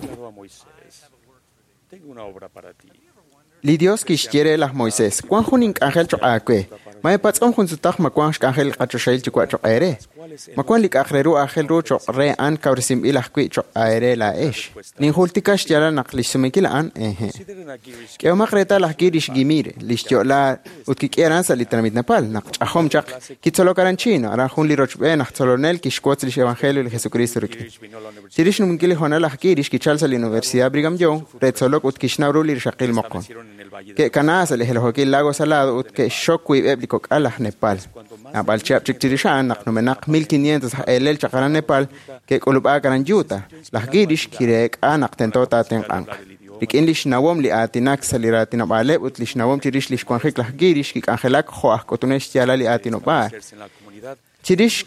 L: Declaró a Moisés, tengo una obra para ti.
F: Li Dios kixye laj Moisés, wan jun ink'anjel choq' aawe. Ma epatz'om jun sutaq ma wan xk'anjel qachoxahil yuwa' choq' eere. Ma wan li k'a'aq re ru aajel ru choq' re a'an kawresinb'il ajwi' choq' aere laa'ex. Ninjultika xyaalal naq lix sumenkil a'an eje. K'ehomaq reetal laj Girish Ghimire, lix yo'la ut kik'i aran sa' li tenamit Nepal, naq ch'ajom chaq kitzolok aran Chino, aran jun li rochb'een aj tzolonel kixwotz lix evangelio li Jesucristo rik'in. Chirix xnumenkil li hoonal laj Girish kichal sa' li Universidad Brigham Young re tzolok ut kixnaw ru li rixaqil moqon. Ke'kana sa' li helojokil Lago Salado ut ke'xxok wiib'eb' li kok'al aj Nepal. Naab'al chihab' chik chirix a'an naq numenaq 1500 aj eelel chaq aran Nepal ke'k'ulub'aak aran Utah. Laj Girish kireek'a naq tento taatenq'anq. Rik'in lix nawom li aatinak sa' li raatinob'aaleb' ut lix nawom chirix lix wanjik laj Girish kik'anjelak jo' aj k'utunel xyaalal li aatinob'aal. Chirix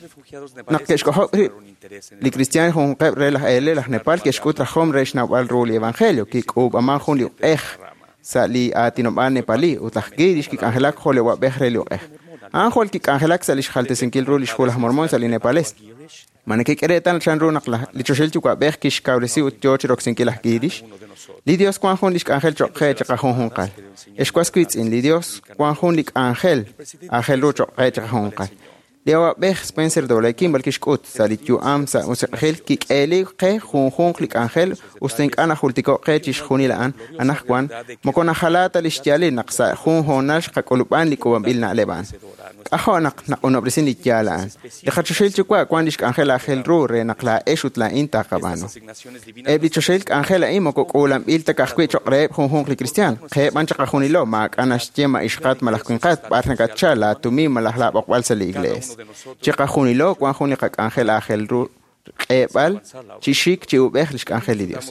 F: naq ke'xk'ojob' rib' li kristiaan junqeb' re laj eelel aj Nepal ke'xk'ut rajom re xnawb'al ru li evangelio, kik'uub'aman jun li uq'ej sa' li aatinob'aal nepalí ut laj Girish kik'anjelak jo' li wab'ej re li uq'ej. A'an jwal kik'anjelak sa' lix jaltesinkil ru lix hu laj Mormon sa' li nepalés. Ma nekek'e reetal chan ru naq li choxahil yuwa'b'ej kixkawresi ut yoo chiroksinkil laj Girish? Li Dios wan jun lix k'anjel choq' qe chiqajunjunqal. Ex was wiitz'in, li Dios wan jun li k'anjel aajel ru choq' qe chiqajunjunqal. Li awa'b'ej Spencer W. Kimball kixk'ut sa' li yu'am sa' musiq'ejil kik'eeli qe junjunq li k'anjel us ta ink'a' najultiko' qe chixjunil a'an anaqwan moko najala ta li xyaalil naq sa' jun hoonal xqak'ulub'an li k'uub'anb'il na'leb' a'an. K'ajo' naq naq'unob'resin li yaal a'an. Li qachoxahil yuwa' wan lix k'anjel aajel ru re naq laa'ex ut laa'in taqab'aanu. Eb' li choxahil k'anjel a'in moko k'uulanb'il ta ka'ajwi' choq' reheb' junjunq li kristiaan. Qeheb' b'an chaqajunilo maak'a' naxye ma ixqat malaj winqat b'ar nakatchal laa tumin malaj laab'oqb'al sa' li iglees. Chiqajunilo wan jun li qak'anjel aajel ru k'eeb'al chi xik chi ub'ej lix k'anjel li Dios.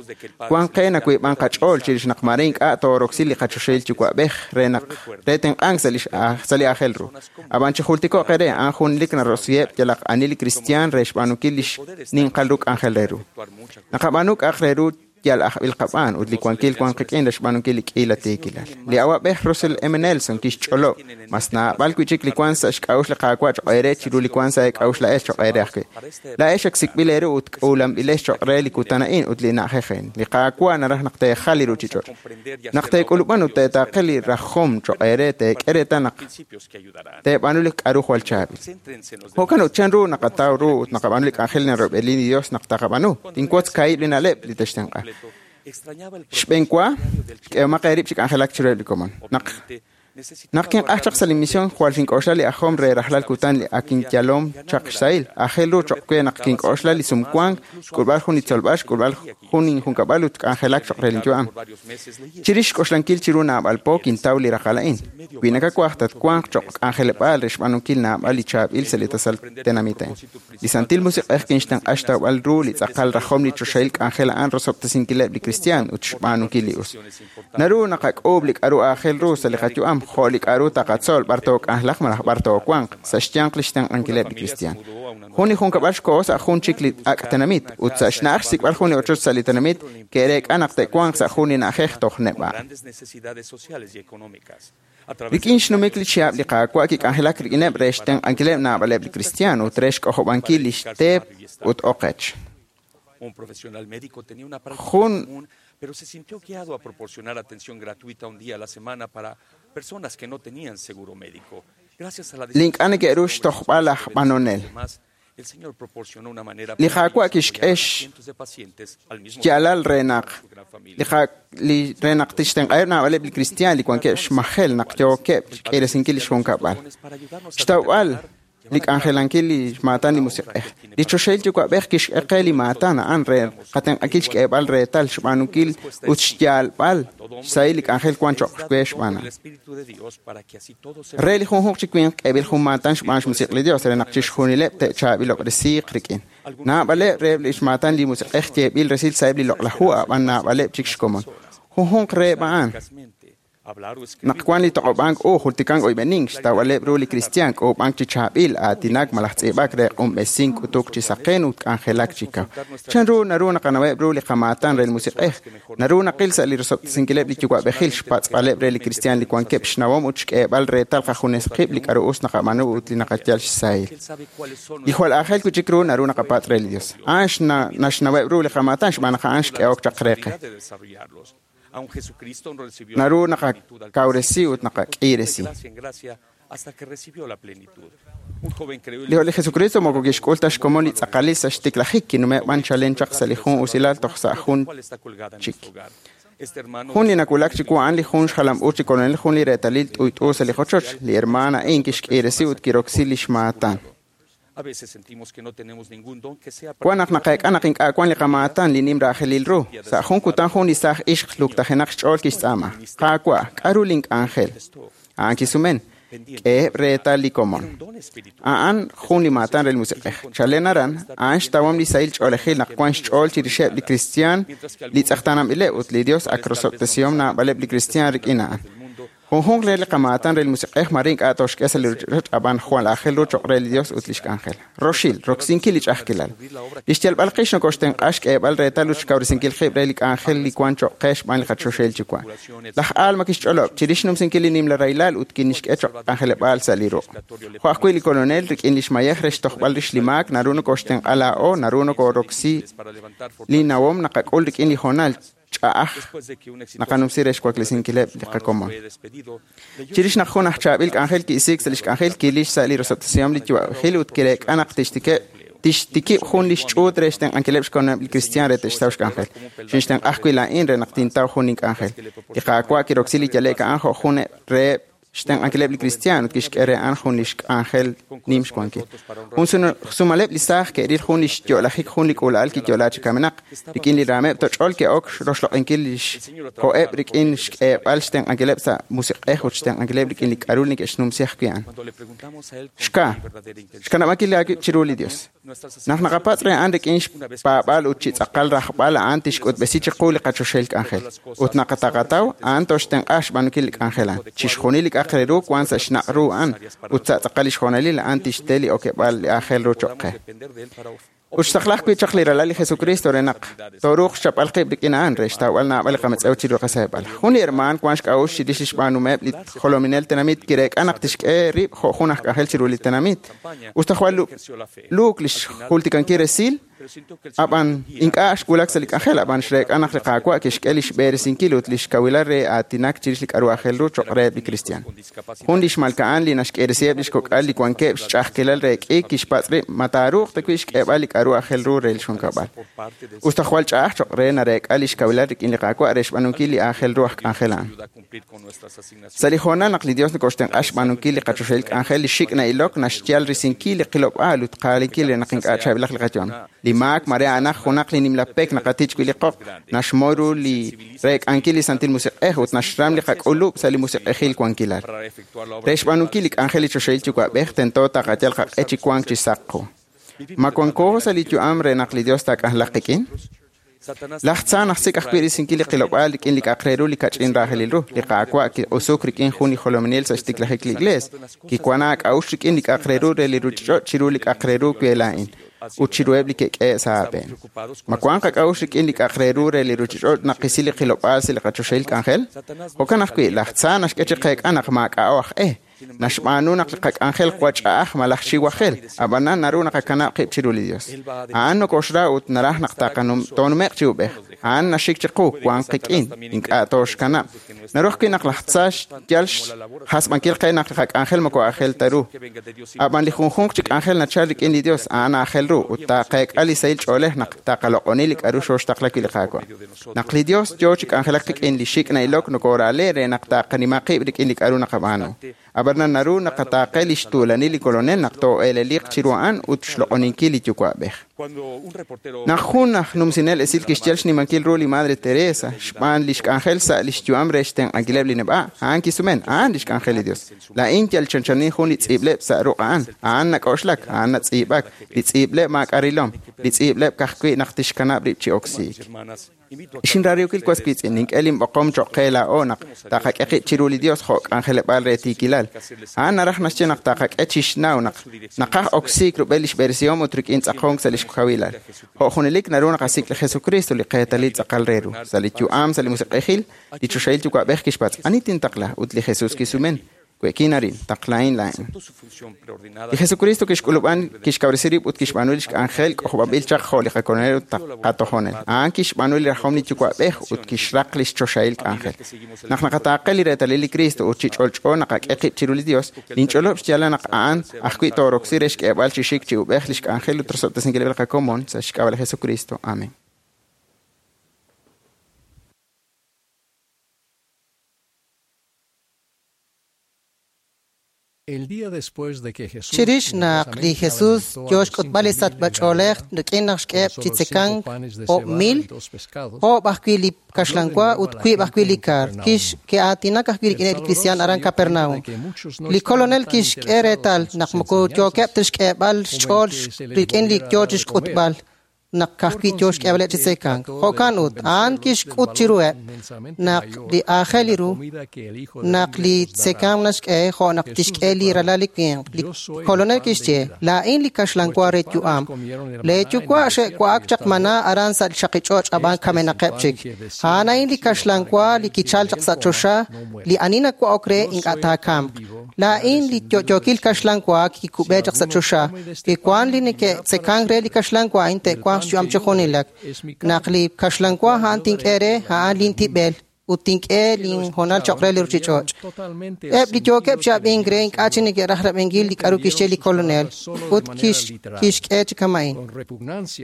F: Wan qe nawiib'an qach'ool chirix naq mare ink'a' tooroksi li qachoxahil yuwa'b'ej re naq re tenq'ank sa' lix sa' li aajel ru. Ab'an chijultiko'q eere a'an junlik narosiheb' yalaq ani li kristiaan re xb'aanunkil lix ninqal ru k'anjel re ru. Naqab'aanu k'a'aq re ru yal ajb'il qab'aan ut li wankil wan qik'in re xb'aanunkil li k'iila tiikilal. Li awa'b'ej Russell M. Nelson kixch'olob' mas naab'al wi'chik li wan sa' xk'a'uxl li Qaawa' choq' eere chiru li wan sa' eek'a'uxl la'ex choq' eere ajwi'. La'ex ak sik'b'il eeru ut k'uulanb'ilex choq' re li kutan a'in ut li na'ajej a'in. Li Qaawa' naraj naq teejal li ruchich'och'. Naq teek'ulub'an ut teetaaqe li rajom choq' eere teek'e reetal naq teeb'aanu li k'a'ru jwal chaab'il. Jo'kan ut chan ru naqataw ru ut naqab'aanu li k'anjel narob'eli li Dios naq taqab'aanu. Tinwotz kaahib' li na'leb' li textenq'a. Xb'een wa, k'ehomaq eerib' chi k'anjelak chiruheb' li komon. Naq naq kinq'aj chaq sa' li misión jwal xink'oxla li ajom re rajlal kutan li ak inyalom chaq xsahil. Aajel ru choq' we naq kink'oxla li sumwank, xk'ulb'al jun li tzolb'al, xk'ulb'al jun injunkab'al ut k'anjelak choq' re linyu'am. Chirix xk'oxlankil chiru naab'al po kintaw li raqal a'in. Wi nakawaj tatwanq choq' k'anjeleb'aal re xb'aanunkil naab'al li chaab'il sa' li tasal tenamit a'in. Li Santil Musiq'ej kinxtenq'a xtawb'al ru li tz'aqal rajom li choxahil k'anjel a'an rosob'tesinkileb' li kristiaan ut xb'aanunkil li us. Naru naqak'uub' li k'a'ru aajel ru sa' li qayu'am jo' li k'a'ru taqatzol b'ar took'anjelaq malaj b'ar toowanq sa' xyanq li xtenq'ankileb' li kristiaan. Jun li junkab'al xkoho sa' jun chik li ak' tenamit ut sa' xna'aj xsik'b'al jun li ochoch sa' li tenamit ke'reek'a naq te'wanq sa' jun li na'ajej toj neb'a'. Rik'in xnumik li chihab' li Qaawa' kik'anjelak rik'ineb' re xtenq'ankileb' naab'aleb' li kristiaan ut re xk'ojob'ankil li xteep ut oqech.
L: Un profesional médico tenía una práctica
F: Jun
L: común, pero se sintió guiado a proporcionar atención gratuita un día a la semana para personas que no tenían seguro médico. Gracias a la
F: Li ink'a' neke'ru xtojb'al laj b'anonel.
L: demás, el Señor proporcionó una manera
F: Li
L: práctica
F: Qaawa'
L: de apoyar
F: kixk'e
L: a cientos de pacientes al mismo
F: xyaalal
L: tiempo
F: re naq
L: su gran familia.
F: li qa- li re naq tixtenq'aheb' naab'aleb' li kristiaan li wankeb' xmajel naq yookeb' xk'iresinkil li xjunkab'al. Xtawb'al li k'anjelankil li maatan li musiq'ej. Li choxahil yuwa'b'ej kixk'e qe li maatan a'an re qatenq'ankil xk'eeb'al reetal xb'aanunkil ut xyaalb'al xsahil li k'anjel wan choq' we xb'aan a'an.
L: El Espíritu de Dios para que así todos se
F: Re li junjunq chi winq k'eeb'il jun maatan xb'aan xmusiq' li Dios re naq chixjunileb' te'chaab'ilob'resiiq rik'in. Naab'aleb' reheb' li xmaatan li musiq'ej yeeb'il resil sa'eb' li loq'laj hu a'b'an naab'aleb' chik xkomon. Junjunq reheb' a'an
L: eficazmente hablar o escribir
F: naq wan li toq'ob'ank u jultikank oyb'enink xtawb'aleb' ru li kristiaan k'uub'ank chi chaab'il aatinak malaj tz'iib'ak re q'unb'esink k'utuk chi saqen ut k'anjelak chi kaw. Chan ru naru naqanaweb' ru li qamaatan re li musiq'ej. Naru naqil sa' li rosob'tesinkileb' li yuwa'b'ejil xpatz'b'aleb' re li kristiaan li wankeb' xnawom ut xk'eeb'al reetal qajunes qib' li k'a'ru us naqab'aanu ut li naqayal xsahil.
L: Él sabe cuáles son
F: Li jwal aajel wi' chik ru naru naqapatz' re li Dios. A'an naxnaweb' ru li qamaatan xb'aan naq a'an xk'ehok chaq re qe.
L: de desarrollarlos. Aun Jesucristo no recibió
F: Naru
L: la plenitud al
F: naqakawresi ut
L: principio,
F: naqak'iresi.
L: de gracia en gracia hasta que recibió la plenitud. Un joven creó
F: Li li Jesucristo moko kixk'ul ta xkomon li tz'aqalil sa' xtiklajik kinume' b'an chalen chaq sa' li jun usilal toj sa' jun
L: cual está colgada en
F: chik.
L: nuestro hogar. Este hermano
F: Jun li nawulak chiwu a'an li jun xjalam-uuch chi kolonel jun li reetalil t'uyt'u sa' li qochoch. Li hermana a'in kixk'iresi ut kiroksi li xmaatan.
L: A veces sentimos que no tenemos ningún don que sea
F: Wan naq naqeek'a naq ink'a' wan li qamaatan li nim raajelil ru. Sa' jun kutan jun li saaj ixq luktajenaq xch'ool kixtz'aama. Qaawa', k'a'ru link'anjel? A'an kisumen, k'eheb' reetal li komon. A'an jun li maatan re li musiq'ej. Chalen aran, a'an xtawom li sahil ch'oolejil naq wan xch'ool chirixeb' li kristiaan li tz'eqtaananb'ileb' ut li Dios ak rosob'tesihom naab'aleb' li kristiaan rik'in a'an. Junjunq re li qamaatan re li musiq'ej mare ink'a' toxk'e sa' li ruchich'och' ab'an jwal aajel ru choq' re li Dios ut lix k'anjel. Roxil, roksinkil li ch'a'ajkilal. Li xyalb'al qix nokoxtenq'a xk'eeb'al reetal ut xkawresinkil qib' re li k'anjel li wan choq' qe xb'aan li qachoxahil yuwa'. Laj Alma kixch'olob' chirix xnumsinkil li nimla rahilal ut kinixk'e choq' k'anjeleb'aal sa' li ruq'. Jo' ajwi' li kolonel rik'in li xmayej re xtojb'al rix li maak naru nokoxtenq'a laa'o, naru nokoroksi li nawom naqak'ul rik'in li hoonal ch'a'aj naqanumsi re xwaklesinkileb' li qakomon. Chirix naq jun aj chaab'il k'anjel ki'isiik sa' lix k'anjel kilix sa' li rosob'tesihom li yuwa'b'ejil ut kireek'a naq tixtikib' jun li xch'uut re xtenq'ankileb' xkomoneb' li kristiaan re te'xtaw xk'anjel. Xinxtenq'a ajwi' laa'in re naq tintaw jun ink'anjel. Li Qaawa' kiroksi li yale'k a'an jo' jun reheb' xtenq'ankileb' li kristiaan ut kixk'e re a'an jun li xk'anjel nim xwankil. Jun sumaleb' li saaj ke'ril jun li xyo'lajik jun li k'uula'al kiyo'la chi kamenaq. Rik'in li raameb' toch'ol ke'ok roxloq'inkil li xko'eb' rik'in xk'eeb'al xtenq'ankileb' sa' musiq'ej ut xtenq'ankileb' rik'in li k'a'ru neke'xnumsi ajwi' a'an. Xka, xkanab'ankil aawib' chiru li Dios. Naq naqapatz' re a'an rik'in xpaab'al ut chi tz'aqal rajb'al a'an tixk'utb'esi chiqu li qachoxahil k'anjel. Ut naqataqataw a'an toxtenq'a xb'aanunkil li k'anjel a'an. Chixjunil li k'a'aq re ru wan sa' xnaq' ru a'an ut sa' tz'aqal li xjoonalil a'an tixte li okeb'aal li aajel ru cho'q qe. Ut xtaqla ajwi' chaq li ralal li Jesucristo re naq tooruuq xchapb'al qib' rik'in a'an re xtawb'al naab'al li qametz'ew chiru qaseeb'al. Jun li hermaan wan xk'a'uxl chirix li xb'aanumeb' li jolominel tenamit kireek'a naq tixk'e rib' jo' jun aj k'anjel chiru li tenamit. Us ta jwal luuk li xjultikankil resil, ab'an ink'a' xwulak sa' li k'anjel, ab'an xreek'a naq li Qaawa' kixk'e li xb'eresinkil ut li xkawilal re aatinak chirix li k'a'ru aajel ru cho'q reheb' li kristiaan. Jun li xmalka'an li naxk'eresiheb' li xkok'al li wankeb' xch'a'ajkilal re k'iik kixpatz' rib' ma taaruuq ta wi' xk'eeb'al li k'a'ru aajel ru re li xjunkab'al. Us ta jwal ch'a'aj cho'q re nareek'a li xkawilal rik'in li Qaawa' re xb'aanunkil li aajel ru aj k'anjel a'an. Sa' li hoonal naq li Dios nokoxtenq'a xb'aanunkil li qachoxahil k'anjel, li xik' na'ilok naxyal risinkil li qilob'aal ut qaalinkil re naq ink'a' chaab'ilaq li qayu'am. Li maak mare a'anaq junaq li nimla pek naqatich wi' li qoq, naxmoy ru li reek'ankil li Santil Musiq'ej ut naxram li qak'ulub' sa' li musiq'ejil wankilal. Re xb'aanunkil li k'anjel li choxahil yuwa'b'ej tento taqayal qaq'e chi wank chi saq qu. Ma wanko sa' li yu'am re naq li Dios taak'anjelaq qik'in? Laj tza naxsik' ajwi' risinkil li qilob'aal rik'in li k'a'aq re ru li kach'in raajelil ru. Li Qaawa' kiq'usuk rik'in jun li jolominel sa' xtiklajik li Iglees. Kiwan aak'a'uxl rik'in li k'a'aq re ru re li ruuchich'och' chiru li k'a'aq re ru we laa'in ut chiruheb' li ke'k'e' sa' aab'een. Ma wank qak'a'uxl rik'in li k'a'aq re ru re li ruuchich'och' naq qisi li qilob'aal sa' li qachoxahil k'anjel? Jo'kan ajwi', laj tza naxk'e chi qeek'a naq maak'a'o aj e. Naxb'aanu naq li qak'anjel jwal ch'a'aj malaj xiwajel, ab'anan naru naqakanab' qib' chiru li Dios. A'an nokoxra ut naraj naq toonume'q chi ub'ej. A'an naxik chiqu, wank qik'in, ink'a' tooxkanab'. Naru ajwi' naq laj tza xyal xjasb'ankil qe naq li qak'anjel moko aajel ta ru. Ab'an li junjunq chi k'anjel nachal rik'in li Dios, a'an aajel ru ut taaqeek'a li sahil ch'oolej naq taqaloq'oni li k'a'ru xooxtaqla wi' li Qaawa'. Naq li Dios yoo chi k'anjelak qik'in li xik' na'ilok nokoorale re naq taqanima qib' rik'in li k'a'ru naqab'aanu. Ab'anan naru naqataaqe li xtuulanil li Kolonel naq too'eeleliq chiru a'an ut xloq'oninkil li Yuwa'b'ej. Naq jun aj numsinel esil kixyal xnimankil ru li Madre Teresa xb'aan li xk'anjel sa' li xyu'am re xtenq'ankileb' li neb'a', a'an kisumen, a'an li xk'anjel li Dios. Laa'in yal chanchanin jun li tz'iib'leb' sa' ruq' a'an, a'an nak'oxlak, a'an natz'iib'ak, li tz'iib'leb' maak'a' rilom, li tz'iib'leb' ka'ajwi' naq tixkanab' rib' chi oksiik. Xinraariwkil was wiitz'in, nink'e linb'oqom cho'q qe laa'o naq taqak'e qib' chiru li Dios jo' k'anjeleb'aal re tiikilal. A'an naraj naxye naq taqak'e chixnaw naq naqaj oksiik rub'el li xb'eresihom ut rik'in tz'aqonk sa' li xkawilal. Jo' junelik naru naqasik' li Jesucristo li qeetalil tz'aqal re ru. Sa' li yu'am, sa' li musiq'ejil, li choxahil yuwa'b'ej kixpatz', ani tintaqla? Ut li Jesus kisumen, we'kin arin, taqlahin laa'in. Li Jesucristo kixk'ulub'an kixkawresi rib' ut kixb'aanu li xk'anjel k'ojob'anb'il chaq jo' li qakolonel ut qatojonel. A'an kixb'aanu li rajom li Yuwa'b'ej ut kixraq li xchoxahil k'anjel. Naq naqataaqe li reetalil li Cristo ut chi ch'olch'o naqak'e qib' chiru li Dios, ninch'olob' xyaalal naq a'an ajwi' tooroksi re xk'eeb'al chi xik chi ub'ej li xk'anjel ut rosob'tesinkileb' li qakomon sa' xk'ab'a' li Jesucristo. Amen.
C: Chirix naq li Jesus yo xk'utb'al li sachb'ach'oolej rik'in naq xk'eheb' chi tzekank 1,000, oob' ajwi' li kaxlanwa ut wiib' ajwi' li kar, ke'aatinak ajwi' rik'ineb' li kristiaan aran Capernaum. Li Kolonel kixk'e reetal naq moko yookeb' ta xk'eeb'al xch'ool rik'in li yo chi xk'utb'al naq ka'ajwi' yo xk'eeb'aleb' chi tzekank. Jo'kan ut, a'an kixk'ut chiruheb' naq li aajel ru naq li tzekank naxk'e jo' naq tixk'e li ralal li winq. Li Kolonel kixye, laa'in li kaxlanwa re yu'am. Lee yuwa' xe'wa'ak chaq maná aran sa' li chaqich'och' ab'an kamenaqeb' chik. A'an a'in li kaxlanwa li kichal chaq sa' choxa, li ani nawa'ok re ink'a' taakamq. Laa'in li yo'yookil kaxlanwa kikub'e chaq sa' choxa. Wi wank li neke'tzekank re li kaxlanwa a'in te'wanq taawanq xyu'am chi junelik. Naq li kaxlanwa a'an tink'e re, a'an lintib'el ut tink'e linhoonal cho'q re li ruuchich'och'. Eb' li yookeb' chi ab'ink re ink'a' chi neke'raj rab'inkil li k'aru kixye li Kolonel ut kixk'e chi kama'in.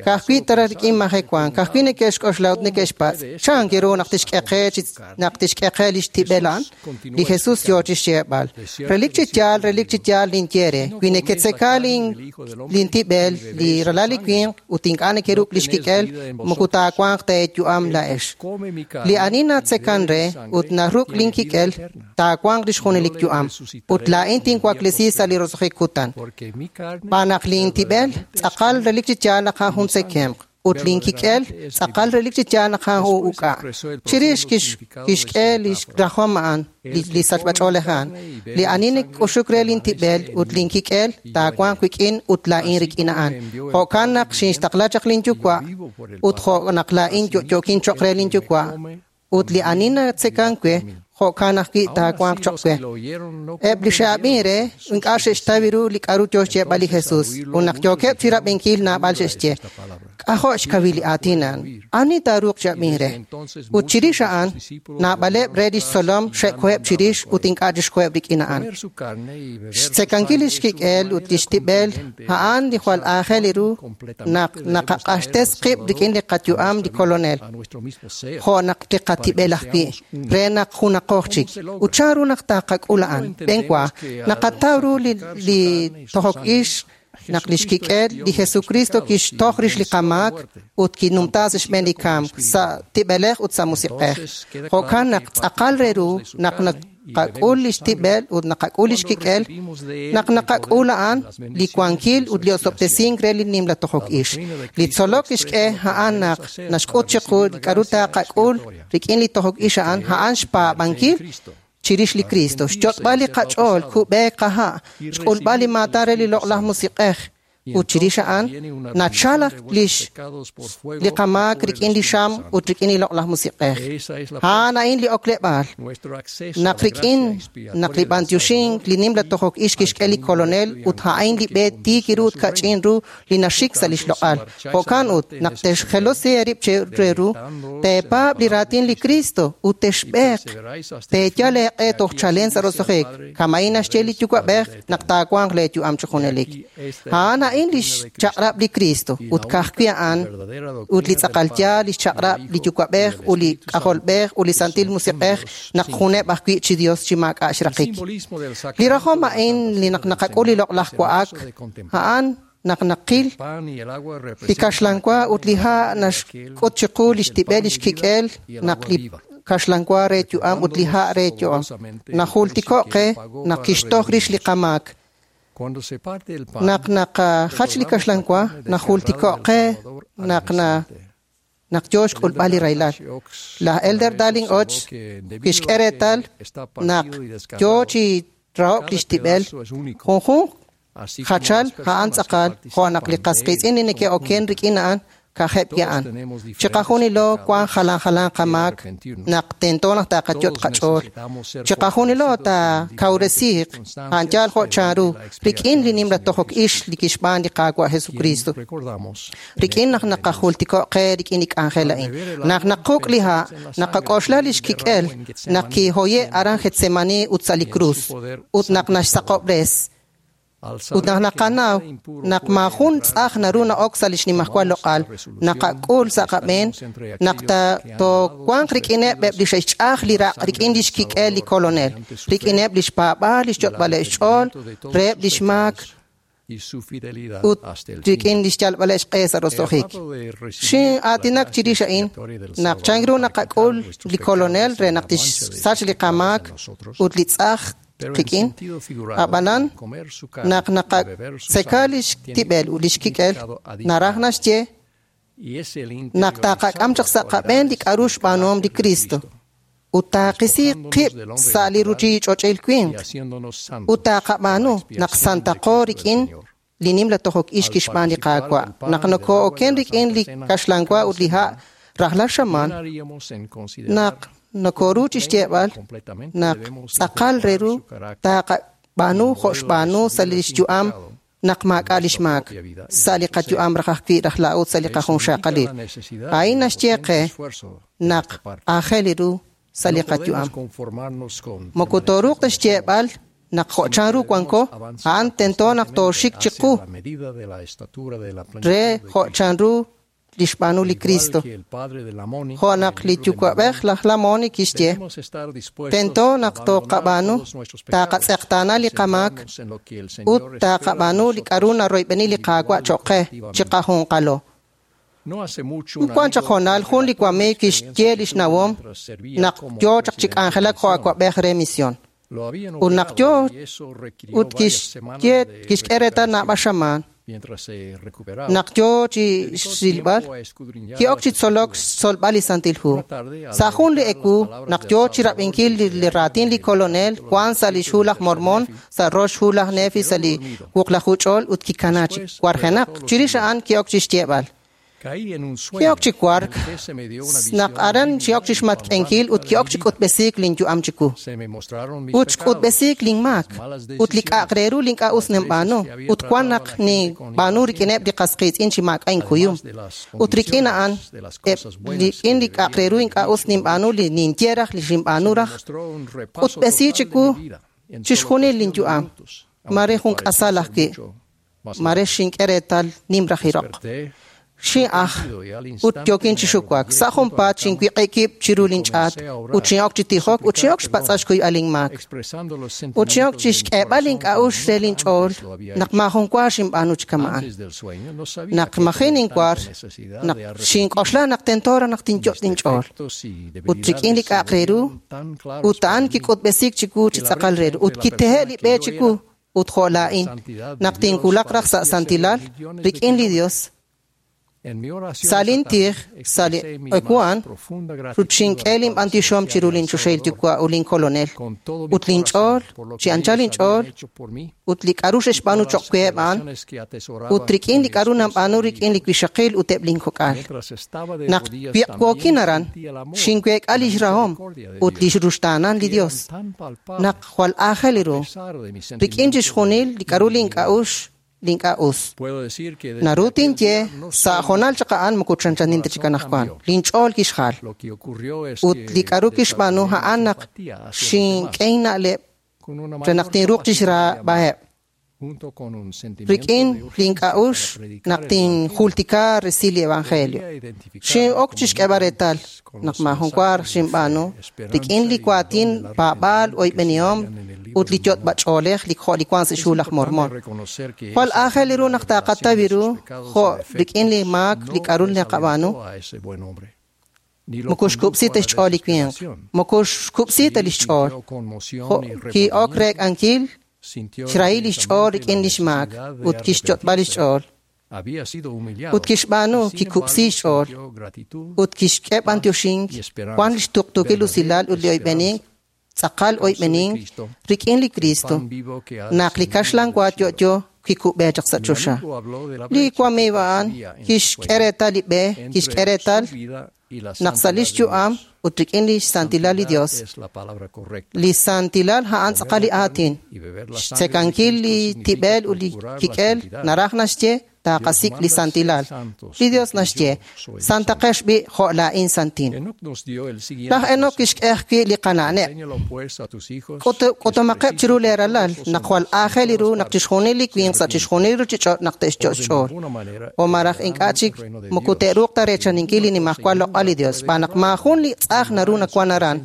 C: Ka'ajwi' tara rik'in majewank, ka'ajwi' neke'xk'oxla ut neke'xpatz', chan ru naq tixk'e qe lix tib'el a'an? Li Jesús yoo chi xyeeb'al. Relik chi yaal ninye re, wi neketzeka lintib'el li ralal li winq ut ink'a' nekeruk' lix kik'el, moko taawanq ta eeyu'am laa'ex. Li ani natzekan re ut naruk' linkik'el, taawanq lix junelik yu'am, ut laa'in tinwaklesi sa' li roso'jik kutan. Xb'aan naq lintib'el tz'aqal relik chi yaal naq a'an jun tzekemq, ut linkik'el tz'aqal relik chi yaal naq a'an jun uk'a'. Chirix kixk'e lix rajom a'an, li sachb'ach'oolej a'an. Li ani nak'uxuk re lintib'el ut linkik'el taawanq wik'in ut laa'in rik'in a'an. Jo'kan naq xinxtaqla chaq linyuwa' ut jo' naq laa'in yo'yo'kin cho'q re linyuwa', ut li ani natzekan we, jo'kan ajwi' taawanq cho'q we. Eb' li xe'ab'in re, ink'a' xe'xtaw ru li k'aru yoo xyeeb'al li Jesús, ut naq yookeb' chi rab'inkil naab'al xe'xye. K'ajo' xkawil li aatin a'an, ani taaruuq chi ab'in re? Ut chirix a'an, naab'aleb' re lix tzolom xe'koheb' chirix ut ink'a' chixkoheb' rik'in a'an. Xtzekankil lix kik'el ut lix tib'el, a'an li jwal aajel ru naq naqaq'axtes qib' rik'in li qayu'am li Kolonel, jo' naq li qatib'el ajwi', re naq junaqo chik. Ut chan ru naq taqak'ul a'an? B'enwa, naqataw ru li tojok ix naq lix kik'el li Jesucristo kixtoj rix li qamaak ut kinumta sa' xb'een li kamk sa' tib'elej ut sa' musiq'ej. Jo'kan naq tz'aqal re ru naq naqak'ul lix tib'el ut naqak'ul lix kik'el, naq naqak'ul a'an li wankil ut li osob'tesink re li nimla tojok ix. Li tzolok kixk'e a'an naq naxk'ut chiqu li k'aru taqak'ul rik'in li tojok ix a'an, a'an xpaab'ankil chirix li Cristo, xyot'b'al li qach'ool, kub'eek qaha', xk'ulb'al li maatan re li loq'laj musiq'ej, ut chirix a'an nachalaq li qamaak rik'in li xam ut rik'in li loq'laj musiq'ej. A'an a'in li okleb'aal. Naq rik'in naq li b'antioxink li nimla tojok ix kixk'e li Kolonel ut a'in li b'e tiik ru ut kach'in ru li naxik sa' lix loq'al. Jo'kan ut naq texjelosi eerib' re ru, teepaab' li raatin li Cristo ut texb'eeq, teeyal eeq'e toj chalen sa' roso'jik, kama'in naxye li Yuwa'b'ej naq taawanq leeyu'am chi junelik. A'an a'in lix chaq'rab' li Cristo ut ka'ajwi' a'an ut li tz'aqal yaal lix chaq'rab' li Yuwa'b'ej ut li K'ajolb'ej ut li Santil Musiq'ej naq juneb' ajwi' chi Dios chi maak'a' xraqik. Li rajom a'in li naq naqak'ul li loq'laj wa'ak, a'an naq naqil li kaxlanwa ut li ha' naxk'ut chiqu lix tib'el lix kik'el naq li kaxlanwa re yu'am ut li ha' re yu'am. Najultiko' qe naq kixtoj rix li qamaak. Naq naqajach li kaxlanwa, najultiko' qe naq naq yoo xk'ulb'al li rahilal. Laj Elder Darling Och kixk'e reetal naq yoo chi rahok lix tib'el junjunq jachal a'an tz'aqal jo' naq li qasqiitz'in li neke'oken rik'in a'an ka'ajeb' a'an. Chiqajunilo wan jalan jalan qamaak naq tento naq taqayot' qach'ool. Chiqajunilo taakawresiiq a'an yaal jo' chanru rik'in li nimla tojok ix li kixb'aan li Qaawa' Jesucristo. Rik'in naq naqajultiko' qe rik'in li k'anjel a'in. Naq naquk' li ha', naqak'oxla lix kik'el naq kihoye' aran Getsemani ut sa' li krus, ut naq naxsaqob'res. Ut naq naqanaw naq maajun tz'aj naru na'ok sa' lix nimajwal loq'al, naqak'ul sa' qab'een naq toowanq rik'ineb' eb' li xe'xch'aj li raq' rik'in lix kik'el li Kolonel, rik'ineb' lix paab'aal, lix yot'b'aleb' xch'ool, reheb' lix maak ut rik'in lix yalb'aleb' xq'e sa' roso'jik. Xin'aatinak chirix a'in naq chan ru naqak'ul li Kolonel re naq tixsach li qamaak ut li tz'aj qik'in, ab'anan naq naqatzeka lix tib'el ut lix kik'el, naraj naxye naq taqak'am chaq sa' qab'een li k'aru xb'aanuhom li Cristo ut taqisi qib' sa' li ruuchich'och'il winq ut taqab'aanu naq santaqo rik'in li nimla tojok ix kixb'aan li Qaawa'. Naq nokoo'oken rik'in li kaxlanwa ut li ha' rajlal xamaan, naq nokoru chi xyeeb'al naq tz'aqal re ru taqab'aanu jo' xb'aanu sa' lix yu'am Naq maak'a' lix maak sa' li qayu'am raj ajwi' raj laa'ut sa' li qajunxaqalil. A'in naxye qe naq aajel ru sa' li qayu'am. Moko tooruuq ta xyeeb'al naq jo' chanru wanko, a'an tento naq tooxik chiqu re jo' chanru lix b'aanu li Cristo. Jo' naq li yuwa'b'ej laj Lamoni kixye, tento naq tooqab'aanu, taqatz'eqtaana li qamaak ut taqab'aanu li k'a'ru naroyb'eni li Qaawa' choq' qe chiqajunqalo. Wan chaq hoonal jun li wamiiw kixye lix nawom naq yoo chaq chi k'anjelak jo' awa'b'ej re misión. Ut naq yoo ut kixye kixk'e reetal naab'al xamaan naq yoo chi xrilb'al ki'ok chi tzolok xtzolb'al li Santil Hu. Sa' jun li ewu naq yoo chi rab'inkil li raatin li Kolonel wan sa' lix hu laj Mormon sa' rox hu laj Nefi sa' li wuqlaju ch'ool ut kikana chi warjenaq. Chirix a'an ki'ok chi xyeeb'al. Ki'ok chi wark naq aran ki'ok chi xmatk'enkil ut ki'ok chi k'utb'esiik linyu'am chiwu. Ut xk'utb'esiik linmaak ut li k'a'aq re ru li ink'a' us ninb'aanu ut wan naq ninb'aanu rik'ineb' li qas qiitz'in chi maak'a' inkuyum. Ut rik'in a'an rik'in li k'a'aq re ru ink'a' us ninb'aanu li ninye raj li xinb'aanu raj k'utb'esi chiwu chixjunil linyu'am. Mare jun k'asal ajwi'. Mare xink'e reetal nim raj iroq. Xin'aj ut yookin chi xuwak. Sa' junpaat xinwiq'ikib' chiru linch'aat ut xin'ok chi tijok ut xin'ok xpatz'al xkuyb'al linmaak. Ut xin'ok chi xk'eeb'al link'a'uxl re linch'ool naq maajun wa xinb'aanu chi kama'an. Naq maji' ninwar, naq xink'oxla naq tento raj naq tinyot' linch'ool. Ut rik'in li k'a'aq re ru, ut a'an kik'utb'esiik chiwu chi tz'aqal re ru ut kitehe' li b'e chiwu ut jo' laa'in naq tinwulaq raj sa' santilal rik'in li Dios. Sa' lintij, sa' li ekuan, ut xink'e linb'antioxom chiru linchoxahil yuwa' ut linkolonel, ut linch'ool, chi anchal linch'ool, ut li k'a'ru xe'xb'aanu choq' weheb' a'an, ut rik'in li k'a'ru nanb'aanu rik'in li wixaqil ut eb' linkok'al. Naq wiq'wookin aran, xinweek'a lix rahom ut lix ruxtaanan li Dios, naq jwal aajel ru, rik'in chixjunil li k'a'ru link'a'uxl link'a' us. Naru tinye sa' hoonal chaq a'an moko chanchanin ta chik anaqwan. Linch'ool kixjal. Ut li k'a'ru kixb'aanu a'an naq xink'e inna'leb' re naq tinruuq chixraab'aheb'. Rik'in link'a'uxl naq tinjultika resil li Evangelio. Xin'ok chixk'eeb'al reetal naq maajun wa xinb'aanu rik'in li waatin paab'aal oyb'enihom ut li yot'b'ach'oolej li jo' li wan sa' xhu laj Mormon. Jwal aajel ru naq taqataw ru jo' rik'in li maak li k'a'ru naqab'aanu. Moko xkub'si ta xch'ool li winq, moko xkub'si ta lix ch'ool. Jo' ki'ok reek'ankil xrahil lix ch'ool rik'in lix maak ut kixyot'b'al lix ch'ool. Ut kixb'aanu kikub'si xch'ool ut kixk'e b'antioxink wan lix tuqtuukil usilal ut li oyb'enink tz'aqal oyb'enink rik'in li Cristo naq li kaxlan wa yo'yo kikub'e chaq sa' choxa. Li wamiiw a'an kixk'e reetal li b'e, kixk'e reetal naq sa' lix yu'am ut rik'in li xsantilal li Dios. Li santilal a'an tz'aqal li aatin. Xtzekankil li tib'el ut li kik'el naraj naxye taqasik' li santilal. Li Dios naxye, santaqex b'i' jo' laa'in santin. Laj Enoc kixk'e ajwi' li qana'neb'. K'utumaqeb' chiru leeralal naq jwal aajel ru naq chixjunil li winq sa' chixjunil ruchich'och' naq te'xyo' xch'ool. O maraj ink'a' chik moko te'ruuq ta reechaninkil li nimajwal loq'al li Dios, xb'aan naq maajun li tz'aj naru nawan aran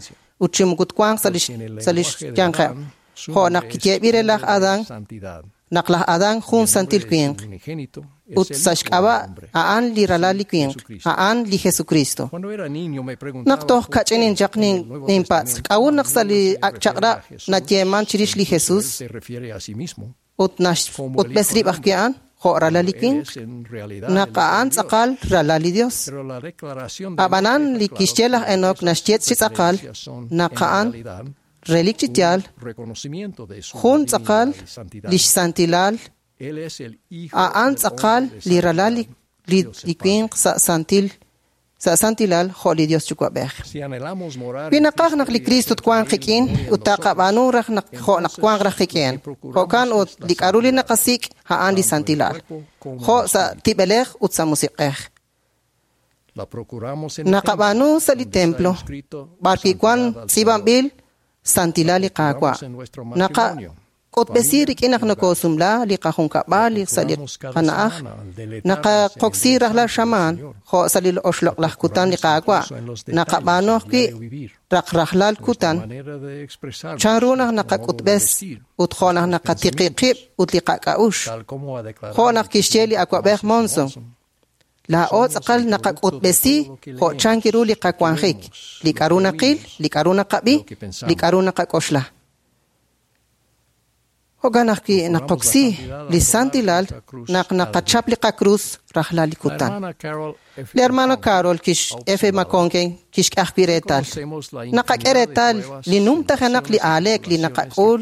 C: ut chi moko twanq sa' lix yanqeb'. Jo' naq kiyeeb'il re laj Adán, naq laj Adán jun santil winq ut sa' xk'ab'a' a'an li ralal li winq, a'an li Jesucristo. Naq toj kach'inin chaq ninpatz', k'a'ut naq sa' li ak' chaq'rab' nayeeman chirix li Jesus ut naxk'utb'es rib' ajwi' a'an jo' ralal li winq, naq a'an tz'aqal ralal li Dios. Ab'anan li kixye laj Enoc naxye chi tz'aqal naq a'an relik chi yaal jun tz'aqal lix santilal a'an tz'aqal li ralal li winq sa' santil sa' santilal jo' li Dios Yuwa'b'ej. Wi naqaj naq li Kristo twanq qik'in ut taqab'aanu raj naq jo' naq wanq raj qik'in. Jo'kan ut li k'a'ru li naqasik' a'an li santilal, jo' sa' tib'elej ut sa' musiq'ej. Naqab'aanu sa' li templo, b'ar wi' wan tz'iib'anb'il santilal li Qaawa'. Naqak'utb'esi rik'in naq nokosumla li qajunkab'al sa' li qana'aj, naqaqoksi rajlal xamaan jo' sa' li oxloq'laj kutan li Qaawa'. Naqab'aanu ajwi' rajlal kutan chanru naq naqak'utb'es ut jo' naq naqatiqi qib' ut li qak'a'ux. Jo' naq kixye li awa'b'ej Monson, laa'o tz'aqal naqak'utb'esi jo' chanki ru li qawanjik, li k'a'ru naqil, li k'a'ru naqab'i, li k'a'ru naqak'oxla. Jo'kan ajwi' naqoksi li santilal naq naqachap li qakrus rajlal li kutan. Li hermano Carol kix F. McConkie kixk'e ajwi' reetal. Naqak'e reetal li numtajenaq li aaleek li naqak'ul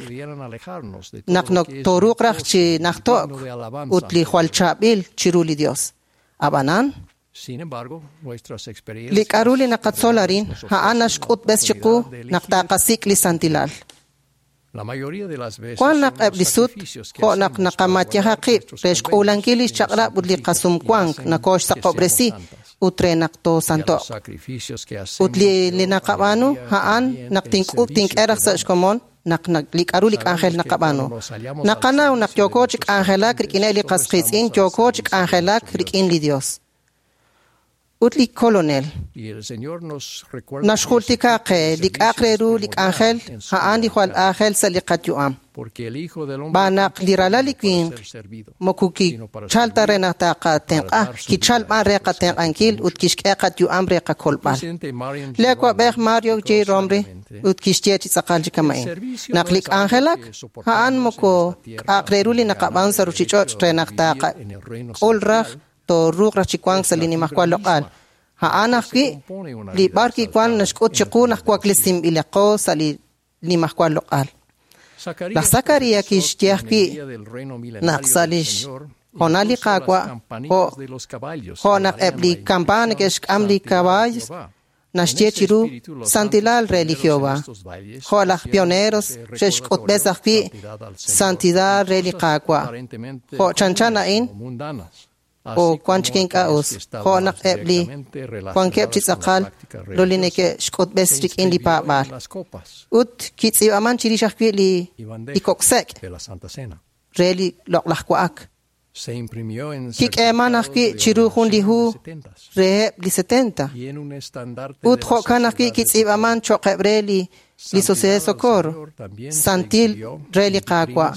C: naq tooruuq raj chi najto'k ut li jwal chaab'il chiru li Dios. Ab'anan, li k'a'ru li naqatzol arin a'an naxk'utb'es chiqu naq taqasik' li santilal. Wan naq eb' li sut jo' naq naqamatyaja qib' re xk'uulankil li xchaq'rab' ut li qasumwank nakooxsaqob'resi ut re naq toosanto'q. Ut li naqab'aanu a'an naq tink'ub' tink'e raj sa' xkomon naq li k'a'ru li k'anjel naqab'aanu. Naqanaw naq yooko chi k'anjelak rik'ineb' li qasqiitz'in, yooko chi k'anjelak rik'in li Dios. Ut li Kolonel naxjultika qe li k'a'aq re ru li k'anjel a'an li jwal aajel sa' li qayu'am. B'an naq li ralal li winq moko kichal ta re naq taqatenq'a, kichal b'an re qatenq'ankil ut kixk'e qayu'am re qakolb'al. Li awa'b'ej Mario J. Romri ut kixye chi tz'aqal chi kama'in. Naq li k'anjelak a'an moko k'a'aq re ru li naqab'aan sa' ruchich'och' re naq taqak'ul raj tooruuq raj chi wank sa' li nimajwal loq'al. A'an ajwi' li b'ar kiwan naxk'ut chiqu naq waklesinb'ilaqo sa' li nimajwal loq'al. Laj Zacarías kixye ajwi' naq sa' lix honal li Qaawa' jo' naq eb' li campana neke'xk'am li kawaay naxye chiru santilal re li Jehová. Jo' laj pioneros xe'xk'utb'es ajwi' santidad re li Qaawa'. Jo' chanchan a'in o wan chik ink'a' us, jo' naq eb' li wankeb' chi tz'aqal lo li neke'xk'utb'es rik'in li paab'aal. Ut kitz'iib'aman chirix ajwi' li koksek' re li loq'laj wa'ak. Kik'eeman ajwi' chiru jun li hu reheb' li 70. Ut jo'kan ajwi' kitz'iib'aman cho'qeb' re li Sociedad de Socorro, santil re li Qaawa'.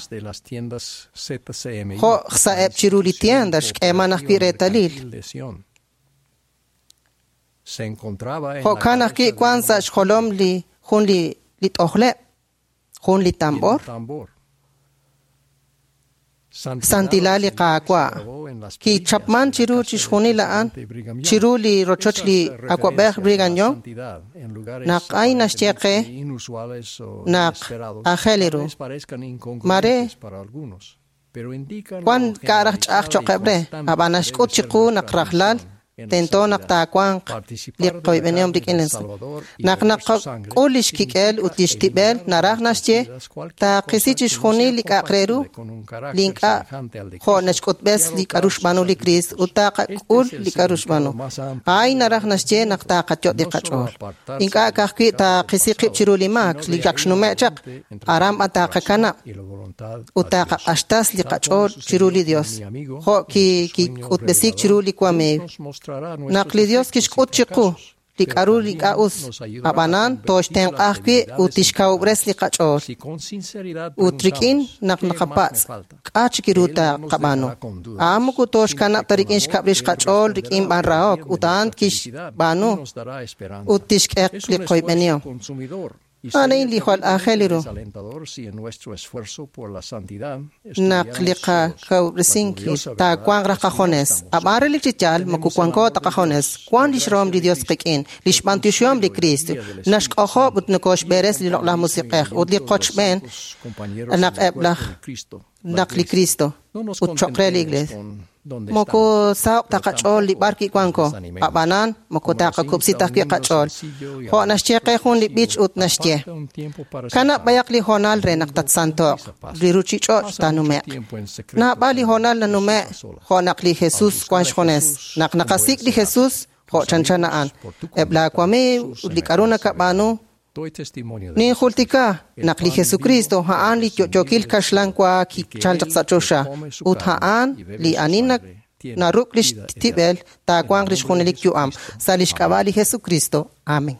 C: Jo' sa'eb' chiru li tienda xk'eeman ajwi' reetalil. Jo'kan ajwi' wan sa' xjolom li jun li t'ojleb', jun li tambor. Santilal li Qaawa'. Kichapman chiru chixjunil a'an, chiru li rochoch li awa'b'ej Brigham Young, naq ay naxye qe naq aajel ru. Mare wan k'a' raj ch'a'aj cho'qeb' re, ab'an naxk'ut chiqu naq rajlal tento naq taawanq li qoyb'enihom rik'in li naq naqak'ul lix kik'el ut lix tib'el naraj naxye taaqisi chixjunil li k'a'aq re ru li ink'a' jo' naxk'utb'es li k'a'ru xb'aanu li Kriist ut taaqak'ul li k'a'ru xb'aanu. Ay naraj naxye naq taaqayot' li qach'ool. Ink'a' ka'ajwi' taaqisi qib' chiru li maak li ak xnume' chaq, aran b'an taaqakanab' ut taaqaq'axtas li qach'ool chiru li Dios. Jo' kik'utb'esiik chiru li wamiiw. Naq li Dios kixk'ut chiqu li k'a'ru li ink'a' us, ab'anan tooxtenq'a ajwi' ut tixkawub'res li qach'ool. Ut rik'in naq naqapatz' k'a' chik ru taqab'aanu. A'an moko tooxkanab' ta rik'in xkab' rix qach'ool rik'in b'an rahok ut a'an kixb'aanu ut tixk'e li qoyb'enihom. A'an li jwal aajel ru. Naq li qakawub'resinkil taawanq raj qajones. Ab'an relik chi yaal moko wanko ta qajones. Wan lix rahom li Dios qik'in, lix b'antioxihom li Cristo, naxk'ojob' ut nokoxb'eres li loq'laj musiq'ej ut li qochb'een naq eb' laj naq li Cristo ut choq' re li Iglesia. Moko saho'q ta qach'ool li b'ar kiwanko, a'b'anan moko taqakub'si ta ajwi' qach'ool. Jo' naxye qe jun li b'ich ut naxye: Kanab' b'ayaq li hoonal re naq tatsanto'q, li ruchich'och' taanume'q. Naab'al li hoonal nanume' jo' naq li Jesus wan xjunes. Naq naqasik' li Jesus jo' chanchan a'an, eb' laa wamiiw ut li k'a'ru nakab'aanu, Ninjultika naq li Jesucristo a'an li yo'yookil kaxlan wa kichal chaq sa' choxa ut a'an li ani naruk' lix tib'el taawanq lix junelik yu'am sa' lix k'ab'a' li Jesucristo. Amen.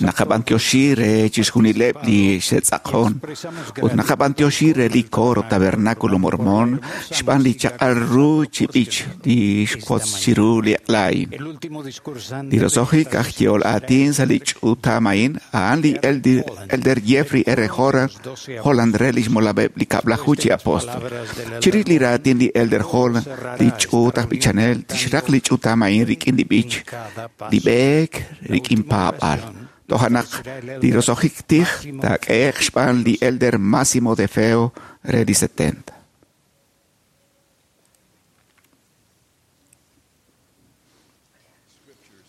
D: Naqab'antioxi re chixjunileb' li xe'tz'aqon ut naqab'antioxi re li coro Tabernáculo Mormón xb'aan li chaq'al ru chi b'ich li xwotz chiru li eq'la a'in. Li roso'jik aj yehol aatin sa' li ch'utam a'in a'an li Elder Jeffrey R. Holland re lix molameb' li kab'laju chi apóstol. Chirix li raatin li Elder Holland, li ch'uut aj b'ichanel tixraq li ch'utam a'in rik'in li b'ich, li b'eek rik'in paab'al. Toja' naq li roso'jik tij taak'ehe'q xb'aan li Elder Massimo De Feo re li 70.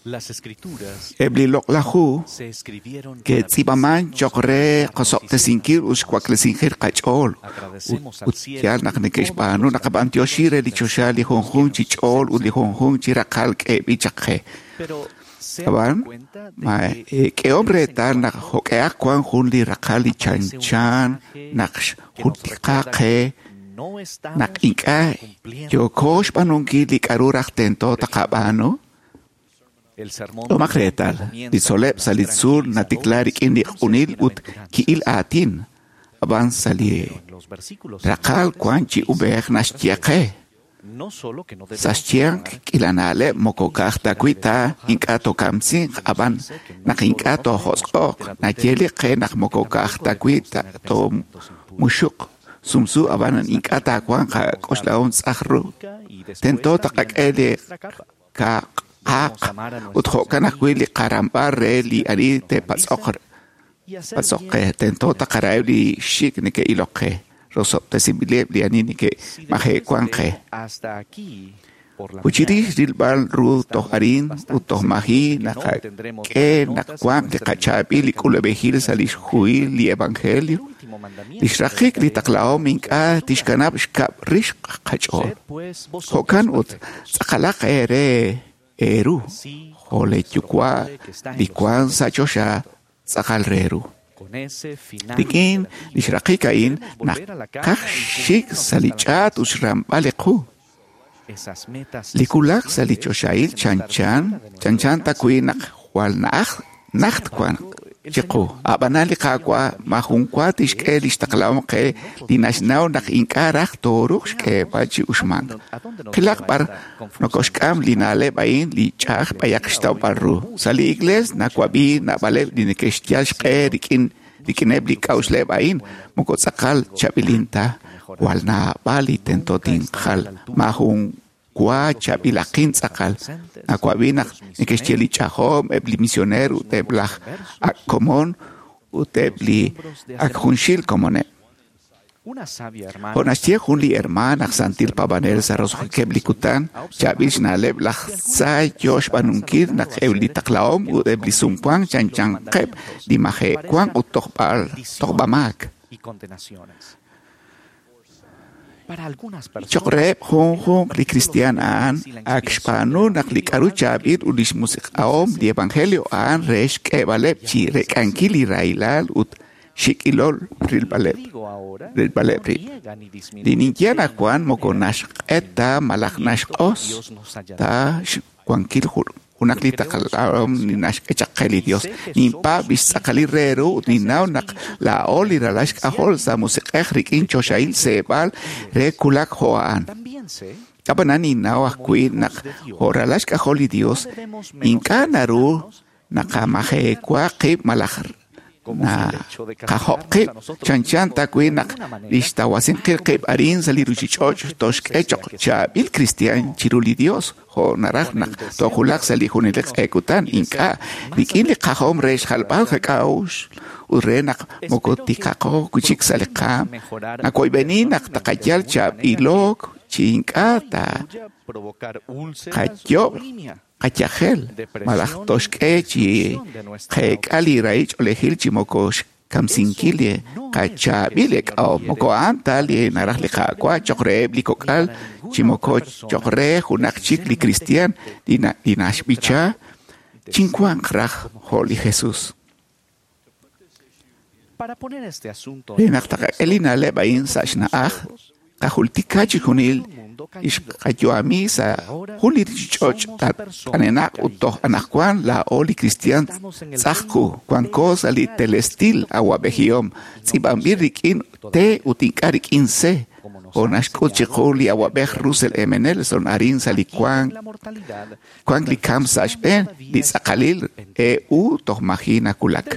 M: Las escrituras
D: Eb' li loq'laj hu
M: se escribieron
D: ke'tz'iib'aman cho'q re qosob'tesinkil ut xwaklesinkil qach'ool ut yaal naq neke'xb'aanu naqab'antioxi re li choxa li junjunq chi ch'ool ut li junjunq chi raqal k'eeb'il chaq qe.
M: Pero se
D: Ab'an, ma k'ehom reetal naq jo'k'ehaq wan jun li raqal li chanchan naq xjultika qe
M: no estamos
D: naq ink'a' yooko xb'aanunkil li k'a'ru raj tento taqab'aanu.
M: El sermón
D: Tomaq reetal, li tzol'leb' sa' li tzuul natikla rik'in li q'unil ut ki'il aatin, ab'an sa' li
M: los versículos
D: raqal wan chi ub'ej naxye qe.
M: no solo que no
D: Sa'
M: debemos
D: xyanq k'iila na'leb' moko ka'aj ta wi' ta ink'a' tookamsinq, ab'an naq ink'a' toojosq'o'q, naye li qe naq moko ka'aj ta wi' ta toomuxuq sumsu, ab'an ink'a' taawanq qak'oxlahom tz'aj ru. Tento taqak'e li qaq'aq ut jo'kan ajwi' li qaramb'al re li ani te'patz'oq patz'oq qe. Tento taqaraheb' li xik' neke'ilok qe, rosob'tesinb'ileb' li ani neke'maje'wank qe.
M: hasta aquí por la
D: Ut chirix rilb'al ru toj arin ut toj maji naqak'e naq wanq li qachaab'il li k'ulub'ejil sa' lix huhil li evangelio, lix raqik li taqlahom ink'a' tixkanab' xkab' rix qach'ool. Jo'kan ut tz'aqalaq eere eeru, jo' le yuwa' li wank sa' choxa tz'aqal re ru.
M: con ese final
D: Rik'in lix raqik a'in naqaj xik sa' li ch'aat ut xramb'al li qu.
M: esas metas
D: Li kulak sa' li choxahil chanchan, chanchan ta wi' naq jwal na'aj najt wan chiqu. Ab'anan li Qaawa' majun wa tixk'e lix taqlahom qe li naxnaw naq ink'a' raj tooruuq xk'eeb'al chi uxmank. Qilaq b'ar nokoxk'am li na'leb' a'in li ch'a'aj b'ayaq xtawb'al ru. Sa' li iglees nawab'i naab'aleb' li neke'xyal xq'e rik'in rik'ineb' li k'a'uxleb' a'in moko tz'aqal chaab'ilin ta jwal naab'al li tento tinjal majun wa chaab'ilaqin tz'aqal. Nawab'i naq neke'xye li ch'ajom, eb' li misioner ut eb' laj ak' komon ut eb' li ak junxil komoneb'.
M: una sabia hermana
D: Jo' naxye jun li hermaan aj santil paab'anel sa' roso'jikeb' li kutan, chaab'il xna'leb' laj tza yo xb'aanunkil naq eb' li taqlahom ut eb' li sumwank chanchanqeb' li maje'wank ut tojb'al tojb'amaak.
M: y condenaciones. Para algunas personas
D: Cho'q reheb' junjunq li kristiaan a'an ak xb'aanu naq li k'a'ru chaab'il ut lix musiq'ahom li evangelio a'an re xk'eeb'aleb' chi rek'ankil li rahilal ut xik'ilol rilb'aleb'
M: digo ahora
D: rilb'aleb' rib'.
M: niega ni disminuye
D: Li ninye anaqwan moko naxq'et ta malaj naxq'os ta xwankil junaq li taqlahom li naxk'e chaq qe li Dios. Ninpaab' lix tz'aqalil re ru ut ninnaw naq laa'o li ralal xk'ajol sa' musiq'ej rik'in choxahil seeb'al re kulak jo' a'an.
M: También sé
D: Ab'anan ninnaw ajwi' naq jo' ralal xk'ajol li Dios ink'a' naru naqamajewa qib' malaj naqajob' qib' chanchan ta wi' naq lix tawasinqil qib' arin sa' li ruchich'och' toxk'e cho'q chaab'il kristiaan chiru li Dios jo' naraj naq toojulaq sa' li junelik q'e kutan ink'a' rik'in li qajom re xjalb'al qak'a'uxl ut re naq moko tiqaqo wi' chik sa' li qaam. Nawoyb'eni naq taqayal chaab'ilok chi ink'a' ta
M: provocar úlceras
D: qayob'
M: o bulimia.
D: qayajel malaj toxk'e chi qeek'a li rahil ch'oolejil chi moko xkamsinkil li qachaab'il ek'ahom. Moko a'an ta li naraj li Qaawa' cho'q reheb' li kok'al chi moko cho'q re junaq chik li kristiaan li na- li naxb'icha chinwanq raj jo' li Jesús.
M: Para poner este asunto
D: Re naq taqak'e li na'leb' a'in sa' xna'aj, qajultika chi junil Ixqayu'ami sa' jun li ruuchich'och' t'anenaq ut toj anaqwan laa'o li kristiaan tz'ajku wanko sa' li telestil awa'b'ejihom tz'iib'anb'il rik'in T ut ink'a' rik'in C jo' naxk'ut chiqu li awa'b'ej Russell M. Nelson arin sa' li wank li kamk sa' xb'een li tz'aqalil EU toj maji nawulak.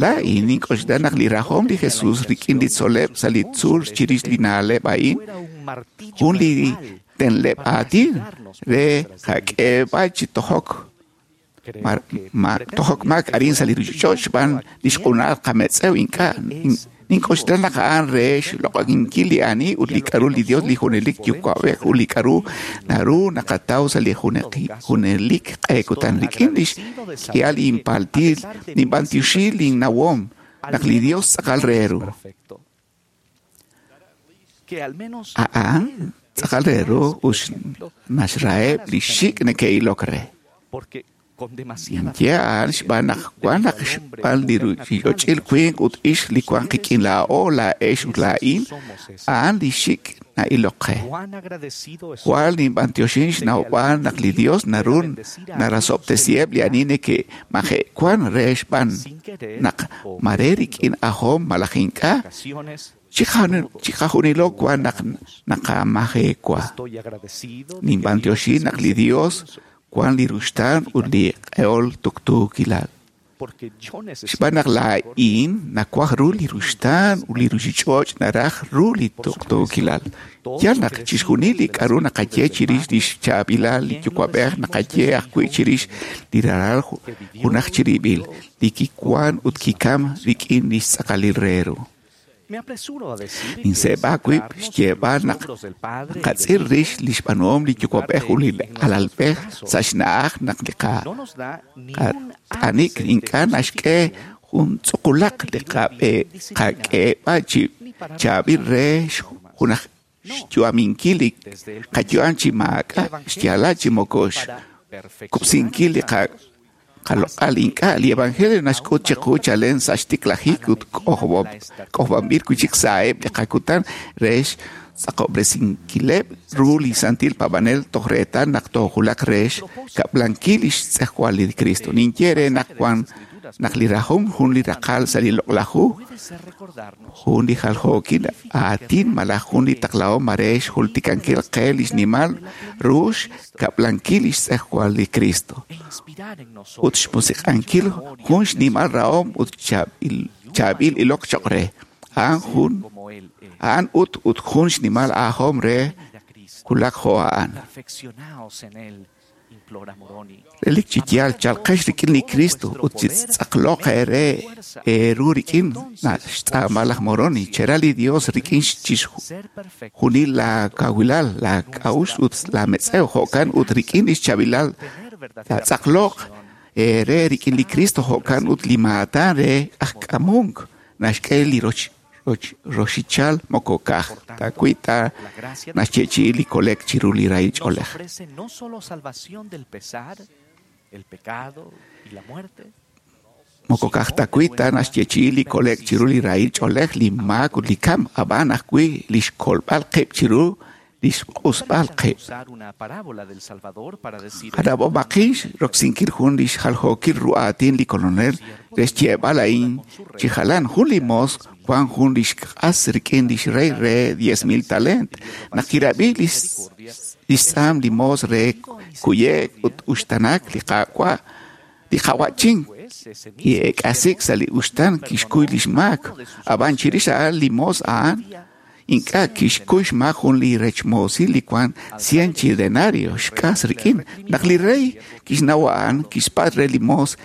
D: Laa'in nink'oxla naq li rajom li Jesus rik'in li tzol'leb' sa' li tzuul chirix li na'leb' a'in jun li tenleb' aatin re qak'eeb'al chi tojok maak arin sa' li ruuchich'och' xb'aan li xq'unal qametz'ew ink'a' nink'oxla naq a'an re xloq'oninkil li ani ut li k'aru li Dios li junelik yuwa'b'ej ut li k'aru naru naqataw sa' li junelik q'e kutan rik'in lix k'ihal inpaltil ninb'antioxi linnawom naq li Dios tz'aqal re ru. A'an tz'aqal re ru ut naxraheb' li xik' neke'ilok re. Ninye a'an xb'aan naq wan naq xb'aan li ruuchich'och'il winq ut ixq li wan qik'in laa'o, laa'ex ut laa'in, a'an li xik' na'ilok qe. Jwal ninb'antioxin xnawb'al naq li Dios naru narasob'tesiheb' li ani neke'maje'wan re xb'aan naq mare rik'in ajom malaj ink'a' chiqajunilo wan naq naqamaje'wa. Ninb'antioxin naq li Dios wan li ruxtaan ut li q'eol tuqtuukilal. Xb'aan naq laa'in nawaj ru li ruxtaan ut li ruuchich'och' naraj ru li tuqtuukilal. Yal naq chixjunil li k'aru naqaye chirix li xchaab'ilal li yuwa'b'ej naqaye ajwi' chirix li ralal junaj chirib'il, li kiwan ut kikam rik'in li xtz'aqalil re ru. Ninseeb'a wib' xyeeb'al naq naqatz'il rix li xb'aanuhom li yuwa'b'ej ut li alalb'ej sa' xna'aj naq li qat'anik ink'a' naxk'e jun tz'uqulaq li qak'eeb'al chi chaab'il re junaj xyu'aminkil li qayu'am chi maak'a' xyaalal chi moko xkub'sinkil li qaloq'al ink'a' li evangelio naxk'ut chiqu chalen sa' xtiklajik ut k'ojob'anb'il wi'chik sa'eb' li qakutan re xtz'aqob'resinkileb' ru li santil paab'anel toj reetal naq toojulaq re xkab'lankil li xtz'ejwal li Cristo. Ninye re naq wan naq li rajom jun li raqal sa' li loq'laj hu, jun li jaljookil aatin malaj jun li taqlahom mare xjultikankil qe li xnimal ru xkab'lankil li xtz'ejwal li Cristo ut xmusiq'ankil jun xnimal rahom ut chaab'il ilok choq' re. A'an ut ut jun xnimal ajom re wulak jo' a'an. Relik chi yaal chalqex rik'in li Cristo ut chitz'aqloq eere eeru rik'in xtz'aamal laj Moroni chera li Dios rik'in chixjunil la kawilal la k'a'uxl ut la metz'ew jo'kan ut rik'in li xchaab'ilal taatz'aqloq eere rik'in li Cristo jo'kan ut li maatan re aj k'amunk naxk'e li roxichal moko ka'aj ta wi' ta naxyeechi'i li kole'k chiru li rahil ch'oolej. Moko ka'aj ta wi' ta naxyeechi'i li kole'k chiru li rahil ch'oolej, li maak ut li kamk, ab'an ajwi' li xkolb'al qib' chiru li xq'usb'al qib'. Kanab'omaqin roksinkil jun li xjaljookil ru aatin li Kolonel re xyeeb'al a'in chi jalan jun li moos wan jun li xk'as rik'in li xrey re 10,000 talent. Naq kirab'i li xtz'aam li moos re kuye'k ut uxtanak li Qaawa' li qawa'chin ki'eek'asik sa' li uxtan kixkuy li xmaak. Ab'an chirix a'an li moos a'an ink'a' kixkuy xmaak jun li rechmoosil li wan 100 chi denario xk'as rik'in. Naq li rey kixnaw a'an kixpatz' re li moos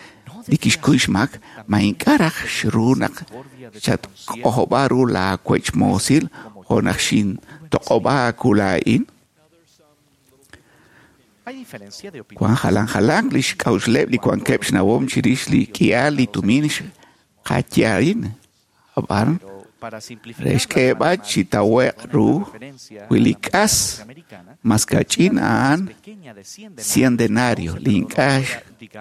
D: li kixkuy xmaak, ma ink'a' raj xru naq xatk'ojob'a ru laawechmoosil jo' naq xintoq'ob'a aawu laa'in. Wan jalan jalan li xk'a'uxleb' li wankeb' xnawom chirix li k'ihal li tumin xqaye a'in. Ab'an re xk'eeb'al chi tawe'q ru wi li k'as mas kach'in a'an 100 denario li ink'a'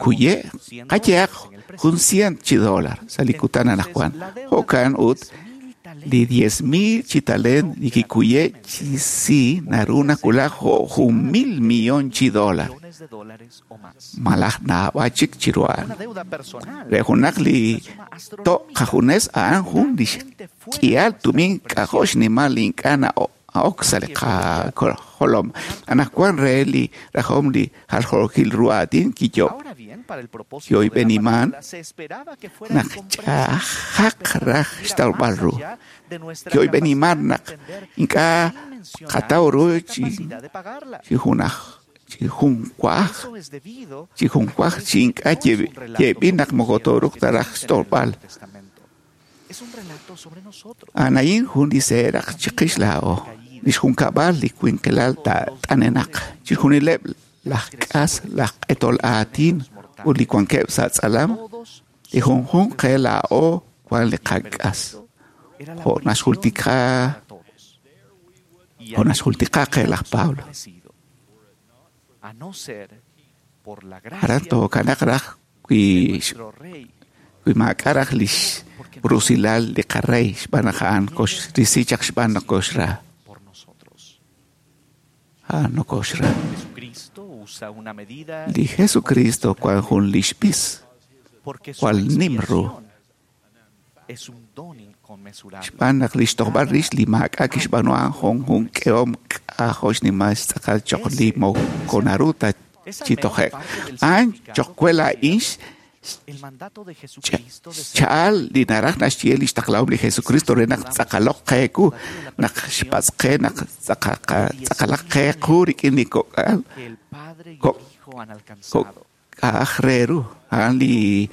D: xkuye' qayehaq jun 100 chi dólar sa' li kutan anaqwan. Jo'kan ut Li 10,000 chi talent li kikuye' chi si naru nawulak jo' 1,000 millón chi dólar. Malaj naab'al chik chiru a'an. Re junaq li to' qajunes a'an jun li xk'ihal tumin k'ajo' xnimal li ink'a' na'ok sa' li qajolom. Anaqwan re li rajom li jaljookil ru aatin kiyo'b'eniman naq ch'a'ajaq raj xtawb'al ru. Kiyo'b'eniman naq ink'a' qataw ru chi junaj chi junwaj chi ink'a' yeeb'il naq moko tooruuq ta raj xtolb'al. A'an a'in jun li seeraq chiqix laa'o, li xjunkab'al li winqilal t'anenaq, chixjunileb' laj k'as, laj q'etol aatin ut li wankeb' sa' tz'alam, li junjunq qe laa'o wan li qak'as. Jo' naxjultika qe laj Pablo. Aran tookanaq raj wi maak'a' raj lix rusilal li qarey xb'aan naq a'an koxrisi chaq xb'aan naq koxra. A'an nokoxra. Li Jesucristo wan jun lix b'is, jwal nim ru. Xb'aan naq lix tojb'al rix li maak'a' kixb'aanu a'an jun jun k'ehom k'ajo' xnimal xtz'aqal choq' li moko naru ta chi toje'k. A'an choq' we laa'in xcha'al li naraj naxye li xtaqlahom li Jesucristo re naq tz'aqaloq qe qu, naq xpatz' qe naq tz'aqalaq qe qu rik'in li kok'al k'a'aj re ru. A'an li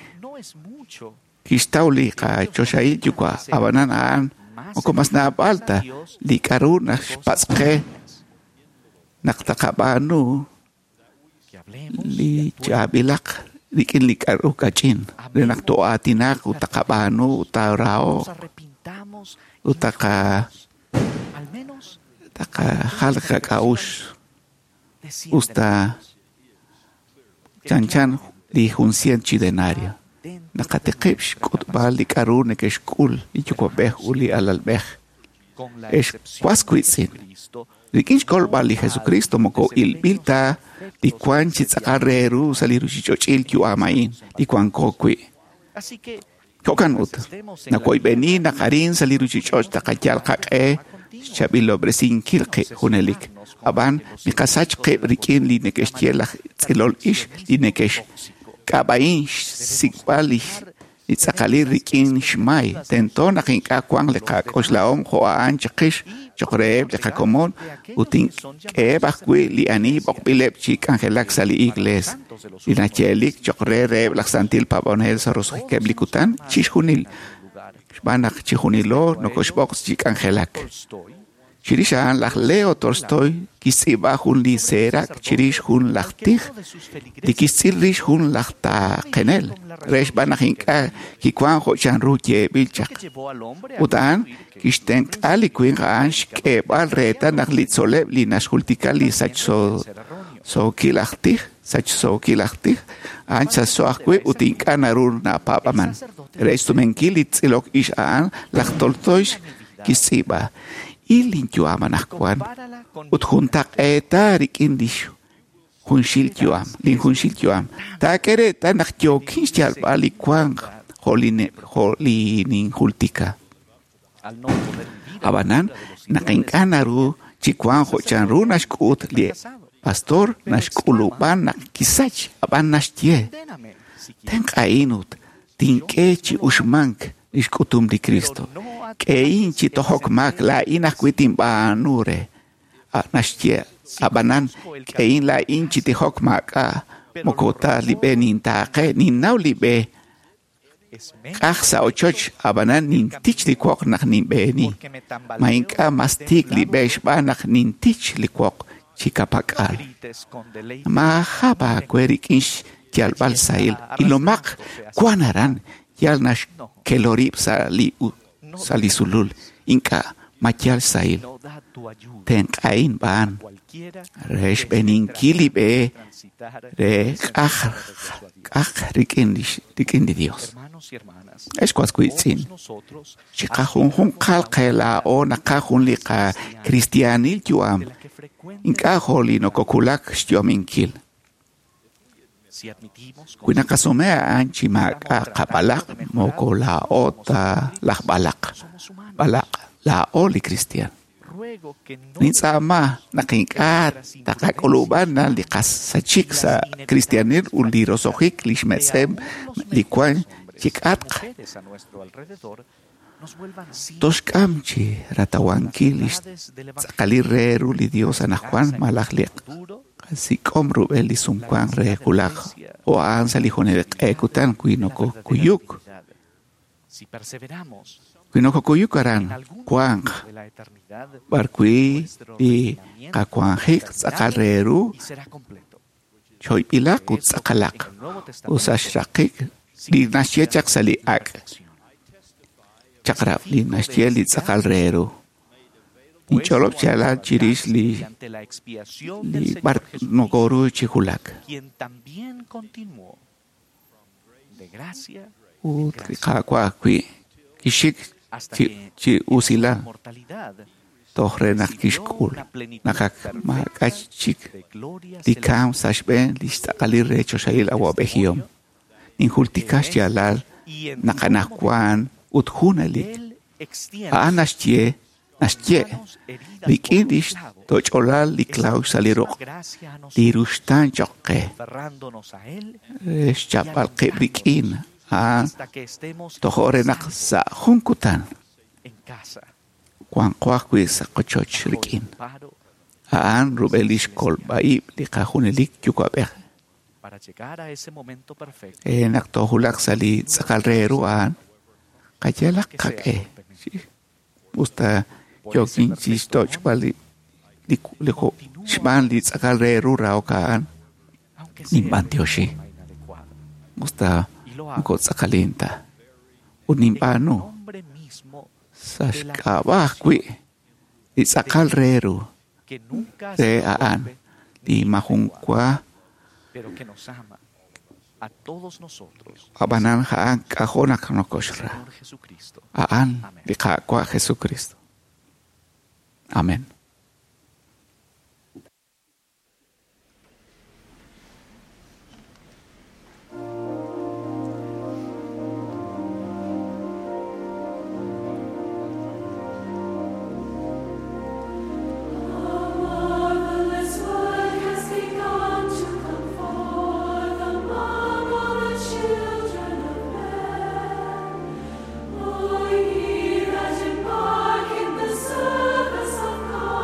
D: kixtaw li qachoxahil yuwa', ab'anan a'an moko mas naab'al ta li k'aru naxpatz' qe naq taqab'aanu li chaab'ilaq rik'in li k'aru kach'in re naq to'aatinaq ut taqab'aanu ut taaraho'q ut taqajal qak'a'uxl usta chanchan li jun cien chi denario. Naqatiqib' xk'utb'al li k'aru neke'xk'ul li yuwa'b'ej ut li alalb'ej. Ex was wiitz'in, rik'in xkolb'al li Jesucristo moko ilb'il ta li wan chi tz'aqal re ru sa' li ruchich'och'il yu'am a'in li wanko wi'. Jo'kan ut, nawoyb'eni naq arin sa' li ruchich'och' taqayal qaq'e xchaab'ilob'resinkil qib' junelik. Ab'an miqasach qib' rik'in li neke'xye laj tz'ilol ix li neke'xk'ab'a'in xsik'b'al li tz'aqalil rik'in xmay. Tento naq ink'a' wanq li qak'oxlahom jo' a'an chiqix choq' reheb' li qakomon ut ink'eheb' ajwi' li ani b'oqb'ileb' chi k'anjelak sa' li iglees. Li nayeelik choq' re reheb' laj santil paab'anel sa' roso'jikeb' li kutan chixjunil xb'aan naq chijunilo nokoxb'oq chi k'anjelak. Chirix a'an laj Leo Tolstoy kixtz'iib'a jun li seeraq chirix jun laj tij li kixtz'il rix jun laj taaqenel re xb'aan naq ink'a' kiwan jo' chanru yeeb'il chaq. Ut a'an kixtenq'a li winq a'an xk'eeb'al reetal naq li tzol'leb' li naxjultika li sachsookil aj tij a'an sachso ajwi' ut ink'a' naru napaab'aman. Re xsumenkil li tz'ilok ix a'an laj Tolstoy kixtz'iib'a: Il linyu'am anaqwan ut juntaq'eeta rik'in li junxil yu'am, linjunxil yu'am. Taak'e reetal naq yookin xyalb'al li wank jo' li ninjultika. Ab'anan naq ink'a' naru chi wank jo' chanru naxk'ut li pastor naxk'ulub'an naq kisach, ab'an naxye: Tenq'a'in ut tink'e chi uxmank li xk'utum li Cristo. K'ehin chi tojok maak laa'in ajwi' tinb'aanu re. Naxye ab'anan k'ehin laa'in chi tijok maak'a' moko ta li b'e nintaaqe, ninnaw li b'e k'aj sa' ochoch, ab'anan nintich li woq naq ninb'eeni. Ma ink'a' mas tiik li b'e xb'aan naq nintich li woq chi kapak'al. Maajab' aawe rik'in xyalb'al sahil, ilomaq wan aran yal naxkelorib' sa' li sulul, ink'a' ma yal sahil. Tenq'a'in b'aan re xb'eeninkil li b'e re k'aj rik'in li Dios. Ex was wiitz'in, chiqajunjunqal qe laa'o naqaj jun li qakristiaanil yu'am, ink'a' jo' li nokokulak xyu'aminkil. Wi naqasume a'an chi maak'a' qab'alaq, moko laa'o ta laj b'alaq, b'alaq laa'o li kristiaan. Nintz'aama naq ink'a' taqak'ulub'an li qasachik sa' kristiaanil ut li roso'jik li xmetz'em li wan chik'atq toxk'am chi ratawankil li xtz'aqalil re ru li Dios anaqwan malaj li qasik'om rub'el li sumwank re wulaj jo' a'an sa' li junelik q'e kutan wi nokokuyuk. Wi nokokuyuk aran wanq b'arwi' li qawanjik tz'aqal re ru choyb'ilaq ut tz'aqalaq ut sa' xraqik li naxye chaq sa' li ak' chaq'rab' li naxye li tz'aqal re ru. Ninch'olob' xyaalal chirix li b'ar nokoru chi wulak. Ut li Qaawa' ajwi' kixik chi usilal toj re naq kixk'ul naq ak maak'a' chik li kamk sa' xb'een li xtz'aqalil re choxahil awa'b'ejihom. Ninjultika xyaalal naq anaqwan ut junelik. A'an naxye rik'in li xtoch'olal li claw sa' li ruq' li ruxtaan choq' qe re xchapb'al qib' rik'in a'an tojo' re naq sa' jun kutan wanqo ajwi' sa' qochoch rik'in. A'an rub'el li xkolb'a'ib' li qajunelik yuwa'b'ej. Naq toojulaq sa' li tz'aqal re ru a'an, qayalaq qaq'e. Usta yookin chi xtoch'b'al li xb'aan li tz'aqal re ru rahok a'an, ninb'antioxi. Usta moko tz'aqalin ta. Ut ninb'aanu sa' xk'ab'a' ajwi' li tz'aqal re ru re a'an li majunwa ab'anan a'an k'ajo' naq nokoxra. A'an li Qaawa' Jesucristo. Amén.
N: Embark in the service of God.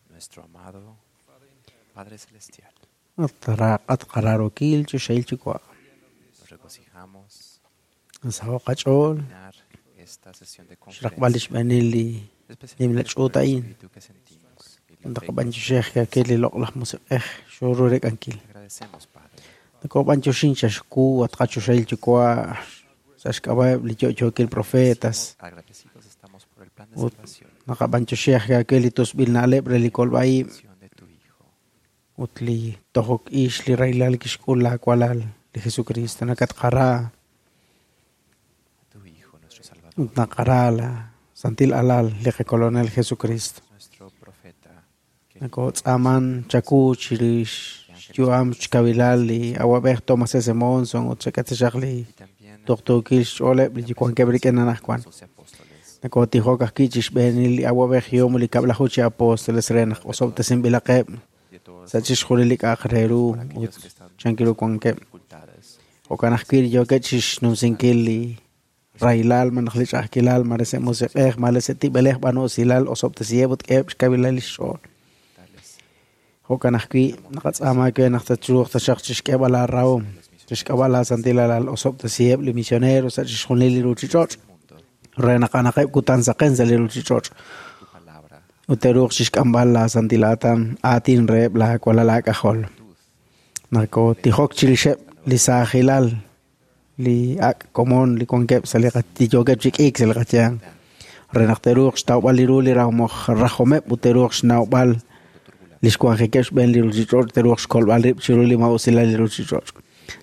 E: Nuestro amado Padre Celestial.
H: At qararokil choxahil Yuwa'.
E: Nos regocijamos
H: Nasaho' qach'ool
E: terminar esta sesión de
H: xraqb'al li
E: conferencia,
H: xb'eenil li nimla
E: especialmente por
H: ch'uut
E: el
H: a'in.
E: espíritu que sentimos y la fe
H: Naqab'anchoxej kakil li loq'laj musiq'ej xorurek'ankil.
E: que agradecemos, Padre.
H: Nakob'anchoxin xaxku at qachoxahil Yuwa' sa' xk'ab'a'eb' li yo'yookil profetas.
E: Agradecidos estamos por el plan de
H: Ut
E: salvación
H: naqab'anchoxej kakil li tusb'il na'leb' re li kolb'a'ib'
E: de tu Hijo.
H: ut li tojok ix li raylal kixk'ul laawalal li Jesucristo nakatqara
E: A tu Hijo, nuestro Salvador,
H: ut naqara la santil alal li qakolonel Jesucristo.
E: nuestro profeta, que
H: Nakotz'aman chaku chirix xyu'am xkawilal li awab'ej Thomas S. Monson ut xak'atzixaq li tuqtuukil xch'ooleb' li wankeb' rik'in anajwan.
E: doce apóstoles,
H: Nakotijok ajwi' chixb'eenil li awab'ej Yom li kab'laju chi apóstoles re naq osob'tesinb'ilaqeb'
E: de todos
H: sa' chixjunil li k'a'aq re ru ut
E: aquellos que están
H: chankiru wankeb'.
E: dificultades,
H: Jo'kan ajwi' li yookeb' chixnumsinkil li raylal malaj li ch'a'ajkilal mare sa' musiq'ej mare sa' tib'elej b'anusilal osob'tesiheb' ut k'eheb' xkawilal li xch'ool.
E: tales
H: Jo'kan ajwi' naqatz'aama we naq tatruuq taxaq chixk'eeb'al aarahom chixk'ab'al laasantil alal osob'tesiheb' li misioneros sa' chixjunil li ruchich'och'
E: mundo,
H: re naq anaqeb' kutan saqen sa' li ruchich'och'
E: tu palabra,
H: ut teruuq chixk'amb'al laasantil aatin aatin reheb' laawalal aak'ajol. Nakotijok chirixeb' li saajilal li ak' komon li wankeb' sa' li li yookeb' chi k'iik sa' li qayanq re naq teruuq xtawb'al li ru li rajomeb' ut teruuq xnawb'al li xwanjikeb' xb'een li ruchich'och' teruuq xkolb'al rib' chiru li ma'usilal li ruchich'och'.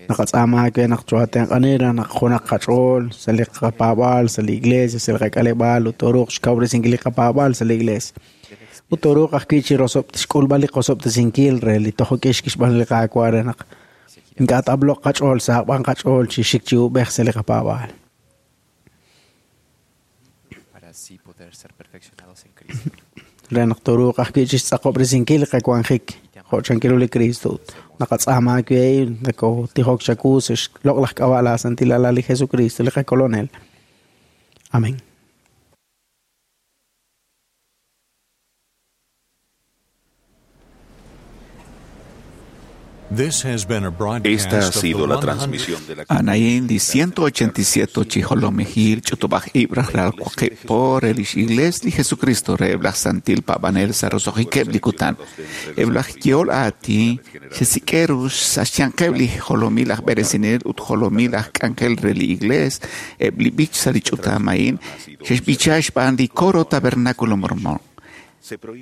H: Naqatz'aama we naq choatenq'ani re naq junaq qach'ool sa' li qapaab'aal sa' li iglesia sa' li qak'aleb'aal ut toruuq xkawresinkil li qapaab'aal sa' li iglesia. Ut toruuq ajwi' chi xk'ulb'al li qosob'tesinkil re li tojok'ix kixb'aan li qaawa' re naq ink'a' t'ab'loq qach'ool saaqb'an qach'ool chi xik chi ub'ej sa' li qapaab'aal.
E: para así poder ser perfeccionados en Cristo.
H: Re naq toruuq ajwi' chi xtz'aqob'resinkil li qawanjik jo' chankiru li Cristo. Naqatz'aama we nakotijok chaku sa' xloq'laj k'ab'a' laasantil alal li Jesucristo li qakolonel. Amén.
N: This has been a broadcast
A: Esta ha
N: of the
A: sido la
N: 100
A: transmisión de la
D: Anayin li 187 chijolomejil ch'utub'aj ibraj lal waqib' por el igles li Jesucristo re eblaj santil pa'b'anel sa' roso'jikeb' li kutan. Eblaj yol aatin xesik'erux sa' xyanqeb' li jolomil aj b'eresinel ut jolomil aj k'anjel re li igles eb' li b'ich sa' li ch'utam a'in xexb'icha xb'aan li coro Tabernáculo Mormón.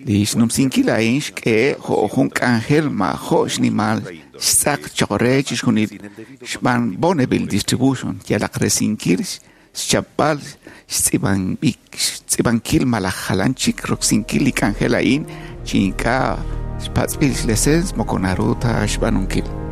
D: Li xnumsinkil a'in xk'e jo' jun k'anjel ma'jo' xnimal xtz'aq choq' re chixjunil xb'aan Bonneville Distribution yalaq resinkil xchapb'al xtz'ib'ankil malaj jalan chik roksinkil li k'anjel a'in chi ink'a' xpatz'b'il xlesens moko naru ta xb'aanunkil.